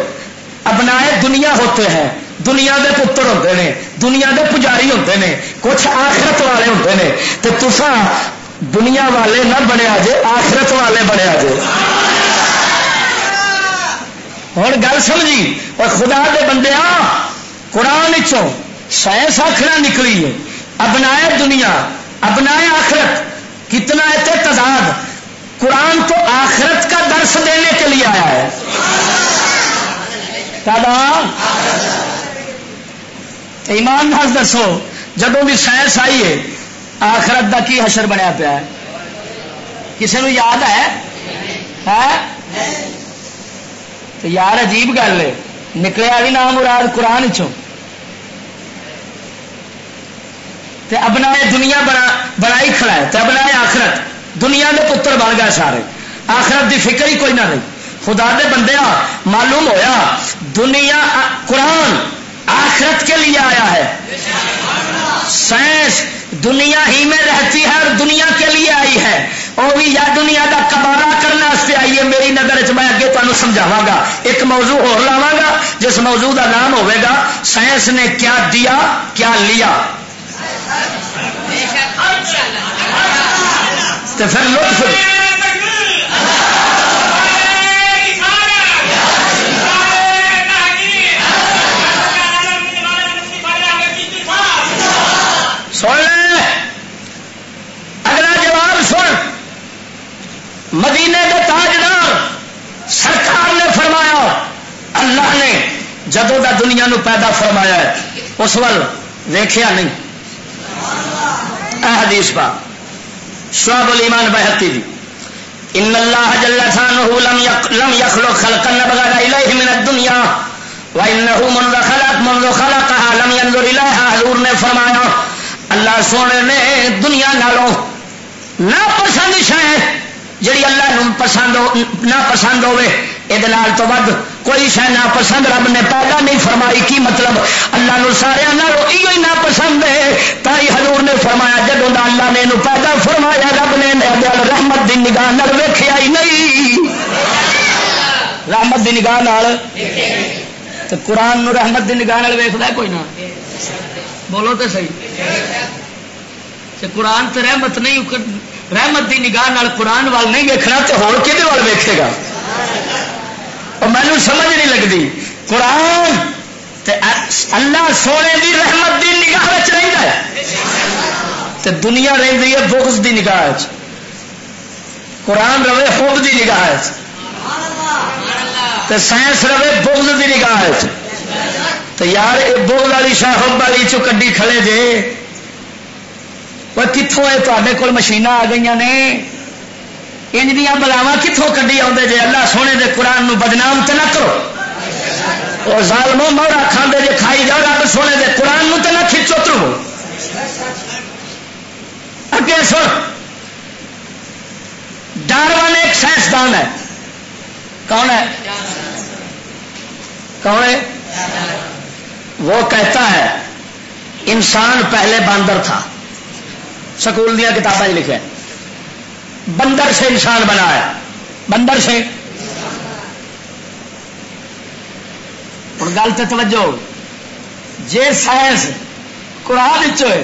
ابنائے دنیا ہوتے ہیں، دنیا دے پتر ہوندے نے، دنیا دے پجاری ہوندے نے، کچھ آخرت والے ہوندے نے۔ تے تساں دنیا والے نہ بنیا جے، آخرت والے بنیا جے۔ ہن گل سمجھی؟ اور خدا دے بندیاں، قرآن چوں سائنس آخنا نکلی ہے، ابنائے دنیا، ابنائے آخرت، کتنا ہے تے تضاد۔ قرآن تو آخرت کا درس دینے کے لیے آیا ہے۔ کدا؟ ایمان نال دسو، جدوں بھی سائنس آئی ہے، آخرت دا کی حشر بنیا پیا ہے؟ کسے نوں یاد ہے؟ ہے؟ تے یار، عجیب گل ہے، نکلیا بھی نام مراد قرآن چوں۔ تے ابنائے دنیا بنا، بنائی کھڑا ہے، تے ابنائے آخرت، دنیا دے پتر بن گئے سارے، آخرت دی فکر ہی کوئی نہ رہی۔ خدا دے بندیاں، معلوم ہویا، دنیا، قرآن آخرت کے لیے آیا ہے۔ سائنس دنیا ہی میں رہتی ہے اور دنیا کے لیے آئی ہے۔ وہ بھی یا دنیا کا قبالہ کرنے واسطے آئی ہے۔ میری نظر چ، میں اگے تمہیں سمجھاواں گا، ایک موضوع اور لاواں گا، جس موضوع کا نام ہوئے گا، سائنس نے کیا دیا، کیا لیا۔ تو پھر لطف۔ سن لے، اگلا جواب سن۔ مدینے دے تاجدار، سرکار نے فرمایا، اللہ نے جدوں دا دنیا نو پیدا فرمایا ہے، اس ول ویکھیا نہیں۔ اے حدیث پاک، شعب الایمان بہقی دی، ان اللہ جل شانہ لم یق-، لم یخلق خلقا ابغض الیہ من الدنیا، وانہ منذ خلق، منذ خلقها لم ینظر الیہا۔ حضور نے فرمایا، اللہ سونے نے دنیا نالوں ناپسند شے، جڑی اللہ نوں پسند ہو، ناپسند ہوے، اے دے نال تو ود کوئی شے ناپسند رب نے پیدا نہیں فرمائی۔ کی مطلب؟ اللہ نوں سارے نال ایہو ہی ناپسند ہے۔ تاں ہی حضور نے فرمایا، جدوں دا اللہ نے اینوں پیدا فرمایا، رب نے اینوں رحمت دی نگاہ نال ویکھیا ہی نہیں۔ رحمت دی نگاہ نال۔ تے قرآن نوں رحمت دی نگاہ نال ویکھدا ہے کوئی نہ؟ بولو تے صحیح۔ تے قرآن تے رحمت نہیں، رحمت دی نگاہ نال قرآن وال نہیں ویکھنا، تے ہور کدے وال ویکھے گا؟ اور مینوں سمجھ نہیں لگدی۔ قرآن تے اللہ سونے دی رحمت دی نگاہ وچ رہندا ہے، تے دنیا رہندی ہے بغض دی نگاہ وچ۔ قرآن روے حب دی نگاہ وچ، تے سائنس روے بغض دی نگاہ وچ۔ تے یار، اے بغض والی شاہ حب والی چوں کڈی کھڑے جے۔ وہ کتھوں اے تہاڈے کول مشیناں آ گئیاں نے؟ انج دیاں بلاواں کتھوں کڈی آوندے جے؟ اللہ سونے دے قرآن نو بدنام تے نہ کرو۔ او ظالمو، مورا کھاندے جے کھائی جاؤ، رب سونے دے قرآن نو تے نہ کھچو ترو۔ اگے سن، ڈارون ایک سائنسدان ہے۔ کون ہے؟ کون ہے؟ وہ کہتا ہے، انسان پہلے باندر تھا۔ سکول دیا کتاباں لکھے، بندر سے انسان بنا ہے، بندر سے۔ ہن گل تے توجہ ہو، جے سائنس قرآن وچ ہوئے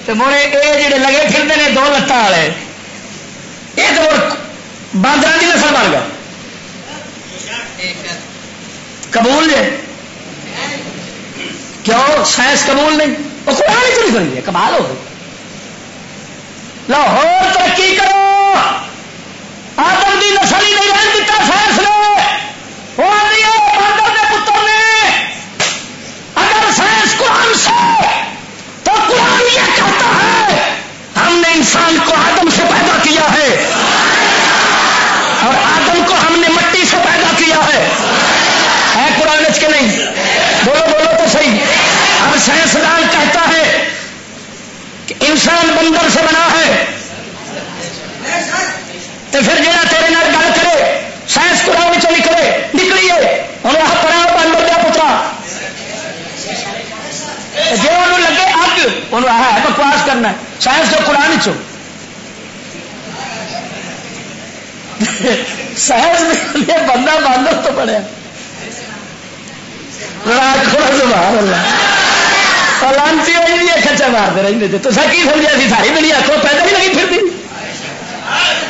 تے موڑے اے جڑے لگے پھردے نے دو لتاں والے، اے تے مڑ باندراں دی نسل بن گئے۔ قبول جے؟ کیوں سائنس قبول نہیں؟ وہ قرآن وچ لکھ رہی ہے، کمال ہو گئی۔ لاہور ترقی کرو، آدم دی نسل ہی نہیں رہن دتا سائنس نے۔ وہ آدھی ہے، باندر دے پتر نے۔ اگر سائنس قرآن سے، تو قرآن یہ کہتا ہے، ہم نے انسان کو آدم سے پیدا کیا ہے اور آدم کو ہم نے مٹی سے پیدا کیا ہے۔ ہے قرآن اچ کہ نہیں؟ بولو، بولو تو صحیح۔ اب سائنسدان کہتا ہے کہ انسان بندر سے بنا ہے، تو پھر جڑا تیرے نال گل کرے، سائنس قرآن چ نکلے، نکلی ہے، انہوں آخ پڑا بندر دیا پترا۔ جی انہوں لگے اگ، انہوں آخ ہے بکواس کرنا ہے، سائنس جو قرآن چ۔ سائنس نے بندہ باندر تو بنیا۔ راج کھڑا سبحان اللہ۔ اور لانتی ہوئی بھی ایک کچا مارتے رہتے تھے۔ تو سر کی سمجھا سی ساری دنیا کو پیدا نہیں لگی پھر بھی۔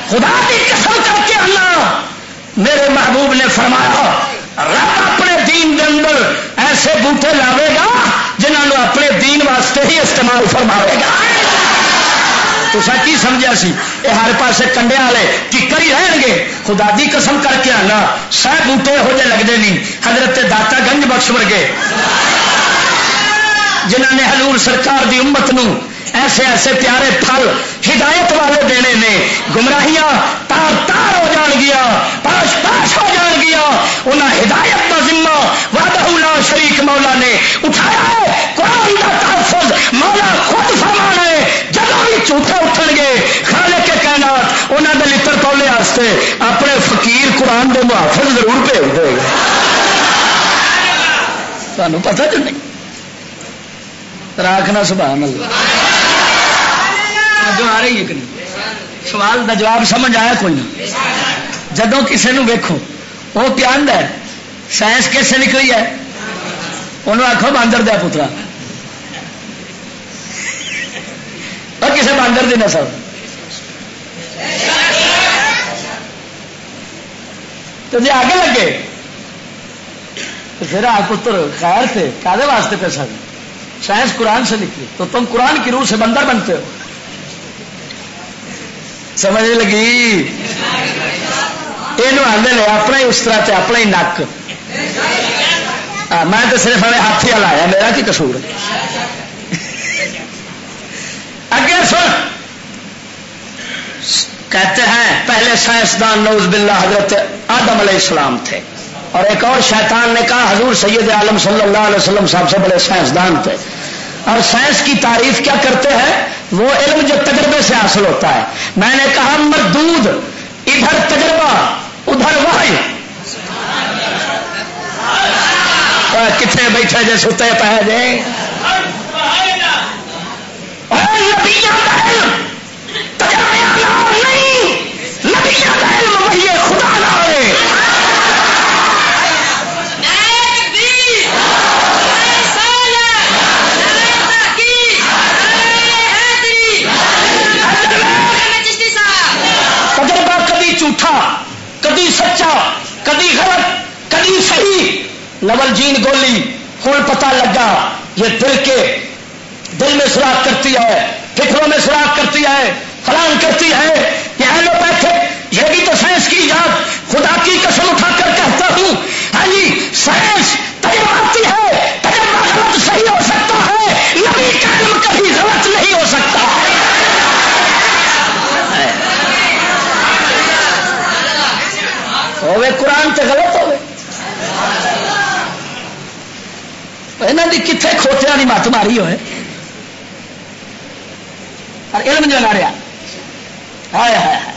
خدا کی قسم کر کے اللہ میرے محبوب نے فرمایا، رب اپنے دین دے اندر ایسے بوٹے لاوے گا جنہاں نوں اپنے دین واسطے ہی استعمال فرماوے گا۔ تساں کی سمجھیا سی؟ اے ہر پاسے کنڈے والے ٹکر ہی رہن گے۔ خدا دی قسم کر کے آنا، سہ بوٹے یہو جے لگدے نہیں۔ حضرت داتا گنج بخش ورگے، جنہاں نے حضور سرکار دی امت نوں ایسے ایسے پیارے پھل ہدایت والے دینے نے، گمراہیاں تار تار ہو جان گیا، پاش پاش ہو جان گیا۔ انہاں ہدایت دا ذمہ وحدہ لا شریک مولا نے اٹھایا ہے۔ قرآن دا تحفظ مولا خود فرمانا ہے۔ جدوں بھی جھوٹے اٹھن گے، خالق کائنات انہاں دے لتر پولے واسطے اپنے فقیر قرآن دے محافظ ضرور بھیج دے گا۔ تانوں پتہ جو نہیں۔ راکھ نہ سبحان اللہ۔ توجہ آ رہی ہے کہ نہیں؟ سوال دا جواب سمجھ آیا کوئی نہ؟ جدوں کسے نوں ویکھو، وہ پیا آندا ہے، سائنس کس سے نکلی ہے؟ انہوں آکھو، "باندر دیا پترا۔" اور کسے باندر دی نسل۔ تو جی آگے لگے، تو پھر آ پتر، خیر سے کادے واسطے پیسہ دیں؟ سائنس قرآن سے نکلی، تو تم قرآن کی روح سے بندر بنتے ہو۔ سمجھ لگی؟ یہ آدھے نے اپنا ہی استرا تے اپنا ہی نک۔ ہاں، میں تو صرف ہمیں ہاتھی والا آیا، میرا کی قصور؟ اگے سن، کہتے ہیں، پہلے سائنسدان نعوذ باللہ حضرت آدم علیہ السلام تھے، اور ایک اور شیطان نے کہا، حضور سید عالم صلی اللہ علیہ وسلم صاحب سے بڑے سائنسدان تھے۔ اور سائنس کی تعریف کیا کرتے ہیں؟ وہ علم جو تجربے سے حاصل ہوتا ہے۔ میں نے کہا، مردود، ادھر تجربہ، ادھر وحی۔ آ، کتنے بیٹھے جے، ستے پے جے۔ اور نبیوں کا علم تجربے نال نہیں، نبیوں کا علم وحی خدا نال ہے۔ نعرہ تکبیر، نعرہ رسالت، نعرہ تحقیق، نعرہ حیدری۔ تجربہ کدی جھوٹا، کدی سچا، کدی غلط، کدی صحیح۔ نول جین گولی، ہن پتہ لگا، یہ دل کے دل میں سوراخ کرتی ہے، فکروں میں سوراخ کرتی ہے، فلان کرتی ہے۔ یہ ایلوپیتھک، یہ بھی تو سائنس کی ایجاد۔ خدا کی قسم اٹھا کر کہتا ہوں، ہاں جی، سائنس تجرباتی ہے، تجربہ غلط صحیح ہو سکتا ہے، نبی کا علم کبھی غلط نہیں ہو سکتا۔ ہوے قرآن تے غلط ہوے۔ انہاں دی کتھے کھوتیاں دی مت ماری ہوئے۔ پر علم جو نہ رہیا، ہائے ہائے ہائے،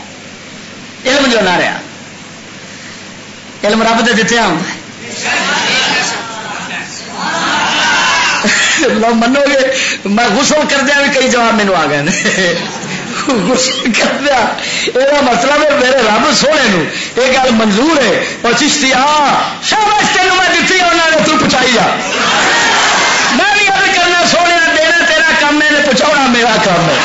علم جو نہ رہیا، علم رب دے دتے آ۔ لو منو گے، میں غسل کردیا بھی کئی جواب مینوں آ گئے نے۔ غسل کردیا، یہ مطلب ہے میرے رب سونے نو یہ گل منظور ہے۔ اور چشتی آ، شاباش تینوں میں دتی، انہاں نے تو پہنچائی آ۔ میں بھی عرض کرنا، سونے دینا تیرا کام ہے، پہنچاؤنا میرا کام ہے۔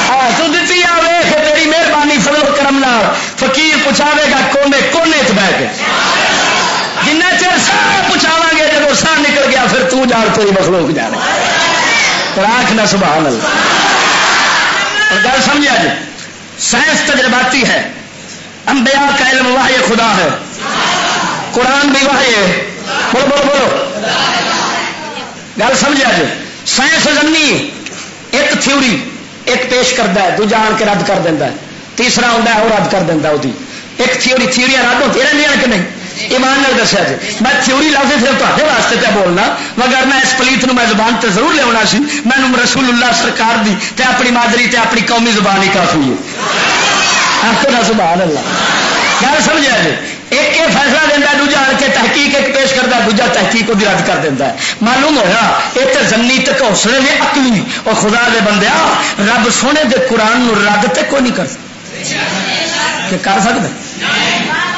ہاں، تو دتی آ، ویکھ تیری مہربانی، فضل و کرم نال فقیر پہنچاوے گا کونے کونے چ بہ کے۔ جنہ چر سارا پہنچاواں گے، جب ساہ نکل گیا، پھر تو جان، تیری مخلوق جانے۔ راکھ نہ سبحان اللہ۔ اور گل سمجھا جی، سائنس تجرباتی ہے، انبیاء کا علم وحی خدا ہے، قرآن بھی وحی ہے۔ بولو، بولو، بولو۔ گل سمجھا جی؟ سائنس زنی ایک تھیوری ایک پیش کرتا ہے، دوجا آن کے رد کر دیتا ہے، تیسرا آتا ہے، وہ رد کر دیتا ہے۔ وہدی ایک تھیوری، تھیوریاں رد ہوتی رہتی ہیں کہ نہیں؟ ایمان نال دسیا جی، میں تھیوری لفظ صرف تہاڈے واسطے پہ بولنا، وگرنہ اس پلیت نو میں زبان تے ضرور لیا سی۔ مینوں رسول اللہ سرکار دی تے اپنی مادری تے اپنی قومی زبان ہی کافی ہے۔ آخو نا سبحان اللہ۔ گل سمجھا جی؟ ایک یہ فیصلہ دینا، دوجا آن کے تحقیق ایک پیش کرتا، دوجا تحقیق وہ رد کر دیتا ہے۔ معلوم ہویا، یہ تو زنی تے گھوسنے نے عقلی۔ اور خدا دے بندیا، رب سونے دے قرآن نو رد تے کوئی نہیں کر سکتا۔ کہ کر سکتا؟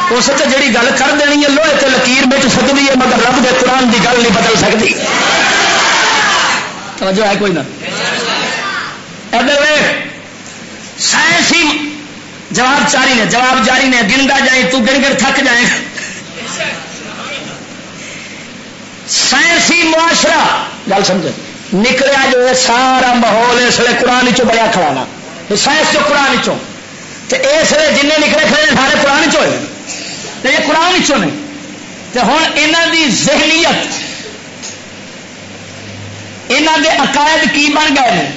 اس تے جڑی گل کر دینی ہے، لوہے تے لکیر مٹ سکتی ہے، مگر رب دے قرآن دی گل نہیں بدل سکتی۔ توجہ ہے کوئی نہ؟ ادھر ویکھ، سائنسی جواب جاری نے، جواب جاری نے، گندا جائیں، تو گن گن تھک جائیں۔ سائنسی معاشرہ، گل سمجھ، نکلیا جو یہ سارا ماحول اس لیے قرآن چوں بڑیا کھڑا نا، یہ سائنس جو قرآن چوں، تے اس لیے جن نکلے کھڑے نے سارے قرآن چوں ہوئے، تے یہ قرآن چوں نے۔ تے ہن انہاں دی ذہنیت، انہاں دے عقائد کی بن گئے نے؟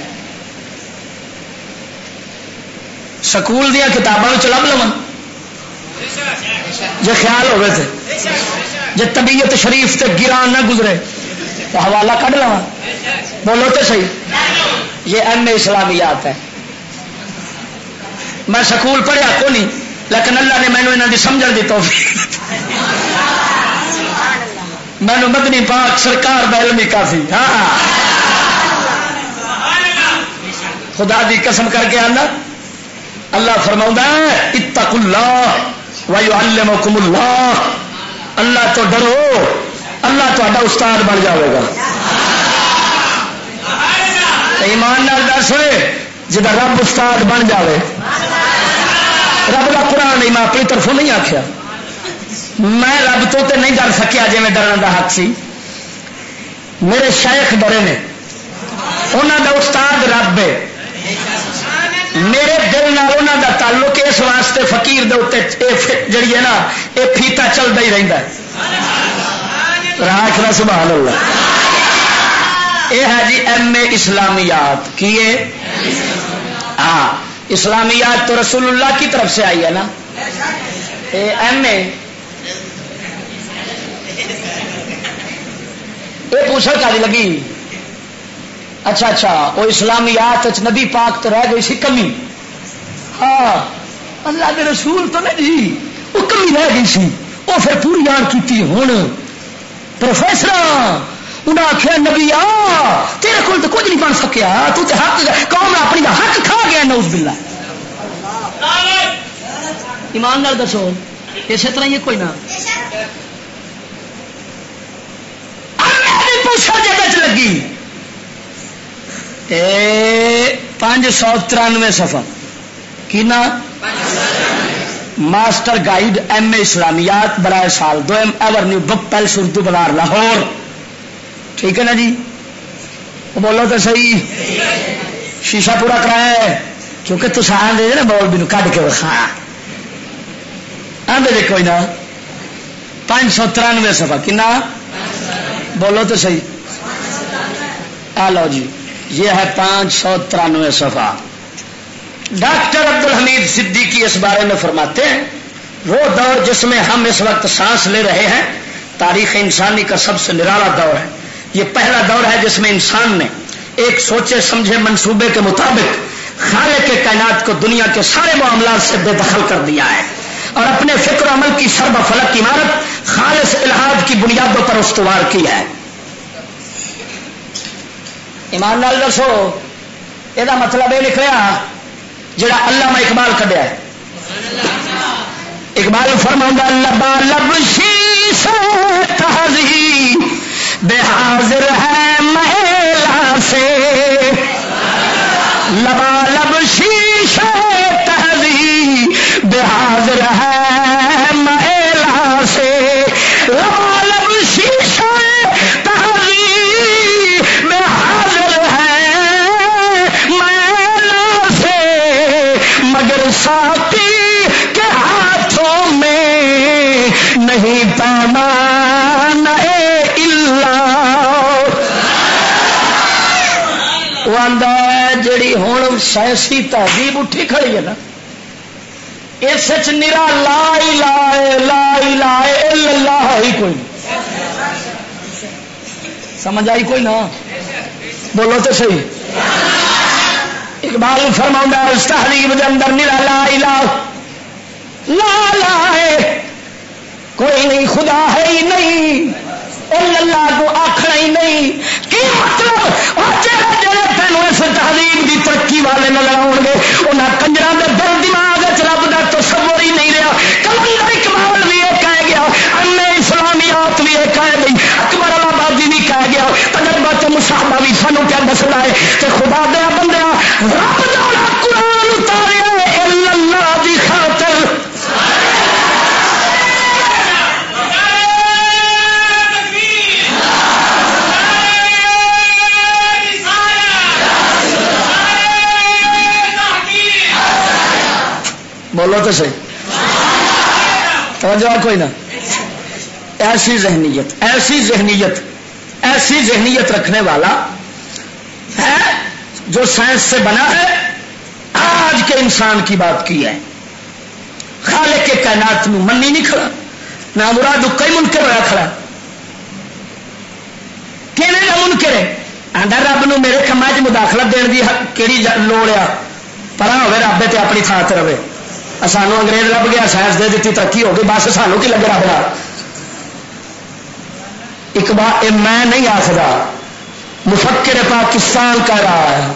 سکول دیاں کتاباں وچ لب لواں، جے خیال ہوئے تے، جے طبیعت شریف تے گران نہ گزرے، تو حوالہ کڈ لواں۔ بولو تے صحیح۔ یہ ایم اے اسلامیات ہے۔ میں سکول پڑھیا کو نہیں، لیکن اللہ نے مینوں انہاں دی سمجھن دی توفیق دتی۔ مینوں مدنی پاک سرکار دا علم ہی کافی۔ ہاں، خدا دی قسم کر کے آنا، اللہ فرماؤندا ہے، "اتقوا اللہ ویعلمکم اللہ۔" اللہ تو ڈرو، اللہ تہاڈا استاد بن جاوے گا۔ ایمان نال دس ہوئے، جدا رب استاد بن جاوے، رب دا قرآن نہیں، میں اپنی طرفوں نہیں آکھیا، میں رب تو تے نہیں ڈر سکیا جے میں ڈرن دا حق سی۔ میرے شیخ ڈرے نے، انہاں دا استاد رب ہے۔ میرے دل نال انہاں دا تعلق ہے، اس واسطے فقیر دے اُتے اے فٹ جڑی ہے نا، اے پھیتا چلدا ہی رہندا ہے۔ راہ آخنا سبحان اللہ۔ اے ہے جی ایم اے اسلامیات۔ کی ہے؟ ہاں، اسلامیات تو رسول اللہ کی طرف سے آئی ہے نا۔ اے ایم اے، اے پوچھا کاری لگی؟ اچھا، اچھا، وہ اسلامیات وچ نبی پاک تو رہ گئی سی کمی۔ ہاں، اللہ دے رسول تو نہیں جی، وہ کمی رہ گئی سی، وہ پھر پوری آن کیتی۔ ہن پروفیسر انہاں آکھیا، "نبی آ، تیرے کول تے کچھ نہیں بن سکیا، تو تے حق، قوم اپنی دا حق کھا گیا۔" نعوذ باللہ۔ ایمان نال دسو، اسے طرح یہ کوئی نہ۔ اللہ دی پوچھا جے وچ لگی۔ اے پانچ سو ترانوے صفحہ۔ کنا؟ ماسٹر گائیڈ ایم اے اسلامیات برائے سال دوم، ایور نیو بک پیلس، اردو بازار، لاہور۔ ٹھیک ہے نا جی؟ وہ بولو تو صحیح۔ شیشہ پورا کرایا ہے، کیونکہ تسا آندے جے نا مولوی نو کڈ کے وکھا۔ آندے جے کوئی نہ۔ پانچ سو ترانوے صفحہ کنا؟ بولو تو صحیح۔ آ لو جی، یہ ہے پانچ سو ترانوے صفحہ۔ ڈاکٹر عبدالحمید صدیقی اس بارے میں فرماتے ہیں، "وہ دور جس میں ہم اس وقت سانس لے رہے ہیں، تاریخ انسانی کا سب سے نرالا دور ہے۔ یہ پہلا دور ہے جس میں انسان نے ایک سوچے سمجھے منصوبے کے مطابق خالق کائنات کو دنیا کے سارے معاملات سے بے دخل کر دیا ہے اور اپنے فکر و عمل کی سرب و فلک عمارت خالص الحاد کی بنیادوں پر استوار کی ہے۔" ایمان نال دسو، یہ مطلب یہ نکلیا جڑا علامہ اقبال کڈیا ہے۔ اقبال فرماؤندا، "لبا لب شیشہ تہذیب حاضر ہے میلا سے، لبا لب شیشہ تہذیب حاضر ہے میلا سے، لبا لب شیشہ تہذیب حاضر ہے میلا سے، مگر ساقی کے ہاتھوں میں نہیں پیمانہ الا۔" وہ آندا ہے، جڑی ہن سائنسی تہذیب اٹھی کھڑی ہے نا، اس وچ نرا لا الہ، لا الہ الا اللہ ہی کوئی نہیں۔ سمجھ آئی کوئی نہ؟ بولو تو صحیح۔ اقبال فرماؤندا ہے، اس تہذیب دے اندر نرا لا الہ، لا الہ ہے، کوئی نہیں، خدا ہے ہی نہیں، الا اللہ کو آکھنا ہی نہیں۔ کی مطلب؟ اور جڑے جڑے تینوں اس تہذیب دی ترقی والے نظر آؤ گے، انہاں کنجراں دے دل دماغ وچ رب دا تصور ہی نہیں رہا۔ کلندر اقبال بھی یہ کہہ گیا، ایم اے اسلامیات بھی یہ کہہ گئی، اکبر آبادی بھی کہہ گیا، تجربہ تے مصاحبہ بھی سانوں کیا دسدا ہے کہ خدا دے بندیاں، رب دا قرآن اتاریا ہے، الا اللہ دی بولو تو صحیح، توجہ کوئی نہ۔ ایسی ذہنیت، ایسی ذہنیت، ایسی ذہنیت رکھنے والا ہے جو سائنس سے بنا ہے، آج کے انسان کی بات کی ہے۔ خالق کے کائنات نو منی نہیں کھڑا، نہ مراد کئی منکر ہویا کھڑا۔ کیویں دا منکر ہے؟ آندا، "رب نو میرے کماں 'چ مداخلت دین دی حق کیڑی ج-، لوڑ آ؟ پرا ہوے رب تے اپنی تھاں تے رہے۔ سانو انگریز لب گیا، سائنس دے دتی، ترقی ہو گئی، بس سانو کی لگے رب نال؟" اقبال، اے میں نہیں آخدا، مفکر پاکستان کہہ رہا ہے۔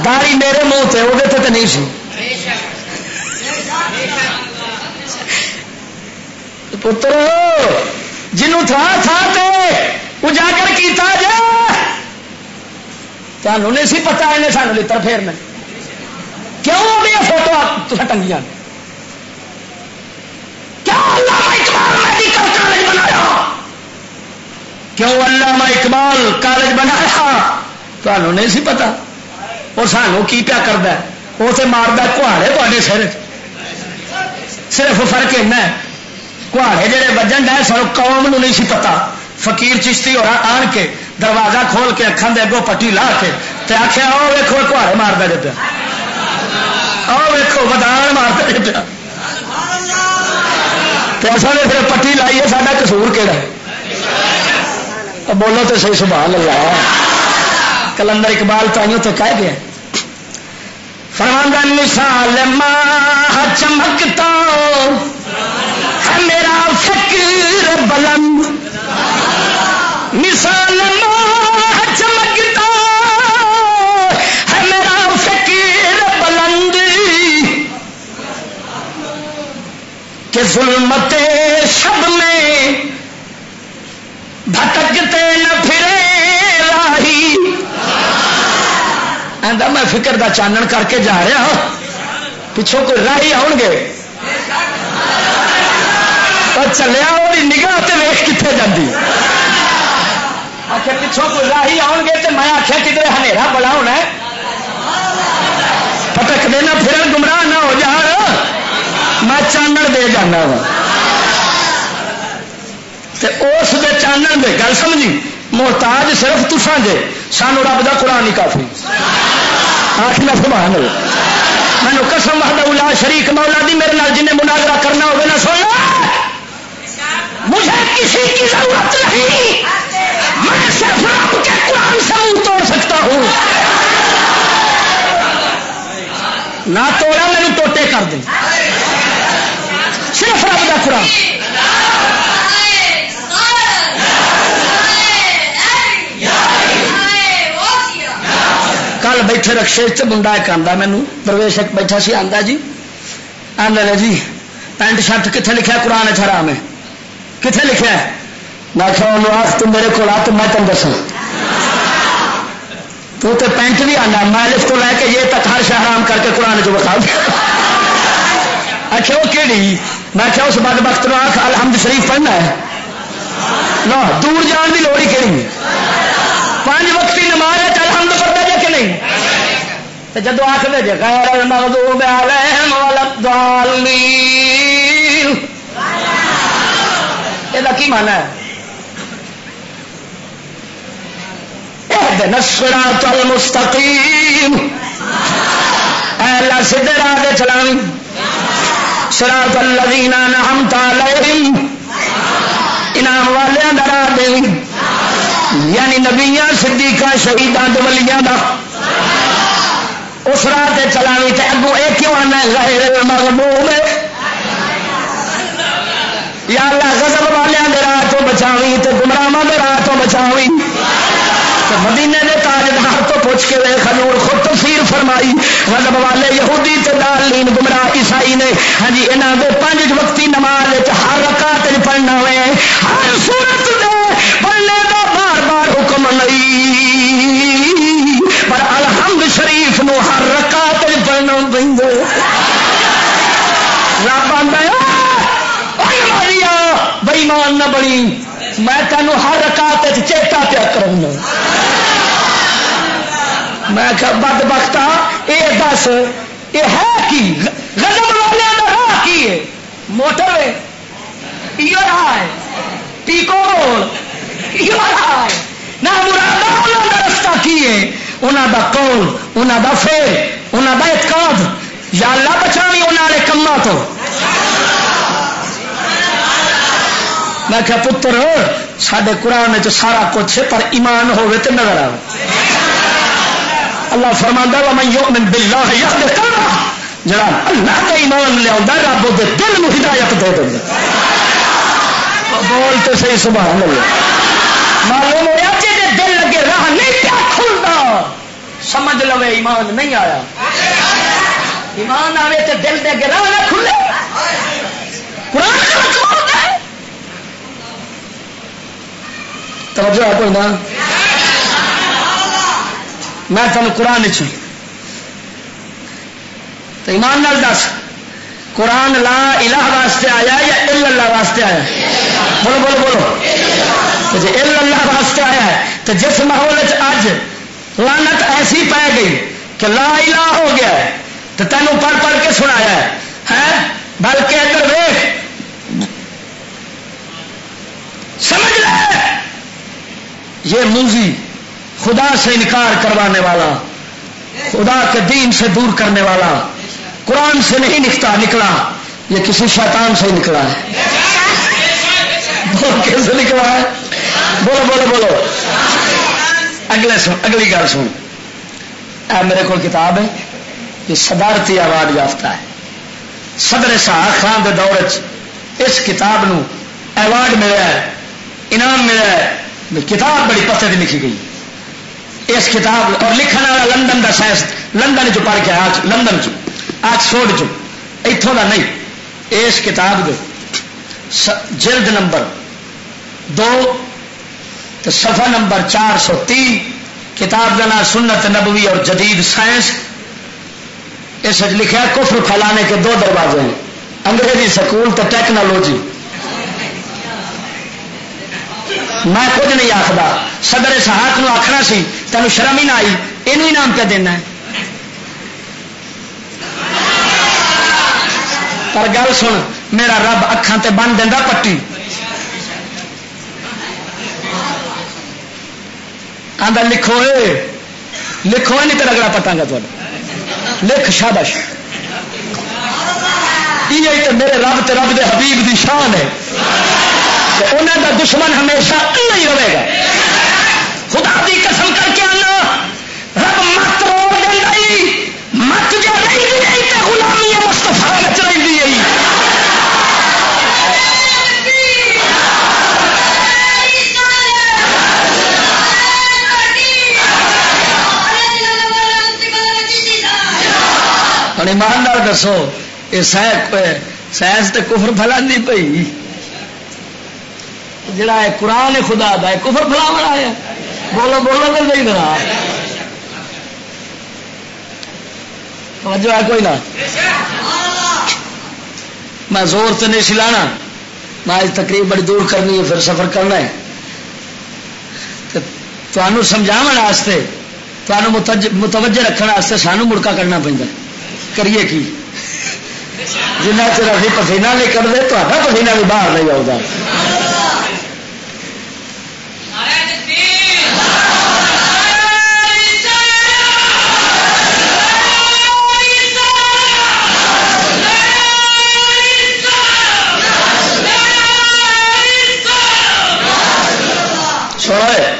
داڑھی میرے منہ تے، وہ تے تے نہیں سی۔ پترو، جنوں تھا تھا تے اجاگر کیتا جائے۔ تانوں نہیں سی پتا، انہیں سانوں لتر پھیرنا۔ کیوں اپنیاں فوٹو تساں ٹنگیاں؟ کیوں علامہ اقبال میڈیکل کالج بنایا؟ کیوں علامہ اقبال کالج بنایا؟ تانوں نہیں سی پتا۔ اور سانوں کی پیا کردا ہے؟ وہ تے ماردا کہاڑے تہاڈے سر۔ صرف فرق اینا ہے، کہاڑے جڑے وجن ڈے سن، قوم نو نہیں سی پتا۔ فقیر چشتی ہورا آن کے دروازہ کھول کے اکھاں دے اگوں پٹی لا کے تے آکھیا، "او ویکھو، کہاڑے ماردا جے پیا، او ویکھو، ودان ماردا جے پیا۔" تے اساں نے پھر پٹی لائی ہے، ساڈا قصور کیڑا ہے؟ او بولو تے صحیح، سبحان اللہ۔ کلندر اقبال تائیوں تے کہہ گیا، فرماندا، "مثال ماہ چمکتا ہے میرا فکر بلند، مثال ماہ چمکتا ہے میرا فکر بلند، کہ ظلمت شب میں بھٹکتے نہ پھرے راہی۔" آندا، "میں فکر دا چانن کر کے جا رہا ہاں، پچھوں کوئی راہی آؤن گے، پر چلیا وہی نگاہ تے ویکھ کتھے جاندی۔" آکھے، "پچھوں کوئی راہی آؤن گے تے میں آکھیا، کدھر ہنیرا بڑا ہونا ہے، پھٹکدے نہ پھرن، گمراہ نہ ہو جان، میں چانن دے جانا وا۔" تے اس دے چانن دے، گل سمجھی، محتاج صرف تساں جے، سانو رب دا قرآن ہی کافی۔ آخ نہ سبحان اللہ۔ مینوں قسم وحدہ لا شریک مولا دی، میرے نال جن نے مناظرہ کرنا ہوگا نا، سن لو، مجھے کسی کی ضرورت نہیں، میں صرف رب کے قرآن سے منہ توڑ سکتا ہوں۔ نہ توڑا، میرے ٹوٹے کر دیں، صرف رب دا قرآن۔ کل بیٹھے رکشے چ منڈا ایک آندا، مینوں درویش ایک بیٹھا سی، آندا، "جی"، آندا، "جی، پینٹ شرٹ کتھے لکھیا قرآن وچ حرام ہے؟ کتھے لکھیا ہے؟" میں آکھیا، "انہوں آکھ، تو میرے کول آ تے میں تینوں دساں۔ تو تے پینٹ بھی آنا، میں الف تو لے کے یہ تک ہر شے حرام کر کے قرآن چ وکھا دے۔" آکھیا، "وہ کیڑی؟" میں آکھیا، "اس بدبخت نو آکھ الحمد شریف پڑھنا ہے۔ نہ، دور جان دی لوڑ ہی کیڑی ہے؟ پانچ وقتی نماز ہے، الحمد پڑھنا جے کہ نہیں؟" تے جدوں آکھدے جے، "غیر المغضوب علیہم ولا الضالین"، اے دا کی معنی ہے؟ "اہدنا الصراط المستقیم"، اے اللہ سیدھے راہ تے چلاویں، "صراط الذین انعمت علیہم"، انعام والیاں دا راہ دے، یعنی نبیاں، صدیقاں، شہیداں تے ولیاں دا۔ اس راہ تے چلاویں تے اگوں اے کیوں آنا ہے غیر المغضوب؟ یا اللہ، غضب والیاں دے راہ تو بچاویں تے گمراہاں دے راہ تو بچاویں۔ تے مدینے دے تاجدار تو پوچھ کے ویکھ، حضور خود تفسیر فرمائی، غضب والے یہودی تے ضالین گمراہ عیسائی نے، ہاں جی، انہاں دے پنج وقتی نماز وچ ہر رکعت وچ پڑھنا ہوئے، ہر سورت دے پڑھنے دا بار بار حکم نہیں، پر الحمد شریف نو ہر رکعت وچ پڑھنا پیندا ہے۔ رب آندا ہے، "او نمازیا، بے ایمان نہ بنی، میں تینوں ہر رکعت وچ چیتا پیا کراؤں گا۔" میں آخیا، "بدبختا، اے دس، اے ہے کی؟ غضب والیاں دا راہ کی ہے؟ موٹر وے؟ ایہو راہ ہے؟ پیکو روڈ؟ ایہو راہ ہے؟ نہ مرادا، انہاں دا رستہ کی ہے؟ انہاں دا قول، انہاں دا فعل، انہاں دا اعتقاد۔ یا اللہ، بچاویں انہاں والے کماں تو۔" میں کہا، "پتر، ساڈے قرآن وچ سارا کچھ ہے، پر ایمان ہووے تے نظر آوے۔" اللہ فرماندا، "ومن یؤمن باللہ یہد قلبہ۔" جڑا اللہ تے ایمان لیاوندا، رب اودے دل نوں ہدایت دے دیندا۔ بول تے صحیح، سبحان اللہ۔ معلوم ہویا، جے دل اگے راہ نہیں پیا کھلدا، سمجھ لوے ایمان نہیں آیا۔ ایمان آوے تے دل دے اگے راہ نہ کھلے۔ قرآن غلط بولدا ہے۔ توجہ ہے کوئی نہ؟ میں تمہیں قرآن چ، تو ایمان نال دس، قرآن لا الہ واسطے آیا یا الا اللہ واسطے آیا؟ بولو، بولو، بولو۔ تو جے الا اللہ واسطے آیا ہے، تو جس ماحول وچ اج لعنت ایسی پی گئی کہ لا الہ ہو گیا ہے، تو تینوں پڑھ پڑھ کے سنایا ہے، ہیں؟ بلکہ ادھر ویکھ، سمجھ لے، یہ موذی، خدا سے انکار کروانے والا، خدا کے دین سے دور کرنے والا، قرآن سے نہیں نکتا، نکلا، یہ کسی شیطان سے ہی نکلا ہے۔ بول، کس سے نکلا ہے؟ بولو، بولو، بولو۔ اگلے سن، اگلی گل سن۔ اے میرے کو کتاب ہے، یہ صدارتی ایوارڈ یافتہ ہے۔ صدر سہاک خان دے دور وچ اس کتاب نو ایوارڈ ملیا ہے، انعام ملیا ہے۔ کتاب بڑی پتے دی لکھی گئی۔ اس کتاب اور لکھن والا لندن دا سائنس، لندن چ پڑھ کے آیا، لندن چ، آکسفورڈ چ، اتھوں دا نہیں۔ اس کتاب دے س-، جلد نمبر دو تے صفحہ نمبر چار سو تی، کتاب دا نام سنت نبوی اور جدید سائنس۔ اس وچ لکھیا، کفر پھیلانے کے دو دروازے ہیں، انگریزی سکول تے ٹیکنالوجی۔ میں کچھ نہیں آخدا، صدر اسحاق نو آخنا سی، تینوں شرم ہی نہ آئی، اینو انعام پہ دینا ہے۔ پر گل سن، میرا رب اکھاں تے بن دیندا پٹی۔ آندا، "لکھو اے، لکھو اے، نہیں تے رگڑا پٹاں گا تہاڈا۔ لکھ، شابش۔" یہ تے میرے رب تے رب دے حبیب دی شان ہے۔ تے انہاں دا دشمن ہمیشہ انہاں ہی رہے گا۔ خدا دی قسم کر کے آنا، رب مت روڑ دیندا ای، مت جو رہندی ای تے غلامی مصطفیٰ وچ رہندی ای۔ ہن ایمان نال دسو، اے سائنس، سائنس تے کفر پھیلاندی پئی؟ جڑا ہے قرآن خدا دا، ہے کفر پھیلاون آیا؟ بولو، بولو تے صحیح ذرا۔ توجہ ہے کوئی نہ؟ میں زور تے نہیں سی لانا، میں آج تقریر بڑی دور کرنی ہے، پھر سفر کرنا ہے۔ تے تانوں سمجھاون واسطے، تانوں متج-، متوجہ رکھن واسطے سانوں مڑکا کرنا پیندا۔ کریے کی؟ جنہ چر اسی پسینہ نہیں کڈدے، تہاڈا پسینہ بھی باہر نہیں آؤندا۔ سنو اے،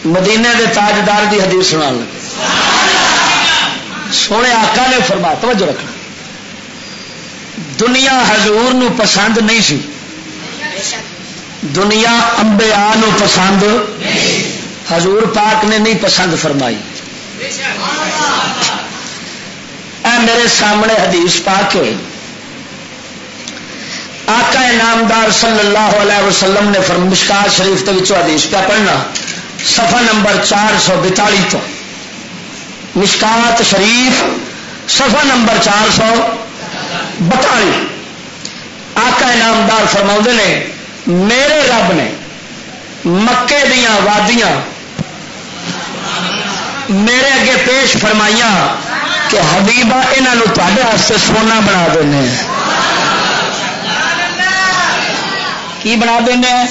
مدینے دے تاجدار دی حدیث سنان لگے۔ سونے آقا نے فرمایا، توجہ رکھنا، دنیا حضور نو پسند نہیں سی، دنیا انبیاء نو پسند، حضور پاک نے نہیں پسند فرمائی۔ اے میرے سامنے حدیث پاک ہے، آقا نامدار صلی اللہ علیہ وسلم نے فرم-، مشکات شریف دے وچوں حدیث پہ پڑھنا، صفحہ نمبر چار سو بتالی تو، مشکات شریف، صفحہ نمبر چار سو بتالی۔ آقا نامدار فرماؤندے نے، میرے رب نے مکے دیاں وادیاں، میرے اگے پیش فرمائیاں کہ حبیبہ، انہاں نوں تہاڈے واسطے سونا بنا دینے۔ کی بنا دینے؟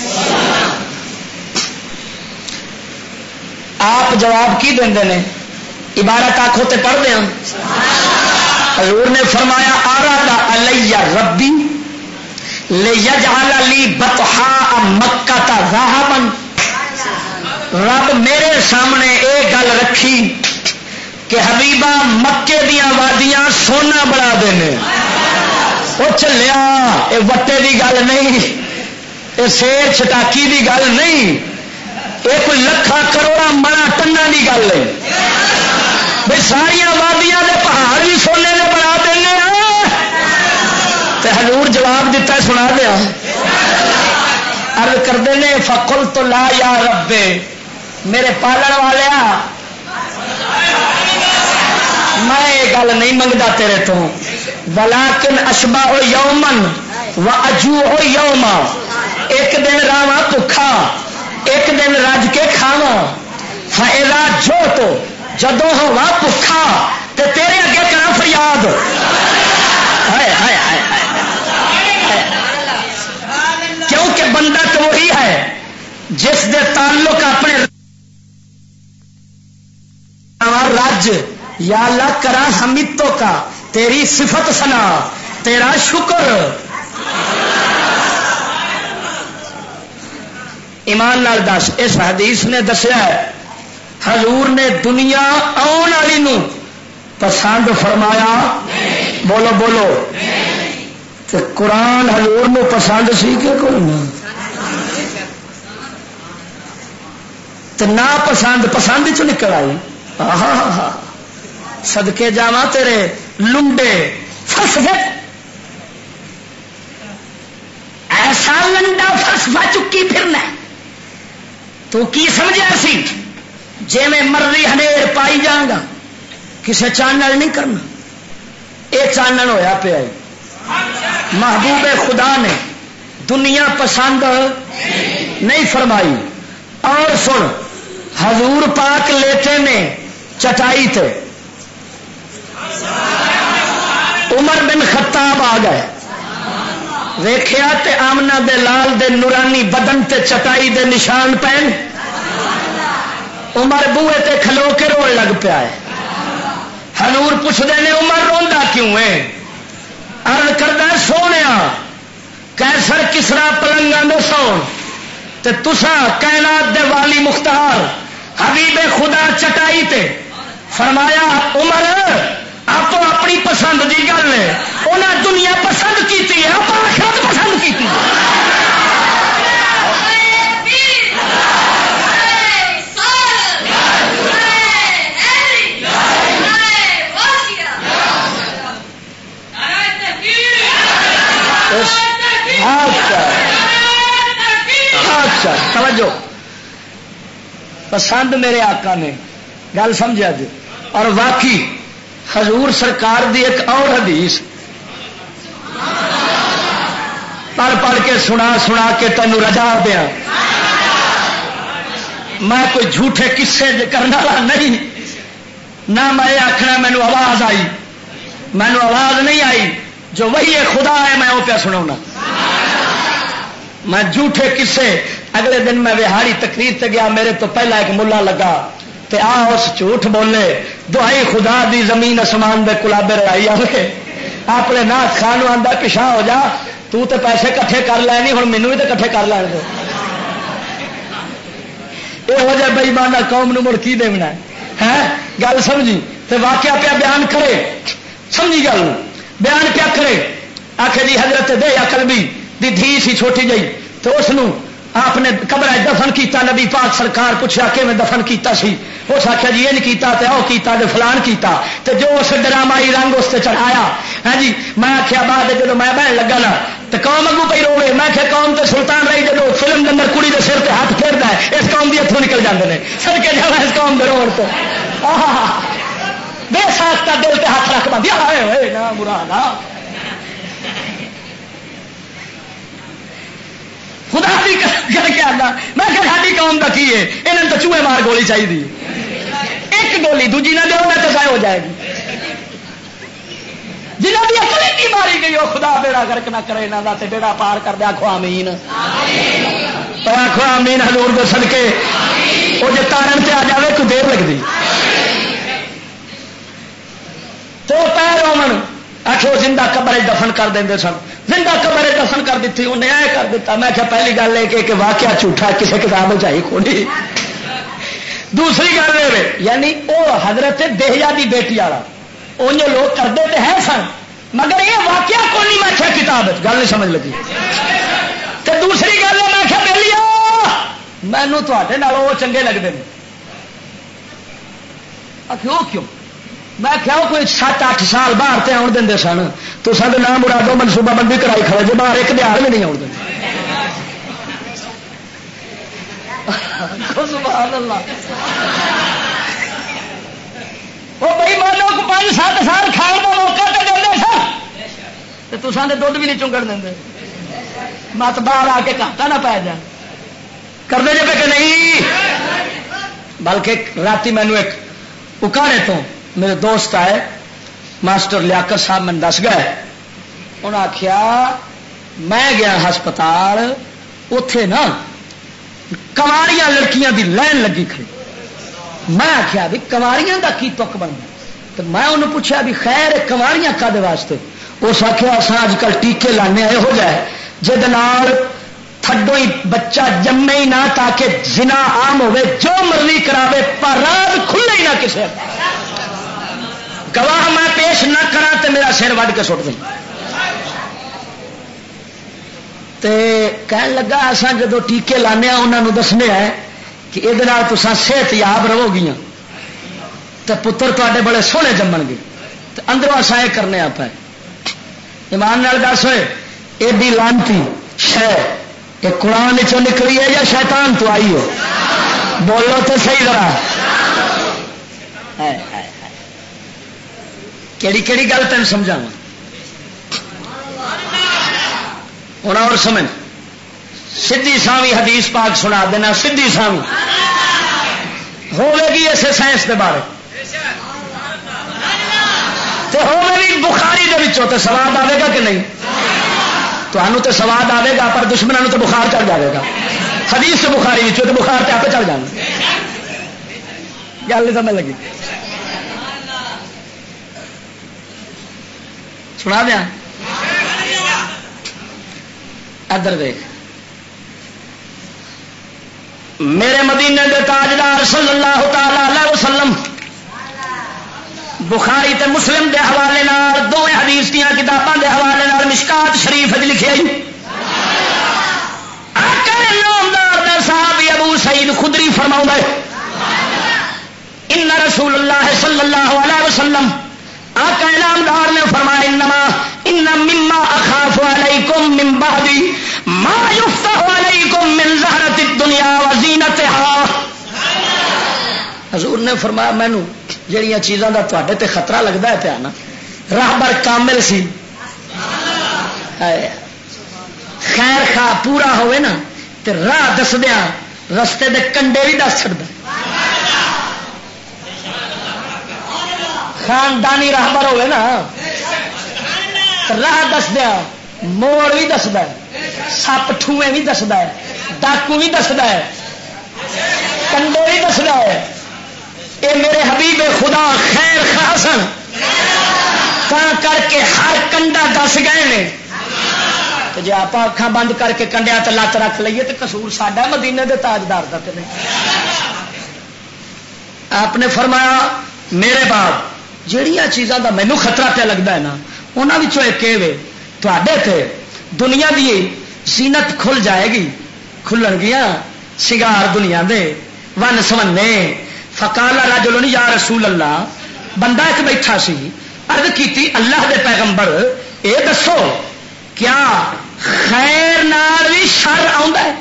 آپ جواب کی دیندے نے؟ عبارت آکھو تے پڑھ دیاں۔ حضور نے فرمایا، "آراد علی ربی لیجعل لی بطحاء مکہ ذہبا۔" رب میرے سامنے اے گل رکھی کہ حبیبہ، مکے دیاں وادیاں سونا بنا دینے۔ او چلیا، اے وٹے دی گل نہیں، اے سیر چھٹاکی دی گل نہیں، اے کوئی لکھاں کروڑاں منا ٹناں دی گل ہے۔ بھئی، ساریاں وادیاں دے پہاڑ بھی سونے دے بنا دینے آ۔ تے حضور جواب دتا ہے، سنا دیا۔ عرض کردے نے، "فقلت لا یا رب، میرے پالن والیا، میں یہ گل نہیں منگدا تیرے تو، ولیکن اشبع یوما و اجوع یوما، ایک دن راواں بھکھا، ایک دن رج کے کھاواں، فاذا جوعت، جدوں ہوا بھکھا تے تیرے اگے کراں فریاد۔" ہائے، ہائے، ہائے، ہائے۔ کیونکہ بندہ تو وہی ہے جس دے تعلق اپنے رج، یا اللہ کرا حمیدوں کا، تیری صفت ثنا، تیرا شکر۔ ایمان نال دس، اس حدیث نے دسیا ہے، حضور نے دنیا آن والی نو پسند فرمایا؟ بولو، بولو۔ تے قرآن حضور نو پسند سی کہ کوئی نہ؟ تے ناپسند پسند چ نکل آئی۔ آہا۔ صدقے جاواں تیرے لنڈے فلسفے، ایسا لنڈا فلسفہ چکی پھرنا ہے۔ تو کی سمجھا سی؟ جے میں مرضی ہنیر پائی جاؤں گا، کسے چانن نہیں کرنا۔ اے چانن ہویا پیا ہے۔ محبوب خدا نے دنیا پسند نہیں فرمائی۔ اور سن، حضور پاک لیٹے نے چٹائی تے، عمر بن خطاب آ گئے، ویکھیا تے آمنہ دے لال دے نورانی بدن تے چٹائی دے نشان پین۔ عمر بوئے تے کھلو کے روڑ لگ پیا ہے۔ حضور پوچھدے نے، "عمر، روندا کیوں ہے؟" عرض کردا، "سونیا، قیصر کسریٰ پلنگاں دے سون، تے تساں کائنات دے والی مختار حبیب خدا چٹائی تے۔" فرمایا، "عمر، آپ اپنی پسند دی گل ہے، انہاں دنیا پسند کیتی ہے، آپ آخرت پسند کیتی ہے۔" اچھا، اچھا، توجہ۔ پسند میرے آقا نے، گل سمجھا جی۔ اور واقعی حضور سرکار دی ایک اور حدیث پڑھ پڑھ کے، سنا سنا کے تینوں رجا دیاں۔ میں کوئی جھوٹے قصے کرنے والا نہیں۔ نہ میں یہ آخنا مینو آواز آئی، مینو آواز نہیں آئی۔ جو وحی خدا ہے، میں وہ پیا سنا۔ میں جھوٹے قصے، اگلے دن میں وہاڑی تقریر تے گیا، میرے تو پہلا ایک ملا لگا، تے آ اس جھوٹ بولے، دہائی خدا دی، زمین اسمان دے کلابے رڑائی آوے۔ اپنے ناس خان نوں آندا، "پچھا ہو جا، تو تے پیسے کٹھے کر لے نہیں، ہن مینوں وی تے کٹھے کر لین دے۔" یہو جہ بے ایمانہ قوم نوں مڑ کی دیونا ہے؟ ہیں؟ گل سمجھی؟ تے واقعہ پیا بیان کرے، سمجھی گل نوں؟ بیان پیا کرے، آکھے جی، حضرت دہیا کلبی دی دھی سی چھوٹی جئی، تے اس نوں آپ نے قبر وچ دفن کیتا۔ نبی پاک سرکار پوچھا، "کیویں دفن کیتا سی؟" اس آکھیا، "جی، انج کیتا تے او کیتا تے فلان کیتا۔" تے جو اس ڈرامائی رنگ اس تے چڑھایا، ہاں جی، میں آکھیا، بعد وچ جدوں میں بہن لگا نا، تے قوم اگوں پئی روے۔ میں آکھیا، قوم تے سلطان رہی، جدوں فلم دے اندر کڑی دے سر تے ہاتھ پھیردا ہے، اس قوم دی اتھوں نکل جاندے نے۔ صدقے جاواں اس قوم دے روڑ تو۔ آہا، بے ساختہ دل تے ہاتھ رکھ بندی، ہائے ہوئے نا مراد۔ خدا دی قسم کر کے آنا، میں کہ ساڈی قوم دا کی ہے؟ انہاں نوں تاں چوہے مار گولی چاہیے۔ ایک جھولی، دوجی نہ دیو، نہ تے ضائع ہو جائے گی۔ جنہاں دی عقل ہی ماری گئی، وہ خدا بیڑا غرق نہ کرے انہاں دا، تے بیڑا پار کر دے۔ آکھو آمین۔ تو آکھو آمین حضور دے صدقے۔ وہ جے تارن تے آ جاوے، کوئی دیر لگدی؟ تو پیر رومن، آکھو زندہ قبر وچ دفن کر دیندے سن۔ زندہ قبر وچ دفن کر دتی، انہیں اے کر دتا۔ میں کہا پہلی گل اے کہ، کہ واقعہ جھوٹا، کسے کتاب وچ آئی کونی۔ دوسری گل اے وے، یعنی او حضرت دہیا دی بیٹی والا، اونجو لوگ کردے تے ہے سن، مگر یہ واقعہ کونی۔ میں کہا کتاب وچ، گل نہیں سمجھ لگی۔ تے دوسری گل اے، میں کہا بیلیو، مینوں تہاڈے نال او چنگے لگدے نے۔ آکھیا، "او کیوں؟" میں آکھیا، "او کوئی ست اٹھ سال باہر تے آن دیندے سن، تساں تے نام مرادو منصوبہ بندی کرائی کھڑے جے، باہر ایک دیہاڑ بھی نہیں آن دیندے۔" سبحان اللہ۔ او بھائی، مانو کو پانچ ست سال کھان دا موقع تے دیندے سن، تے تساں تے دودھ بھی نہیں چنگن دیندے۔ مت باہر آ کے گھاٹا نہ پے جائے۔ کردے جے پہ کہ نہیں؟ بلکہ راتی مینوں ایک اکاڑے تو میرے دوست آئے، ماسٹر لیاقت صاحب، مینوں دس گئے۔ انہاں آکھیا، میں گیا ہسپتال، اوتھے نا کنواریاں لڑکیاں دی لائن لگی کھڑی۔ میں آکھیا بھی کنواریاں دا کی تک بندا؟ تے میں انہوں پوچھا بھی خیر، اے کنواریاں کدے واسطے؟ اس آکھیا، اساں اج کل ٹیکے لانے آئے ہو جائے، جے دے نال تھڈو ہی بچہ جمے ہی نہ، تاکہ زنا عام ہوے، جو مرضی کراوے، پر راز کھلے ہی نہ کسے۔ گواہ میں پیش نہ کراں تے میرا سر وڈ کے سٹ دیں۔ تے کہن لگا، اساں جدوں ٹیکے لانے آ، انہاں نوں دسنے آ کہ اے دے نال تساں صحت یاب رہو گیاں۔ تے پتر تواڈے بڑے سوہنے جمن گے۔ تے اندروں اساں اے کرنے آ پے۔ ایمان نال دس ہوئے، ایڈی لعنتی شے، اے قرآن چوں نکلی ہے یا شیطان تو آئی ہو؟ بولو تے صحیح ذرا۔ ہائے، ہائے، ہائے۔ کیڑی، کیڑی گل تین سمجھاواں؟ ہن اور سمجھ۔ سدھی ساوی حدیث پاک سنا دینا، سدھی ساوی ہوے گی اسے سائنس دے بارے۔ تے ہوے بھی بخاری دے وچوں، تے سواد آوے گا کہ نہیں؟ تانوں تے سواد آوے گا، پر دشمناں نوں تے بخار چڑھ جاوے گا۔ حدیث تے بخاری وچوں تے بخار تے آپے چڑھ جانا۔ گل نہیں سمجھ لگی؟ سنا دیا؟ ادھر دیکھ، میرے مدینے دے تاجدار صلی اللہ تعالی علیہ وسلم، بخاری تے مسلم دے حوالے نال، دوویں حدیث دیاں کتاباں دے حوالے نال، مشکات شریف وچ لکھے ہی، آقا نامدار دا صحابی ابو سعید خدری فرماؤندا ہے، ان رسول اللہ صلی اللہ علیہ وسلم، آقا انعامدار نے فرمایا، انما، ان مما اخاف علیکم من بعدی ما یفتح علیکم من زہرۃ الدنیا و زینتہا۔ حضور نے فرمایا، مینوں جڑیاں چیزاں دا تواڈے تے خطرہ لگدا ہے پیا نا، راہبر کامل سی، ہائے، خیر خواہ پورا ہوئے نا، تے راہ دسدیاں رستے دے کنڈے بھی دس چھڑدا۔ خاندانی راہبر ہوئے نا، راہ دسدیاں موڑ بھی دسدا ہے، سپ ٹھوئے بھی دسدا ہے، ڈاکو بھی دسدا ہے، کنڈے بھی دسدا ہے۔ اے میرے حبیب خدا خیر خواہ سن، تاں کر کے ہر کنڈا دس گئے نے۔ تے جے آپاں اکھاں بند کر کے کنڈیاں تے لت رکھ لئیے تے قصور ساڈا، مدینے دے تاجدار دا تے نہیں۔ آپ نے فرمایا، میرے بعد جہڑیاں چیزاں دا مینوں خطرہ پیا لگدا ہے نا، انہاں وچوں ایک اے وے، تہاڈے تے دنیا دی زینت کھل جائے گی، کھلن گیاں سنگار دنیا دے، ون سونے۔ فقال رجل، یا رسول اللہ، بندہ ایک بیٹھا سی، عرض کیتی، اللہ دے پیغمبر، اے دسو، کیا خیر نال وی شر آوندا ہے؟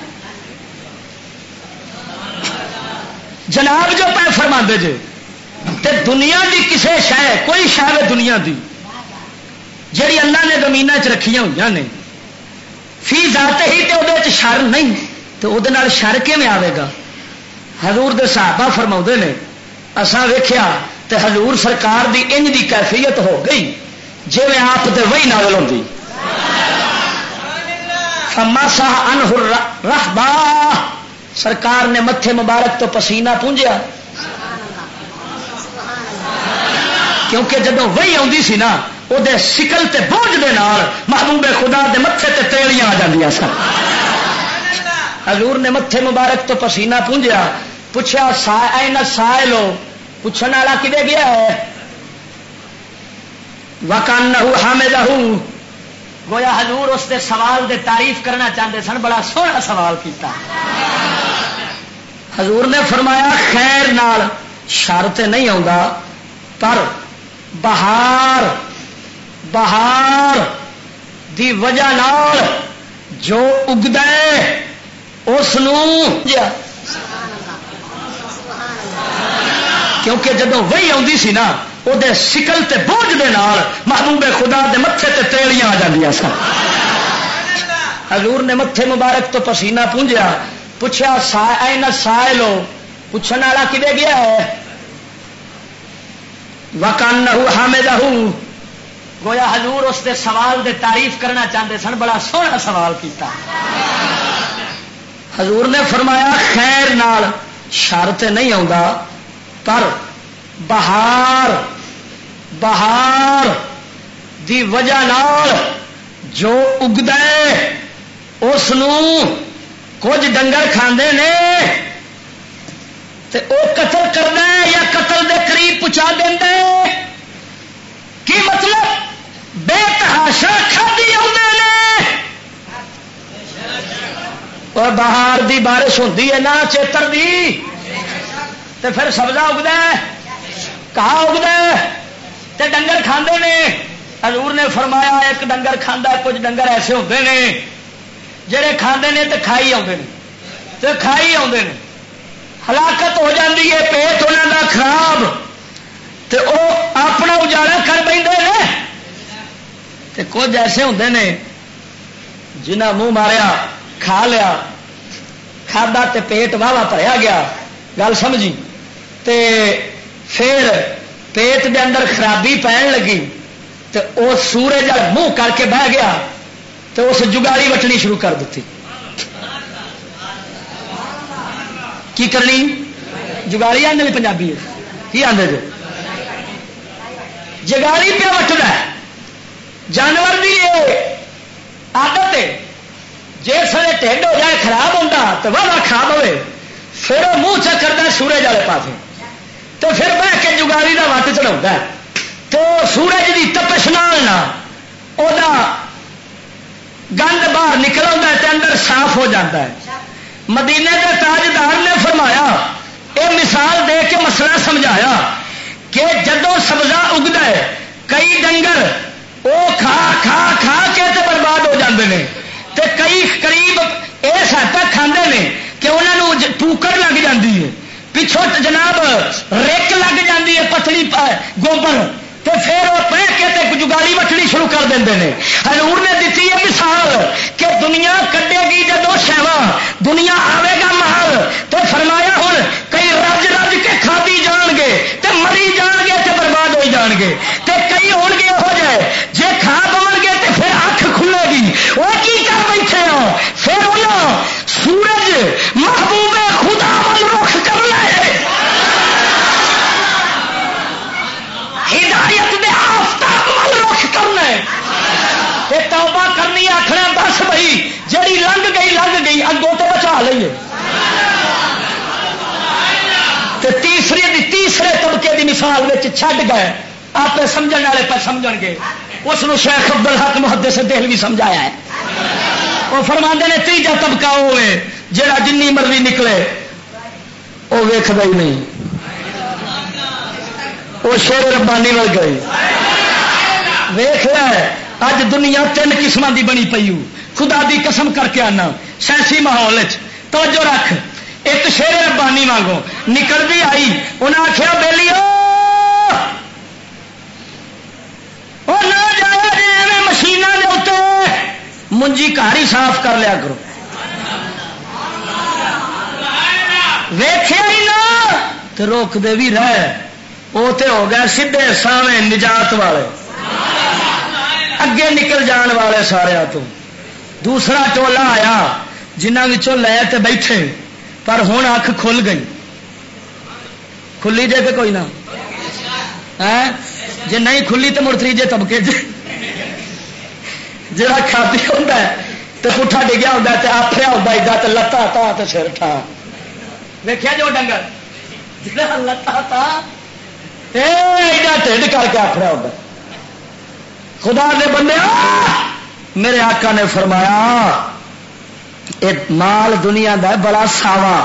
جناب جو پہ فرماندے جے، تے دنیا دی کسے شے، کوئی شے وے دنیا دی، جڑی اللہ نے زمیناں چ رکھیاں ہوئیاں نے، فی ذاتہ ہی تے اودے وچ شر نہیں، تے اودے نال شر کیویں آوے گا؟ حضور دے صحابہ فرماؤندے نے، اساں ویکھیا تے حضور سرکار دی انج دی کیفیت ہو گئی، جویں آپ تے وحی نازل ہوندی۔ فمسح عنہ الر-، رحبا، سرکار نے متھے مبارک تو پسینہ پونجیا، کیونکہ جدوں وحی آندی سی نا، او دے شکل تے بوجھ دے نال محبوب خدا دے متھے تے تیلیاں آ جاندیاں سن۔ حضور نے متھے مبارک تو پسینہ پونجیا، پوچھا، "سا-، این السائل ہو؟" پوچھن والا کدے گیا ہے؟ وَكَأَنَّهُ حَمِدَهُ، گویا حضور اس دے سوال دے تعریف کرنا چاہندے سن، بڑا سوہنا سوال کیتا۔ حضور نے فرمایا، خیر نال شر تے نہیں آوندا، پر بہار، بہار دی وجہ نال جو اگدا ہے، اس نوں، کیونکہ جدوں وحی آندی سی نا، او دے شکل تے بوجھ دے نال محبوب خدا دے متھے تے تیلیاں آ جاندیاں سن۔ حضور نے متھے مبارک تو پسینہ پونجیا، پوچھا، "سا-، این السائل ہو؟" پوچھن والا کدے گیا ہے؟ وَكَأَنَّهُ حَمِدَهُ، گویا حضور اس دے سوال دے تعریف کرنا چاہندے سن، بڑا سوہنا سوال کیتا۔ حضور نے فرمایا، خیر نال شر تے نہیں آوندا، پر بہار، بہار دی وجہ نال جو اگدا ہے، اس نوں کچھ ڈنگر کھاندے نے، تے او قتل کردا ہے یا قتل دے قریب پہنچا دیندا ہے۔ کی مطلب؟ بے تحاشا کھادی آوندے نے۔ اور بہار دی بارش ہوندی ہے نا، چیتر دی، تے پھر سبزہ اگدا ہے، گھاہ اگدا ہے، تے ڈنگر کھاندے نے۔ حضور نے فرمایا، ایک ڈنگر کھاندا ہے، کچھ ڈنگر ایسے ہوندے نے جڑے کھاندے نے تے کھائی آوندے نے، تے کھائی آوندے نے۔ ہلاکت ہو جاندی ہے، پیٹ انہاں دا خراب، تے او اپنا اجاڑا کر بیندے نے۔ تے کچھ ایسے ہوندے نے جنہاں منہ ماریا، کھا لیا، کھادا تے پیٹ واہ واہ بھریا گیا، گل سمجھی؟ تے پھر پیٹ دے اندر خرابی پین لگی، تے او سورج وال منہ کر کے بہ گیا، تے اس جگالی وٹنی شروع کر دتی۔ کی کرنی؟ جگالی آندے نے پنجابی وچ۔ کی آندے جو؟ جگالی پیا وٹدا ہے۔ جانور دی یہ عادت ہے، جس ویلے ٹھڈ ہو جائے، خراب ہوندا، تے واہ واہ کھا پوے، پھر وہ منہ چکردا سورج والے پاسے، تے پھر بہ کے جگالی دا وٹ چڑھاوندا ہے۔ تے وہ سورج دی تپش نال نہ، او دا گند باہر نکل آوندا ہے تے اندر صاف ہو جاندا ہے۔ مدینے دے تاجدار نے فرمایا، اے مثال دے کے مسئلہ سمجھایا کہ جدوں سبزہ اگدا ہے، کئی ڈنگر او کھا کھا کھا کے تے برباد ہو جاندے نے، تے کئی قریب اس حد تک کھاندے نے کہ انہاں نوں ج-، پوکڑ لگ جاندی ہے، پچھوں تے جناب رک لگ جاندی ہے، پتلی پ-، گوبر، تے پھر وہ پہ کے تے جگالی وٹنی شروع کر دیندے نے۔ حضور نے دتی ہے مثال کہ دنیا کڈے گی جدوں شیواں، دنیا آوے گا مال، تے فرمایا ہن کئی رج رج کے کھادی جان گے، تے مری جان گے، تے برباد ہوئی جان گے۔ تے کئی ہون گے ہو جائے، جے کھا پون گے تے پھر اکھ کھلے گی، وہ کی کر بیٹھے ہو؟ پھر انہاں سورج محبوب خدا ول رخ کرنا ہے، ہدایت دے آفتاب ول رخ کرنا ہے۔ تے توبہ کرنی، آکھنا، "بس بھائی، جڑی لنگ گئی، لنگ گئی، اگوں تے بچا لئیے۔" تے تیسری دی، تیسرے طبقے دی مثال وچ چھڈ گئے، آپ سمجھن والے پہ سمجھن گے۔ اس نو شیخ عبدالحق محدث دہلوی سمجھایا ہے۔ وہ فرماندے نے، تیجا طبقہ وہ ہے جڑا جنی مرضی نکلے، وہ ویکھدا ہی نہیں، وہ شیر ربانی ول گئی۔ ویکھ لے، اج دنیا تین قسماں دی بنی پئی ہو۔ خدا دی قسم کر کے آنا، سیاسی ماحول وچ توجہ رکھ، ایک شیر ربانی وانگوں نکلدی آئی، انہاں آکھیا، "بیلیو، او نہ جایا جے ایویں مشیناں دے اُتے، منجی گھر ہی صاف کر لیا کرو۔" ویکھیا ہی نہ، تے روکدے بھی رہ۔ او تے ہو گئے سدھے سامنے نجات والے، اگے نکل جان والے سارے تو۔ دوسرا ٹولا آیا، جنہاں وچوں لے تے بیٹھے، پر ہن اکھ کھل گئی۔ کھلی جے کہ کوئی نہ؟ ہیں؟ جے نہیں کھلی تے مڑ تریجے طبقے چ جڑا کھادی ہوندا ہے تے پٹھا ڈگیا ہوندا ہے تے آپھریا ہوندا ایڈا تے لتاں تاں تے سر ٹھا۔ ویکھیا جو ڈنگر جڑا لتاں تاں تے ایڈا ڈھڈ کر کے آپھریا ہوندا ہے۔ خدا دے بندے، میرے آقا نے فرمایا، اے مال دنیا دا بڑا ساوا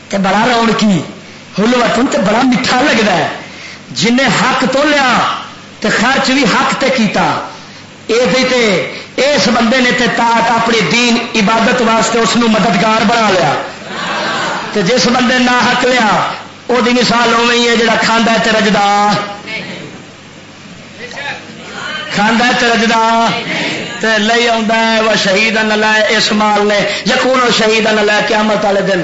تے بڑا رونقی، حلوتن تے بڑا میٹھا لگدا ہے۔ جن نے حق تو لیا تے خرچ بھی حق تے کیتا، اے دے تے اس بندے نے تے طاعت اپنی دین عبادت واسطے اس نو مددگار بنا لیا۔ تے جس بندے نہ حق لیا، او دی مثال اوویں ہی ہے جڑا کھاندا ہے تے رجدا۔ کھاندا ہے تے رجدا تے لئی آوندا ہے، وہ شہید نہ لائے اس مال نے، یقون و شہید نہ لائے قیامت والے دن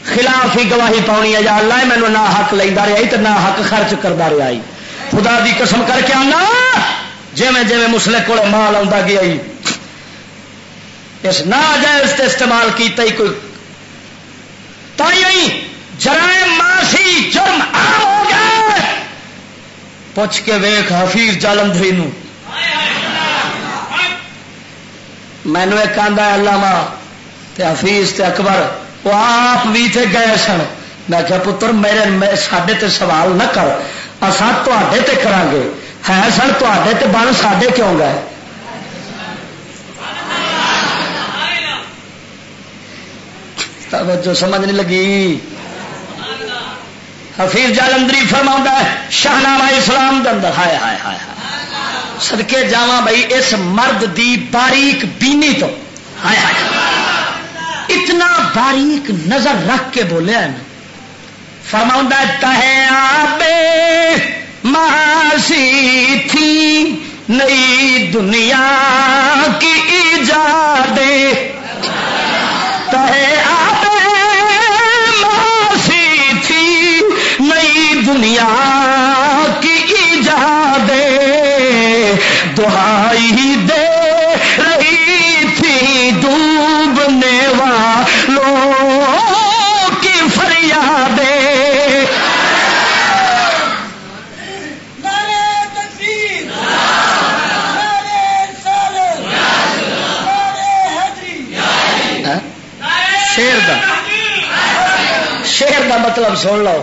خلاف ہی گواہی پاؤنی ہے، یا اللہ مینوں نہ حق لیندا رہیا ہی تے نہ حق خرچ کردا رہیا ہی۔ خدا دی قسم کر کے آنا، جویں جویں مسلے کول مال آوندا گیا ہی، اس ناجائز تے استعمال کیتا ہی کوئی، تائیں ہی جرائم معاشی جرم عام ہو گئے۔ پوچھ کے ویکھ حفیظ جالندھری نو۔ مینوں ایک آندا ہے علامہ تے حفیظ تے اکبر، وہ آپ بھی تے گئے سن۔ میں کہا، پتر، میرے، میں، ساڈے تے سوال نہ کر، اساں تہاڈے تے کراں گے۔ ہے سن تہاڈے تے، بن ساڈے کیوں گئے؟ توجہ سمجھ نہیں لگی۔ حفیظ جالندری فرماؤندا ہے شاہنامہ اسلام دے اندر، ہائے ہائے ہائے ہائے، صدقے جاواں بھائی اس مرد دی باریک بینی تو، ہائے ہائے، اتنا باریک نظر رکھ کے بولیا ہے نا۔ فرماؤندا ہے، تہے آبے معاشی تھی نئی دنیا کی ایجاد، تہے آبے معاشی تھی نئی دنیا کی ایجاد، دہائی دے رہی تھی ڈوبنے والوں کی فریادیں۔ نعرہ تکبیر، نعرہ رسالت، نعرہ حیدری۔ ہاں؟ شعر دا، شعر دا مطلب سن لو۔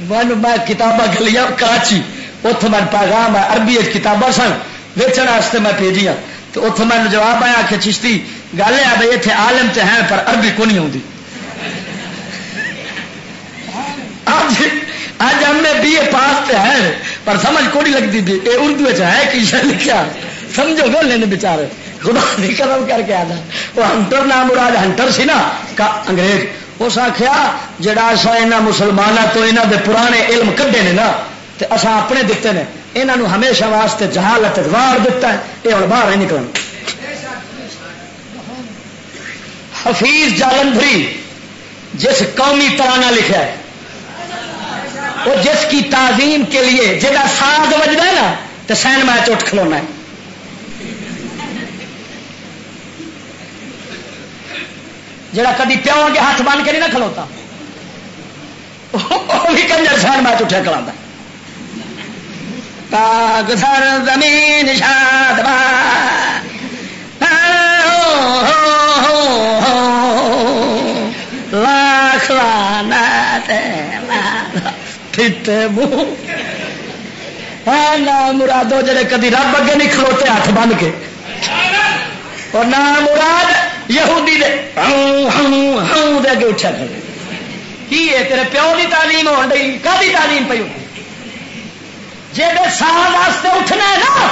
میں، میں کتاباں گلیاں کراچی، اتھوں میں پیغام ہے، عربی وچ کتاباں سن، ویچن واسطے میں بھیجیاں۔ تو اتھوں میں جواب آیا کہ چشتی، گل ہے بھئی، اتھے عالم تے ہیں، پر عربی کو نہیں آتی۔ اج، اج ایم اے بی اے پاس تے ہے، پر سمجھ کو نہیں لگتی بھی اے اردو وچ ہے کہ یہ لکھیا۔ سمجھو گے، انہیں نے بیچارے خدا دی قسم کر کے آنا، وہ ہنٹر نام مراد ہنٹر سی نا، کا انگریز، اس آخیا، جڑا اساں انہاں مسلماناں تو انہاں دے پرانے علم کڈے نے نا، تے اساں اپنے دتے نے، انہاں نو ہمیشہ واسطے جہالت وچ واڑ دتا ہے، یہ ہن باہر نہیں نکلنا۔ حفیظ جالندھری جس قومی ترانہ لکھا ہے، وہ جس کی تعظیم کے لیے جدا ساز بجدا ہے نا، تے سین میچ اٹھ کھلونا ہے۔ جڑا کدی پیو اگے ہاتھ بن کے نہیں نہ کھلوتا، وہ بھی کنجر سین میچ اٹھیا کھلاندا۔ پاک سر زمین شاد باد۔ لاکھ لعنت ہے، پھٹے منہ۔ اے نا مرادو، جڑے کدی رب اگے نہیں کھلوتے ہاتھ بن کے، اور نہ مراد یہودی دے ہوں، ہوں، ہوں دے اگے اٹھیا کھڑے۔ کی ہے تیرے پیو دی تعلیم ہون ڈئی؟ کدی تعلیم پئی ہوتی؟ جے دے سال واسطے اٹھنا ہے نا،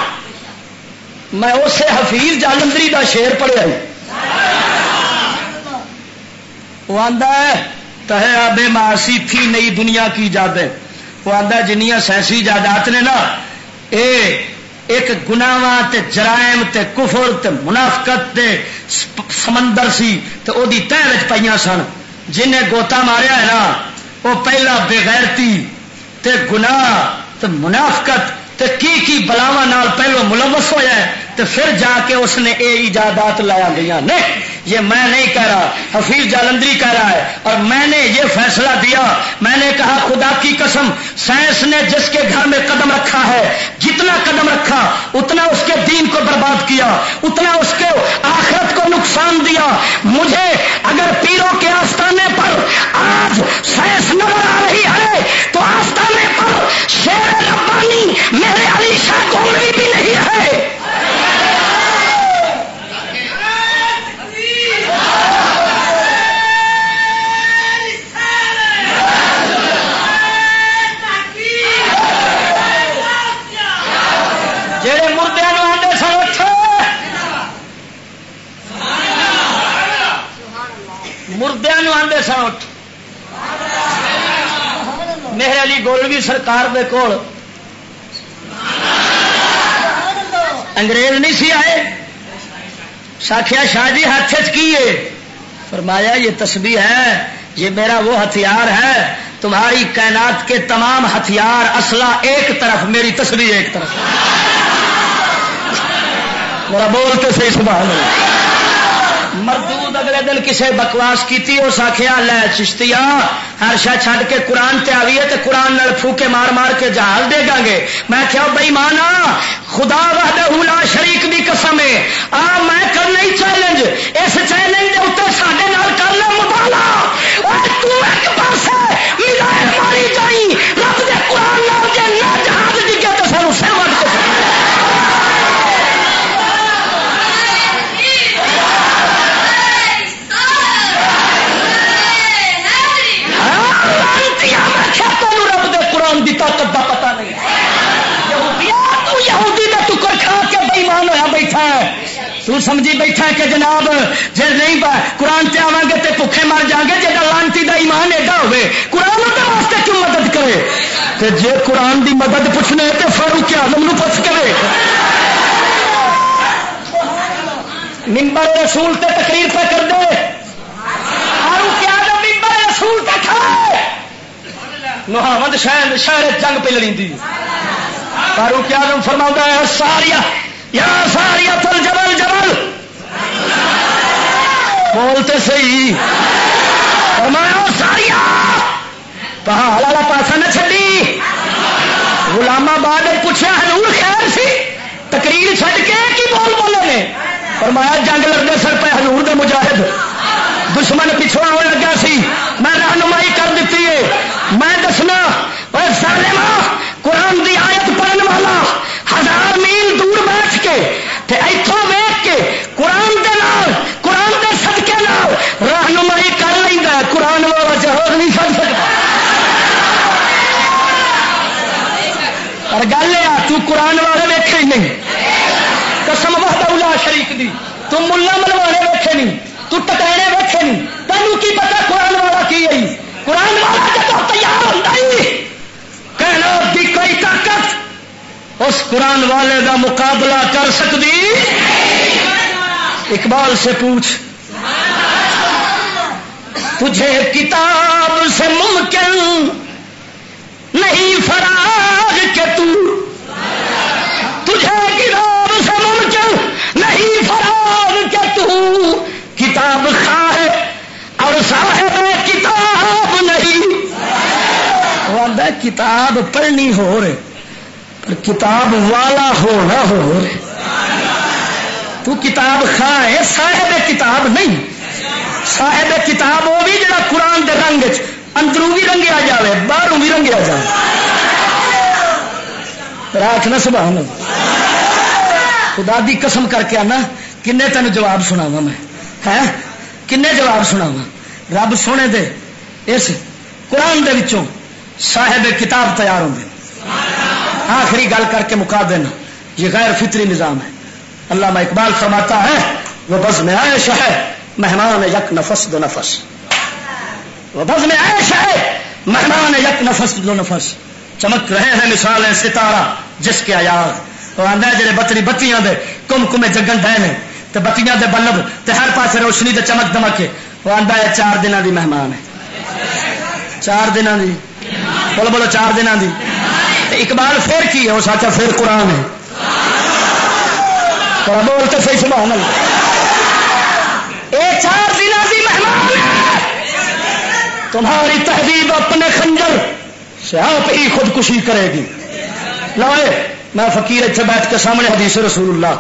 میں اسے حفیظ جالندری دا شعر پڑھیا ہی۔ وہ آندا ہے، تہے آبے معاشی تھی نئی دنیا کی ایجاد ہے۔ وہ آندا ہے، جنیاں سائنسی ایجادات نے نا، اے ایک گناواں تے جرائم تے کفر تے منافقت دے س-، سمندر سی، تے او دی تہہ وچ پئیاں سن۔ جن نے گوتا ماریا ہے نا، وہ پہلا بے غیرتی تے گناہ تے منافقت تے کی کی بلاواں نال پہلو ملوث ہویا ہے، تے پھر جا کے اس نے اے ایجادات لایا گئیاں نے۔ یہ میں نہیں کہہ رہا، حفیظ جالندری کہہ رہا ہے۔ اور میں نے یہ فیصلہ دیا، میں نے کہا، خدا کی قسم، سائنس نے جس کے گھر میں قدم رکھا ہے، جتنا قدم رکھا، اتنا اس کے دین کو برباد کیا، اتنا اس کے آخرت کو نقصان دیا۔ مجھے اگر پیروں کے آستانے پر آج سائنس نظر آ رہی ہے، تو آستانے پر شیر ربانی میرے علی شاہ گولوی بھی نہیں ہے۔ جڑے مردیاں نوں آندے سن اٹھ، مردیاں نوں آندے سن اٹھ، میرے علی گولوی سرکار دے کول انگریز نہیں سی آئے۔ ساکھیا، شاہ جی، ہاتھ وچ کی ہے؟ فرمایا، یہ تسبیح ہے، یہ میرا وہ ہتھیار ہے، تمہاری کائنات کے تمام ہتھیار، اسلحہ ایک طرف، میری تسبیح ایک طرف۔ ذرا بول تے صحیح، سبحان اللہ۔ مردود اگلے دن کسے بکواس کیتی، اس آکھیا، لے چشتیا، ہر شے چھڈ کے قرآن تے آویے تے قرآن نال پھوکے مار مار کے جہاز ڈیگاں گے۔ میں کہیا، بے ایمانا، خدا وحدہ لا شریک دی قسم ہے، آ میں کرنا ہی چیلنج، اس چیلنج دے اوتے ساڈے نال کر لے مبالا۔ اور تو ایک پاسے میزائل ماری جائی، رب دے قرآن نال جے نہ جہاز ڈگے تے سانو سر وٹ کے ہاں، لعنتیا، میں کیا تینوں رب دے قرآن دی طاقت دا پتہ نہیں؟ یہودیا، تو یہودی دا ٹکر کھا کے بے ایمان ہویا بیٹھا ہے۔ تو سمجھی بیٹھا ہے کہ جناب، جے نہیں با-، قرآن تے آواں گے تے بھکھے مر جاؤں گے۔ جے دا لعنتی دا ایمان ایڈا ہوئے، قرآن اودے واسطے کیوں مدد کرے؟ تے جے قرآن دی مدد پوچھنے تے فاروق اعظم نو پوچھ کے وے۔ ممبر رسول تے تقریر پہ کر دے، فاروق اعظم ممبر رسول تے کھڑے، نہاوند شہر، شہر جنگ پہ لڑیندی۔ فاروق اعظم فرماؤندا ہے، ساریہ، یا ساریہ الجبل جبل، بول تے صحیح۔ فرمایا، او ساریہ، پہاڑ والا پاسا نہ چھڈی۔ غلام آباد نے پوچھا، حضور خیر سی؟ تقریر چھڈ کے کی بول بولے نے؟ فرمایا، جنگ لڑدے سر پہ حضور دے مجاہد، دشمن پچھوں آن لگا سی، میں رہنمائی کر دتی ہے۔ میں دسنا، اے ظالما، قرآن دی آیت پڑھن والا ہزار میل دور بیٹھ کے تے ایتھوں ویکھ کے قرآن دے نال، قرآن دے صدقے نال رہنمائی کر لیندا ہے، قرآن والا جہاد نہیں کر سکدا۔ پر گل اے آ، تو قرآن والے ویکھے ہی نہیں۔ قسم وحدہ لا شریک دی، تو ملا ملوانے ویکھے نہیں، تو ٹکانے ویکھے نہیں، تینوں کی پتہ قرآن والا کی ہے؟ قرآن والا جب تیار ہوندا ہی، کائنات دی کوئی طاقت اس قرآن والے دا مقابلہ کر سکدی؟ اقبال سے پوچھ، تجھے کتاب سے ممکن نہیں فراغ کے تو، تجھے کتاب سے ممکن نہیں فراغ کے تو، کتاب خواہ اور صاحب کتاب نہیں۔ وہ آندا ہے، کتاب پڑھنی ہو رہے، پر کتاب والا ہونا ہو رہے۔ تو کتاب خواہ ہے، صاحب کتاب نہیں۔ صاحب کتاب وہ بھی جڑا قرآن دے رنگ وچ اندروں بھی رنگیا جاوے، باہروں بھی رنگیا جاوے۔ راکھ نہ سبحان اللہ۔ خدا دی قسم کر کے آنا، کنے تینوں جواب سناواں میں؟ ہیں؟ کنے جواب سناواں؟ رب سونے دے اس قرآن دے وچوں صاحب کتاب تیار ہوندے۔ آخری گل کر کے مکا دینا، یہ غیر فطری نظام ہے۔ علامہ اقبال فرماتا ہے، وہ بزم عیش ہے مہمان یک نفس دو نفس، وہ بزم عیش ہے مہمان یک نفس دو نفس، چمک رہے ہیں مثال ستارہ جس کے ایاز۔ وہ آندا ہے، جڑے بتری بتیاں دے کم کمے جگن ڈے نے، تے بتیاں دے بلب، تے ہر پاسے روشنی تے چمک دمک ہے۔ وہ آندا ہے، چار دناں دی مہمان ہے، چار دناں دی، بولو، بولو، چار دناں دی۔ تے اقبال پھر کی ہے؟ اس آخیا، "پھر قرآن ہے۔" ذرا بول تے صحیح، سبحان اللہ۔ اے چار دناں دی مہمان ہے۔ تمہاری تہذیب اپنے خنجر سے آپ ہی خودکشی کرے گی۔ لائے، میں فقیر اتنے بیٹھ کے سامنے حدیث رسول اللہ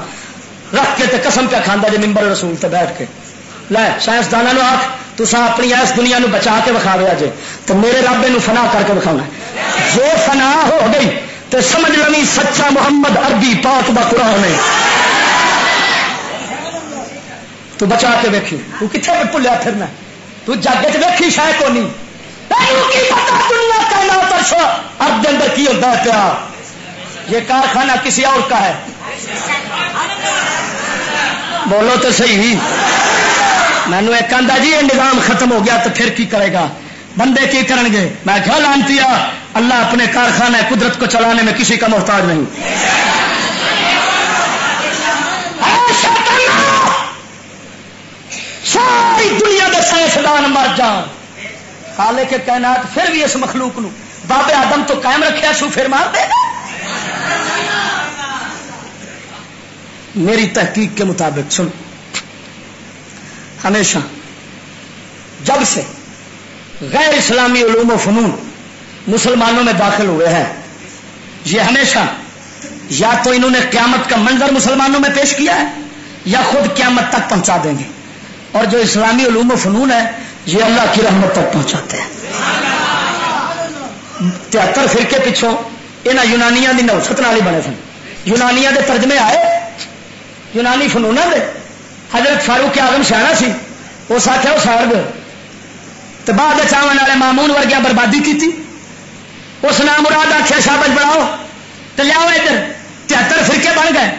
رکھ کے تے قسم پہ کھاندا جے ممبر رسول تے بیٹھ کے۔ لے، سائنسداناں نوں آکھ، "تساں اپنی اس دنیا نوں بچا کے وکھاوے اجے، تے میرے رب اینوں فنا کر کے وکھاونا ہے۔" جو فنا ہو گئی، تے سمجھ لوی سچا محمد عربی پاک دا قرآن ہے۔ تو بچا کے ویکھی، تو کتھے بھلیا پھرنا ہے؟ تو جگ وچ ویکھی شے کونی۔ تینوں کی پتہ دنیا کائنات عرش ارض دے اندر کی ہوندا ہے پیا؟ یہ کارخانہ کسی اور کا ہے؟ بولو تو صحیح۔ مینوں ایک آندا جی، یہ نظام ختم ہو گیا تو پھر کی کرے گا؟ بندے کی کرن گے؟ میں کہا، "لعنتیا، اللہ اپنے کارخانہ قدرت کو چلانے میں کسی کا محتاج نہیں۔" اے شیطانہ! ساری دنیا دے سائنسدان مر جان، خالق کائنات پھر بھی اس مخلوق نو باب آدم تو قائم رکھیا سو، پھر مار دے گا۔ میری تحقیق کے مطابق، سن، ہمیشہ جب سے غیر اسلامی علوم و فنون مسلمانوں میں داخل ہوئے ہیں، یہ ہمیشہ یا تو انہوں نے قیامت کا منظر مسلمانوں میں پیش کیا ہے یا خود قیامت تک پہنچا دیں گے۔ اور جو اسلامی علوم و فنون ہے، یہ اللہ کی رحمت تک پہنچاتے ہیں۔ تہتر فرقے پچھوں انہاں یونانیاں دی نوست نال ہی بنے سن۔ یونانیاں دے ترجمے آئے، یونانی فنوناں دے۔ حضرت فاروق اعظم سیاح سی، اس آخیا، "وہ ساڑ دو۔" تو بعد وچ آون والے مامون ورگیاں بربادی کیتی۔ اس نام مراد آخیا، "شابش بڑھاؤ، تے لیاؤ ادھر۔" تہتر فرقے بن گئے،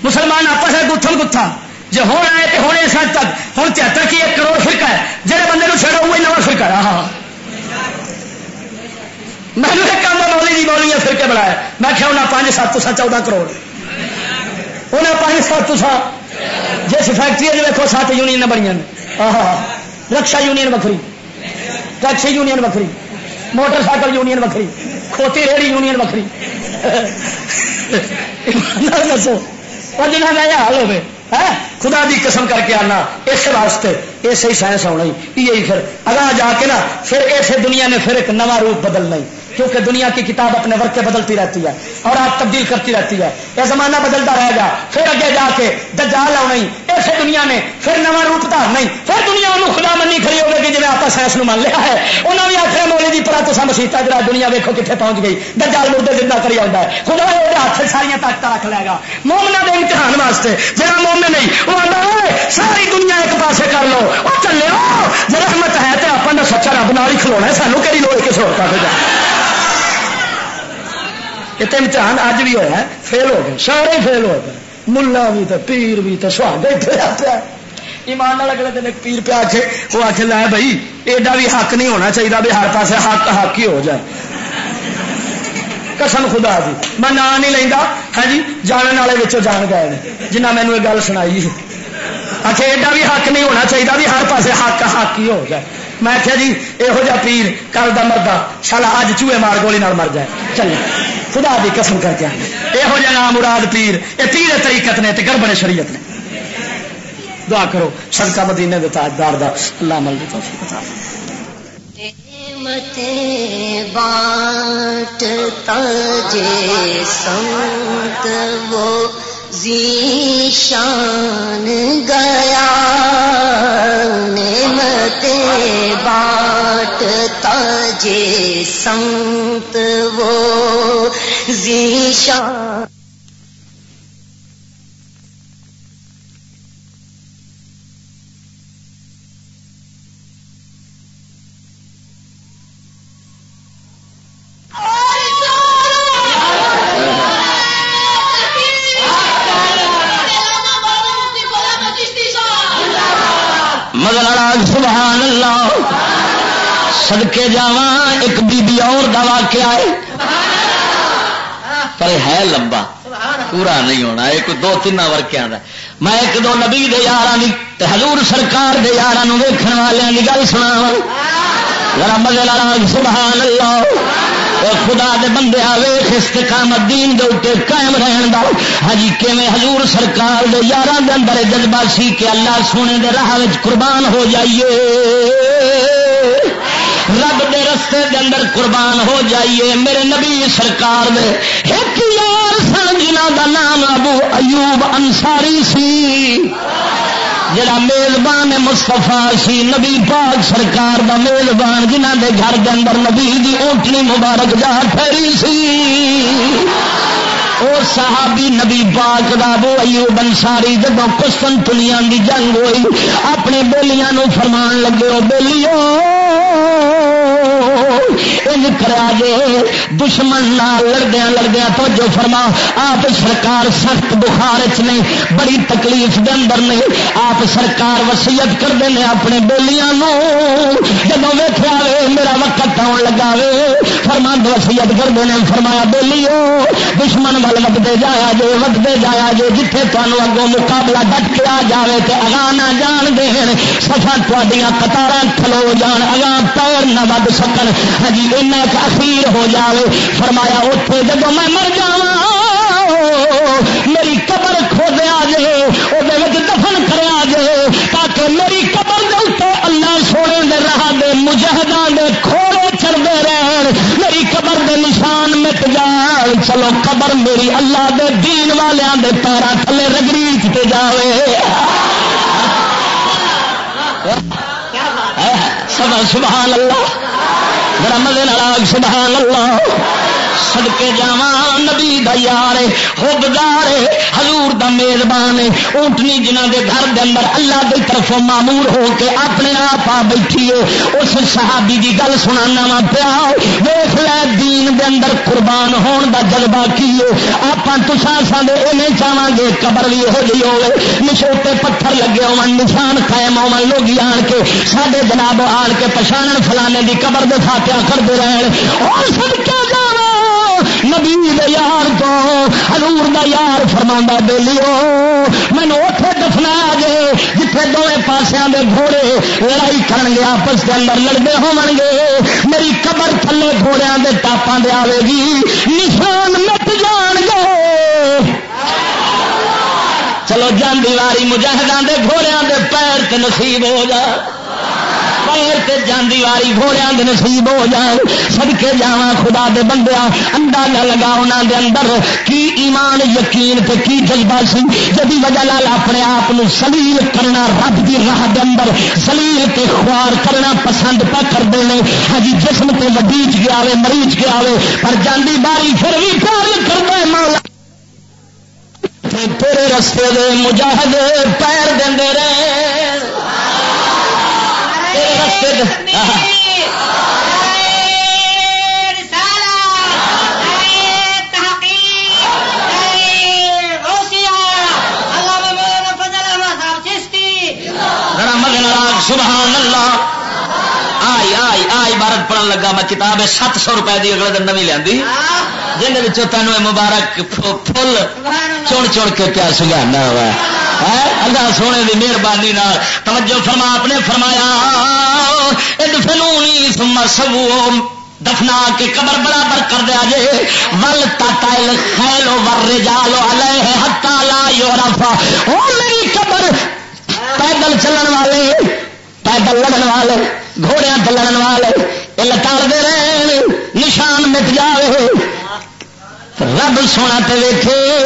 مسلمان آپس وچ گتھم گتھا۔ جے ہن آئے تے ہن اس حد تک، ہن تہتر کی ایک کروڑ فرقہ ہے، جہڑے بندے نوں چھڑو، وہی نواں فرقہ ہے۔ ہاں، ہاں۔ مینوں ایک آندا، "مولوی جی، مولوی نے فرقے بنائے۔" میں کہیا، "انہاں پنج ست، تساں چودہ کروڑ۔" انہاں پنج ست، تساں جس فیکٹری وچ ویکھو، ست یونین بنیاں نے۔ آہا، رکشا یونین وکھری، ٹیکسی یونین وکھری، موٹر سائیکل یونین وکھری، کھوتی ریڑھی یونین وکھری۔ ایمان نال دسو، اور جنہاں دا یہ حال ہوے، ہیں؟ خدا دی قسم کر کے آنا، اس واسطے ایسے ہی سائنس ہونا ہی، یہ ہی پھر اگاں جا کے نا، پھر ایسے دنیا نے پھر ایک نواں روپ بدلنا ہی، کیونکہ دنیا کی کتاب اپنے ورقے بدلتی رہتی ہے اور آپ تبدیل کرتی رہتی ہے۔ یہ زمانہ بدلتا رہے گا، پھر اگے جا کے دجال آنا ہی، ایسے دنیا نے پھر نواں روپ دھارنا ہی، پھر دنیا انہوں خدا منی کھڑی ہوگی، جی میں آپ سائنس نو مان لیا ہے۔ انہوں نے آخر، "مولوی جی، پرا تساں مسیطا جرا، دنیا ویکھو کتھے پہنچ گئی، دجال مردے زندہ کری آؤندا ہے۔" خدا اے دے ہاتھ سارے طاقتاں رکھ لے گا۔ مومناں دے امتحان واسطے، جڑا مومن نہیں، وہ آندا، "اوئے، ساری دنیا ایک پاسے کر لو، او چلے ہو، جے رحمت ہے تے اپن دا سچا رب نال ہی کھلونا ہے، سانو کیڑی لوڑ کسے ہور پاسے جانا۔" یہ تے امتحان اج بھی ہویا ہے، فیل ہو گئے، سارے ہی فیل ہوئے پے، ملا بھی تے پیر بھی تے سہاگے ہی پیا پیا۔ ایمان نال اگلے دن ایک پیر پیا آکھے، وہ آکھے، "لے بھائی، ایڈا بھی حق نہیں ہونا چاہیے بھی ہر پاسے حق حق ہی ہو جائے۔" قسم خدا دی، میں نام نہیں لیندا، ہاں جی، جانن والے وچوں جان گئے نے، جنہاں مینوں یہ گل سنائی۔ اچھا، ایڈا بھی حق نہیں ہونا چاہیے بھی ہر پاسے حق حق ہی ہو جائے۔ میں آخیا، "جی، یہو جہا پیر کل دا مردہ، سالا اج چوہے مار گولی نال مر جائے۔" چلے، خدا دی قسم کر کے آنا، یہو جہا نام مراد پیر، یہ پیر طریقت نے تے گڑبڑ شریعت نے۔ دعا کرو، صدقہ مدینے دے تاجدار دا، اللہ عمل دی توفیق عطا فرمائے۔ نعمتیں بانٹتا جے سنت وہ ذیشان گیا، نعمتیں بانٹتا جے سنت وہ ذیشان۔ مگر آج سبحان اللہ، صدقے جاواں، ایک بی بی اور دا واقعہ ہے، پر ہے لمبا، پورا نہیں ہونا، یہ کوئی دو تین ورقیاں دا۔ میں ایک دو نبی دے یاراں دی تے حضور سرکار دے یاراں نوں ویکھن والیاں دی گل سناواں۔ ذرا مزے نال آکھ، سبحان اللہ۔ اے خدا دے بندے، آ ویکھ استقامت دین دے اُتے قائم رہن دا۔ ہاں جی، کیویں حضور سرکار دے یاراں دے اندر جذبہ سی کہ اللہ سونے دے راہ وچ قربان ہو جائیے، رب دے رستے دے اندر قربان ہو جائیے۔ میرے نبی سرکار دے ایک یار سن جنہاں دا نام ابو ایوب انصاری سی، جڑا میزبان مصطفیٰ سی، نبی پاک سرکار دا میزبان، جنہاں دے گھر دے اندر نبی دی اونٹنی مبارک جا ٹھہری سی۔ او صحابی نبی پاک دا ابو ایوب انصاری جدوں قسطنطنیہ دی جنگ ہوئی، اپنے بیلیاں نو فرمان لگے، او بیلیو، انج کریا جے، دشمن نال لڑدیاں لڑدیاں، توجہ فرما، آپ سرکار سخت بخار وچ نے، بڑی تکلیف دے اندر نے۔ آپ سرکار وصیت کردے نے اپنے بیلیاں نو، جدوں ویکھیا وے میرا وقت آن لگا وے، فرمند وصیت کردے نے، فرمایا، بیلیو، دشمن ول وددے جایا جے، وددے جایا جے، جتھے تانوں اگوں مقابلہ ڈٹ کے آ جاوے تے اگاں نہ جان دین، صفاں تہاڈیاں قطاراں کھلو جان، اگاں پیر نہ ود سکن۔ ہاں جی، اینا ایک اخیر ہو جاوے۔ فرمایا، اوتھے جدوں میں مر جاواں، میری قبر کھودیا جے، او دے وچ دفن کریا جے، تاکہ میری قبر دے اُتے اللہ سونے دے راہ دے مجاہداں دے کھوڑے چردے رہن، میری قبر دے نشان مٹ جان۔ چلو، قبر میری اللہ دے دین والیاں دے پیراں تھلے رگڑیچ تے جاوے۔ سبحان، سبحان اللہ۔ ذرا مزے نال آکھ، سبحان اللہ۔ صدقے جاواں، نبی دا یار ہے، حبدار ہے، حضور دا میزبان ہے۔ اونٹنی جنہاں دے گھر دے اندر اللہ دی طرفوں مامور ہو کے اپنے آپ آ بیٹھی ہے، اس صحابی دی گل سنانا وا پیا۔ ویکھ لے، دین دے اندر قربان ہون دا جذبہ کی ہے۔ آپاں تساں اساں دے ایویں چاہواں گے قبر وی ایہو جہی ہوے، نشوتے پتھر لگے ہون، نشان قائم ہون، لوگی آن کے ساڈے جناب آن کے پچھانن فلانے دی قبر دے فاتحہ کردے رہن۔ او صدقے جاواں، نبی دے یار تو، حضور دا یار فرماندا، بیلیو، مینوں اوتھے دفنا جے جتھے دوویں پاسیاں دے گھوڑے لڑائی کرن گے، آپس دے اندر لڑدے ہون گے۔ میری قبر تھلے گھوڑیاں دے ٹاپاں دے آوے گی، نشان مٹ جان گے۔ چلو، جاندی واری مجاہداں دے گھوڑیاں دے پیر تے نصیب ہو جا، پیر تے جاندی واری گھوڑیاں دے نصیب ہو جان۔ صدقے جاواں خدا دے بندیاں، اندازہ لگا انہاں دے اندر کی ایمان، یقین تے کی جذبہ سی، جدی وجہ نال اپنے آپ نو ذلیل کرنا، رب دی راہ دے اندر ذلیل تے خوار کرنا پسند پہ کردے نے۔ ہاں جی، جسم تے وڈیچ گیا وے، مریچ گیا وے، پر جاندی باری پھر وی پیار کردا ہے مولا۔ تے تیرے رستے دے مجاہد پیر دیندے رہے۔ تیرے رستے دے، آہا۔ ذرا مزے نال آکھ، سبحان اللہ۔ آئی، آئی، آ عبارت پڑھن لگا میں، کتاب ہے ست سو روپے دی، اگلے دن نویں لیاندی، جن وچوں تینوں اے مبارک پھو-، پھل چن چن کے پیا سنگھانا وا۔ ہے؟ اللہ سونے دی مہربانی نال۔ توجہ فرما، آپ نے فرمایا، "ادفنونی ثم سوو"، دفنا کے قبر برابر کر دیا جے۔ "ول تطل خیل والرجال علیہ حتی لا یعرف"، او میری قبر، پیدل چلن والے، پیدل لڑن والے، گھوڑیاں تے لڑن والے، اے لتاڑ دے رہن، نشان مٹ جاوے۔ رب سونا تے ویکھے،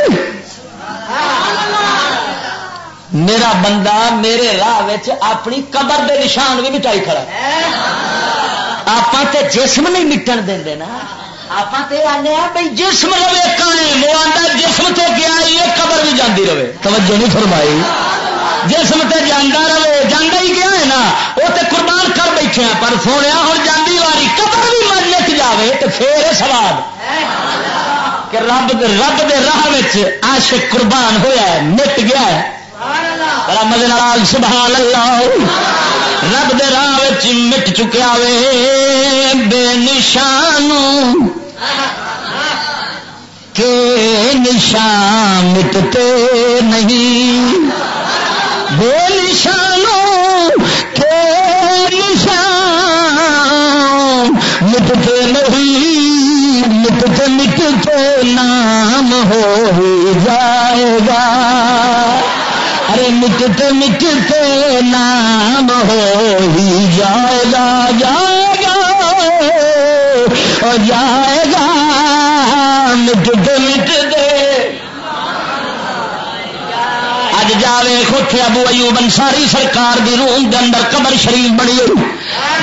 میرا بندہ میرے راہ وچ اپنی قبر دے نشان بھی مٹائی کھڑا۔ آپاں تے جسم نہیں مٹن دیندے نا، آپاں تے آنے آ بھئی جسم رہے قائم، وہ آندا جسم تو گیا ہی ہے، قبر بھی جاندی رہے۔ توجہ نہیں فرمائی۔ جسم تے جاندا رہے، جاندا ہی گیا ہے نا، وہ تے قربان کر بیٹھے ہیں، پر سونیا ہن جاندی واری قبر بھی مر مٹ جاوے تے پھر اے ثواب کہ رب، رب دے راہ وچ عاشق قربان ہویا ہے، مٹ گیا ہے۔ بڑا مزے نال آکھ، سبحان اللہ۔ رب دے راہ وچ مٹ چکیا وے، بے نشانوں کے نشان مٹتے نہیں، بے نشانوں کے نشان مٹتے نام ہو ہی جائے گا۔ ارے مٹتے مٹتے نام ہو ہی جائے گا، جائے گا، او جائے گا، مٹتے مٹتے۔ اج جاوے خود ابو ایوب انصاری سرکار دی روم دے اندر قبر شریف بنی ہوئی۔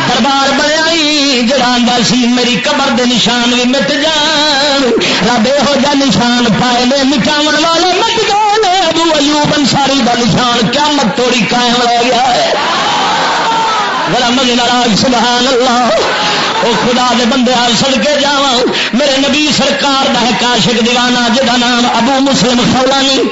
دربار بنیا ای جڑا آندا سی، "میری قبر دے نشان وی مٹ جان۔" رب ایہو جا نشان پائے نے، مٹاون والے مٹ گئے نے، ابو ایوب انصاری دا نشان قیامت توڑی قائم رہ گیا ہے۔ ذرا مجھے ناراض، سبحان اللہ۔ او خدا دے بندے، آ صدقے جاواں، میرے نبی سرکار دا ایک عاشق دیوانہ جدا نام ابو مسلم خولانی۔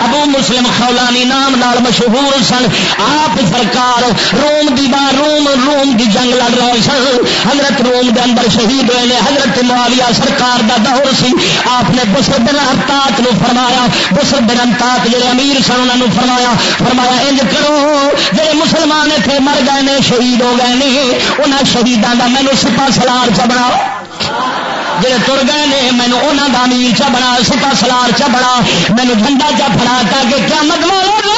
ابو مسلم خولانی نام نال مشہور سن۔ آپ سرکار روم دی بار، روم، روم دی جنگ لڑ رہے سن۔ حضرت روم دے اندر شہید ہوئے نے۔ حضرت معاویہ سرکار دا دور سی۔ آپ نے بسر بن ارتات نو فرمایا، بسر بن ارتات جڑے امیر سن، انہاں نو فرمایا، فرمایا، "انج کرو، جڑے مسلمان اتھے مر گئے نے، شہید ہو گئے نے، انہاں شہیداں دا مینوں سپہ سالار چ بناؤ۔" جڑے تر گئے نے، مینوں انہاں دا امیر چا بنا، سپہ سالار چا بنا، مینوں جھنڈا چا پھڑا، تاکہ قیامت والے دن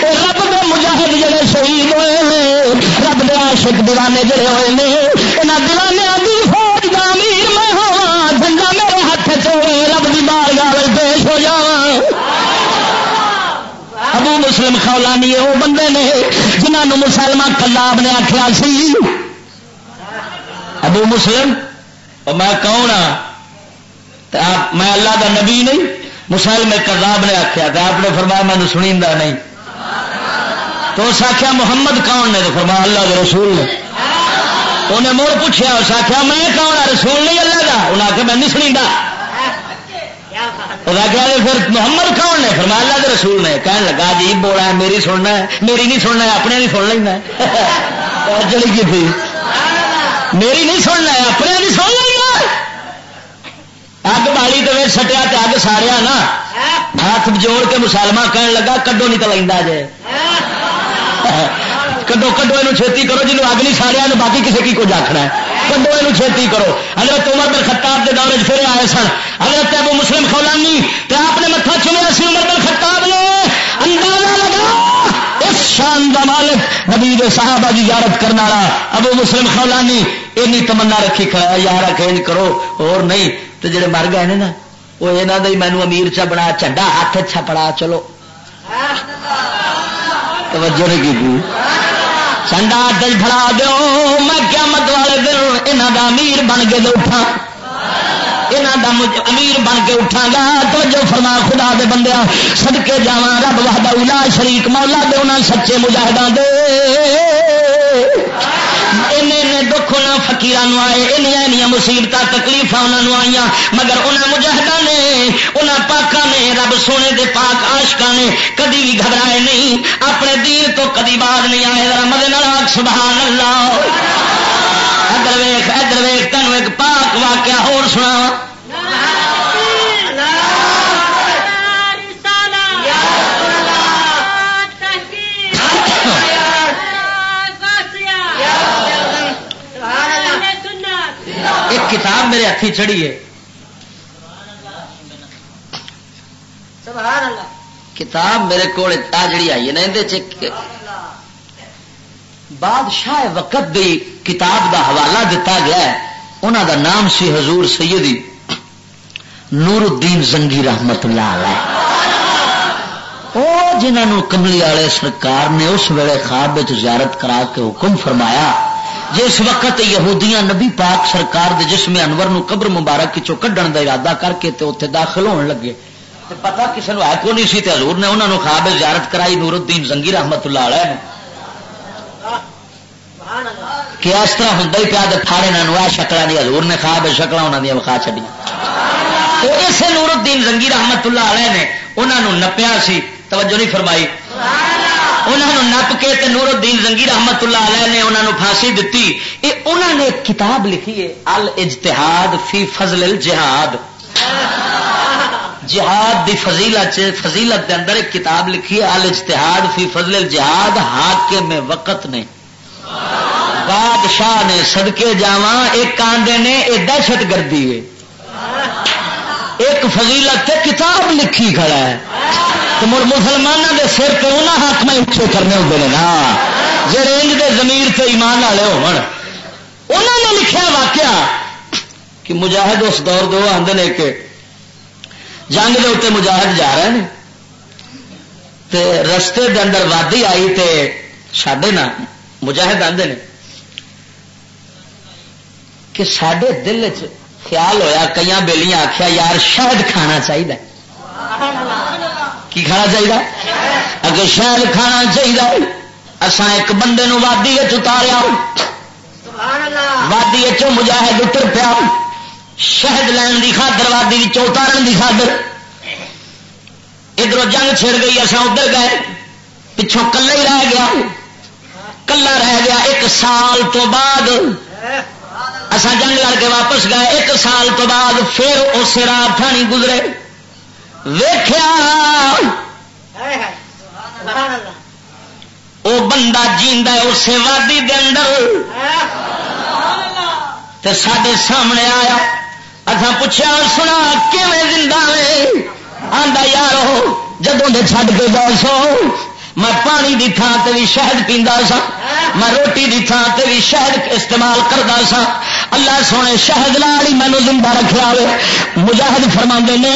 اے رب دے مجاہد جڑے شہید ہوئے نے، رب دے عاشق دیوانے جڑے ہوئے نے، انہاں دیوانیاں دی فوج دا امیر میں ہوواں، جھنڈا میرے ہاتھ چ ہوئے، رب دی بارگاہ وچ پیش ہو جاواں۔ ابو مسلم خولانی او بندے نے جنہاں نوں مسلمہ کذاب نے آکھیا سی، ابو مسلم، اور میں کون ہاں؟ تے آپ، میں اللہ دا نبی نہیں؟ مسلم کذاب نے آکھیا، تے آپ نے فرمایا، "مینوں سنیندا نہیں۔" تو اس آکھیا، "محمد کون نے؟" تو فرمایا، "اللہ دے رسول نے۔" انہیں مڑ پوچھیا، اس آکھیا، "میں کون ہاں؟ رسول نہیں اللہ دا؟" انہیں آکھیا، "میں نہیں سنیندا۔" اس آکھیا، "تے پھر محمد کون نے؟" فرمایا، "اللہ دے رسول نے۔" کہن لگا، "عجیب بولا ہے، میری سننا ہے، میری نہیں سننا ہے، اپنے نہیں سن لینا ہے۔" توجہ نہیں کی تھی۔ "میری نہیں سننا ہے، اپنے نہیں سن لینا ہے۔" اگ بالی تے وچ سٹیا تے اگ ساڑیا نا۔ ہاتھ جوڑ کے مسلمہ کہن لگا، "کڈو نہیں تے لیندا جے۔" کڈو، کڈو اینو چھیتی کرو، جنوں اگ نہیں ساڑیا نا، باقی کسے کی کچھ آکھنا ہے۔ کڈو اینو چھیتی کرو۔ حضرت عمر بن خطاب دے دور وچ پھر آئے سن حضرت ابو مسلم خولانی، تے آپ نے متھا چومیا سی عمر بن خطاب نے۔ اندازہ لگا، اس شان دا مالک، نبی دے صحابہ دی زیارت کرن والا ابو مسلم خولانی، اینی تمنا رکھی کھڑا ہے، یار، آکھے انج کرو، اور نہیں تے جڑے مر گئے نے نا، وہ انہاں دا ہی مینوں امیر چا بنا، جھنڈا ہاتھ چا پڑا، چلو۔ توجہ نہیں کی تھی۔ جھنڈا ہاتھ چ پھڑا دیو، میں قیامت والے دن انہاں دا امیر بن کے تے اٹھاں۔ انہاں دا مج-، امیر بن کے اٹھاں گا۔ توجہ فرما خدا دے بندیاں، صدقے جاواں رب وحدہ لا شریک مولا دے انہاں سچے مجاہداں دے۔ اینے اینے دکھ انہاں فقیراں نوں آئے، اینیاں اینیاں مصیبتاں تکلیفاں انہاں نوں آئیاں، مگر انہاں مجاہداں نے، انہاں پاکاں نے رب سونے دے پاک عاشقاں نے کدی بھی گھبرائے نہیں، اپنے دین تو کدی باز نہیں آئے۔ ذرا مزے نال آکھ سبحان اللہ۔ ادھر ویکھ، ادھر ویکھ، تینوں ایک پاک واقعہ ہور سناواں۔ ایک کتاب میرے ہتھی چڑھی ہے۔ سبحان اللہ۔ کتاب میرے کول آ جڑی آئی ہے نا، اندے چ ایک بادشاہ وقت دی کتاب دا حوالہ دتا گیا ہے۔ انہاں دا نام سی حضور سیدی نور الدین زنگی رحمت اللہ علیہ۔ او جنہاں نوں کملی والے سرکار نے اس ویلے خواب وچ زیارت کرا کے حکم فرمایا، جس وقت یہودیاں نبی پاک سرکار دے جسم انور نوں قبر مبارک وچوں کڈن دا ارادہ کر کے تے اوتھے داخل ہون لگے، تے پتہ کسے نوں ہے کوئی نہیں سی، تے حضور نے انہاں نوں خواب وچ زیارت کرائی، نور الدین زنگی رحمت اللہ علیہ نے۔ کہ اس طرح ہوندا ہی پیا، تے پھاڑے انہاں نوں اے شکلاں دی حضور نے خواب وچ شکلاں انہاں دیاں وکھا چھڈیاں۔ تے اسے نور الدین زنگی رحمت اللہ علیہ نے انہاں نوں نپیا سی، توجہ نہیں فرمائی۔ انہاں نوں نپ کے تے نور الدین زنگی رحمت اللہ علیہ نے انہاں نوں پھانسی دتی۔ اے انہاں نے ایک کتاب لکھی ہے، الاجتہاد فی فضل الجہاد۔ جہاد دی فضیلت، فضیلت دے اندر ایک کتاب لکھی ہے، الاجتہاد فی فضل الجہاد، حاکم وقت نے۔ بادشاہ نے، صدقے جاواں، ایک آندے نے اے دہشت گردی ہے، ایک فضیلت تے کتاب لکھی کھڑا ہے۔ تو مڑ مسلماناں دے سر تے انہاں حق میں اچے کرنے ہوندے نے نا، جڑے انج دے ضمیر تے ایمان والے ہون۔ انہاں نے لکھیا واقعہ کہ مجاہد اس دور دے، وہ آندے نے کہ جنگ دے اوتے مجاہد جا رہے نے، تے رستے دے اندر وادی آئی، تے ساڈے نا مجاہد آندے نے کہ ساڈے دل وچ خیال ہویا، کئیاں بیلیاں آکھیا، "یار، شہد کھانا چاہیدا ہے۔" کی کھانا چاہیدا؟ اگر شہد کھانا چاہیدا ہے، اساں ایک بندے نو وادی وچ اتاریا۔ وادی وچوں مجاہد اتر پیا، شہد لین دی خاطر، وادی وچوں اتارن دی خاطر۔ ادھروں جنگ چھڑ گئی، اساں ادھر گئے، پچھوں کلا ہی رہ گیا، کلا رہ گیا۔ ایک سال تو بعد اساں جنگ لڑ کے واپس گئے۔ ایک سال تو بعد پھر اسے راہ تھانی گزرے، ویکھیا او بندہ جیندا ہے اسے وادی دے اندر، تے ساڈے سامنے آیا۔ اساں پچھیا، "سنا، کیویں زندہ وے؟" آندا، "یارو، جدوں دے چھڈ کے گئے سو، میں پانی دی تھاں تے وی شہد پیندا سا، میں روٹی دی تھاں تے وی شہد استعمال کردا سا۔ اللہ سونے شہد نال ہی مینوں زندہ رکھیا ہوئے۔" مجاہد فرماندے نے،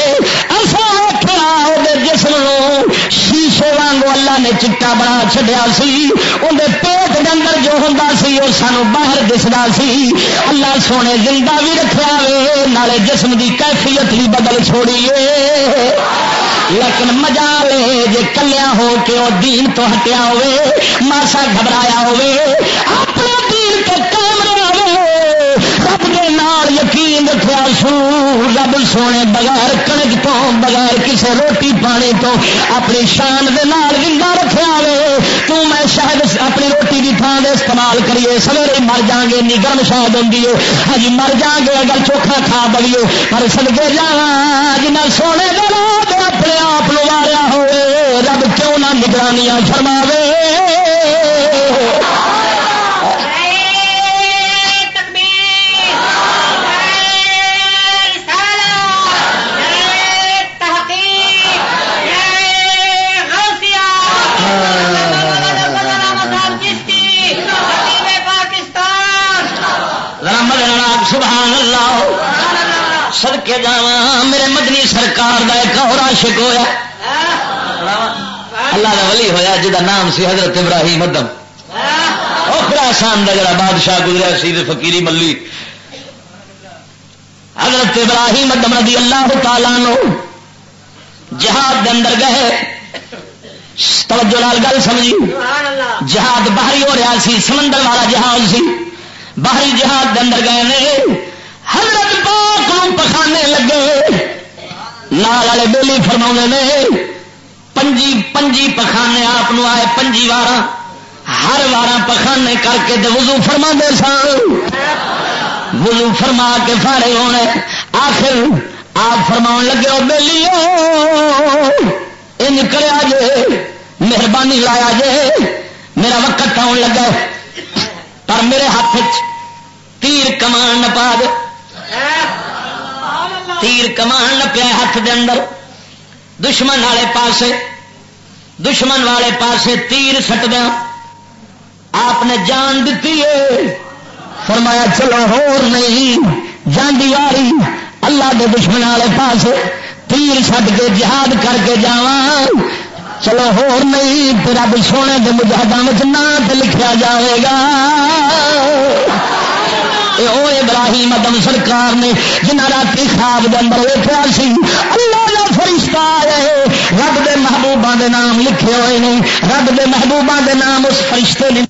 "اساں ویکھیا اودے جسم نوں شیشے وانگوں اللہ نے چٹا بنا چھڈیا سی، اوندے پیٹ دے اندر جو ہوندا سی، او سانوں باہر دسدا سی۔ اللہ سونے زندہ وی رکھیا ہوئے، نالے جسم دی کیفیت وی بدل چھوڑی ہے۔" لیکن مجال ہے جے کلیا ہو کے او دین تو ہٹیا ہوئے، ماسا گھبرایا ہوئے، اپنے دین تے قائم رہے، رب دے نال یقین رکھیا سو، رب سونے بغیر کنک تو، بغیر کسے روٹی پانی تو اپنی شان دے نال زندہ رکھیا ہوئے۔ تو میں شاید اپنی روٹی دی تھاں دے استعمال کریے، سویرے ہی مر جاؤں گے، انی گرم شاید ہوندی ہے۔ ہاں جی، مر جاؤں گے اگر چوکھا کھا بویے، پر صدقے جاواں جنہاں سونے دے نال تے اپنے آپ نو واریا ہوئے، رب کیوں نہ نگرانیاں فرماوے۔ نعرہ تکبیر، نعرہ رسالت، نعرہ تحقیق، نعرہ غوثیہ، چشتی، خطیب پاکستان۔ ذرا مدد نال آکھ، سبحان اللہ۔ صدقے جاواں، میرے مدنی سرکار دا ایک اور عاشق ہویا۔ اللہ دا ولی ہویا جدا نام سی حضرت ابراہیم ادم۔ او خراسان دا جڑا بادشاہ گزریا سی تے فقیری ملی۔ حضرت ابراہیم ادم رضی اللہ تعالیٰ عنہ جہاد دے اندر گئے۔ توجہ نال گل سمجھی۔ جہاد باہری ہو رہا سی، سمندر والا جہاد سی، باہری جہاد دے اندر گئے نے۔ حضرت پاک نوں پخانے لگے، نال والے بیلی فرماوندے نے، پنجی پنجی پخانے آپ نوں آئے، پنجی واراں، ہر واراں پخانے کر کے تے وضو فرما دے سن۔ وضو فرما کے فارغ ہونے، آخر آپ فرماؤن لگے، "او بیلیو، انج کریا جے، مہربانی لایا جے، میرا وقت آن لگا ہے، پر میرے ہاتھ وچ تیر کمان نہ پا دے۔" تیر کمان نہ پیا ہاتھ دے اندر، دشمن والے پاسے، دشمن والے پاسے تیر سٹ دیا۔ آپ نے جان دتی ہے۔ فرمایا، "چلو، ہور نہیں، جان دی واری، اللہ دے دشمن والے پاسے تیر سٹ کے جہاد کر کے جاواں۔ چلو، ہور نہیں، تے رب سونے دے مجاہداں وچ ناں تے لکھیا جاوے گا۔" اے او ابراہیم ادم سرکار نے، جنہاں راتی خواب دے اندر ویکھیا سی، اللہ دا فرشتہ آیا ہے، رب دے محبوباں دے نام لکھے ہوئے نے، رب دے محبوباں دے نام اس فرشتے نے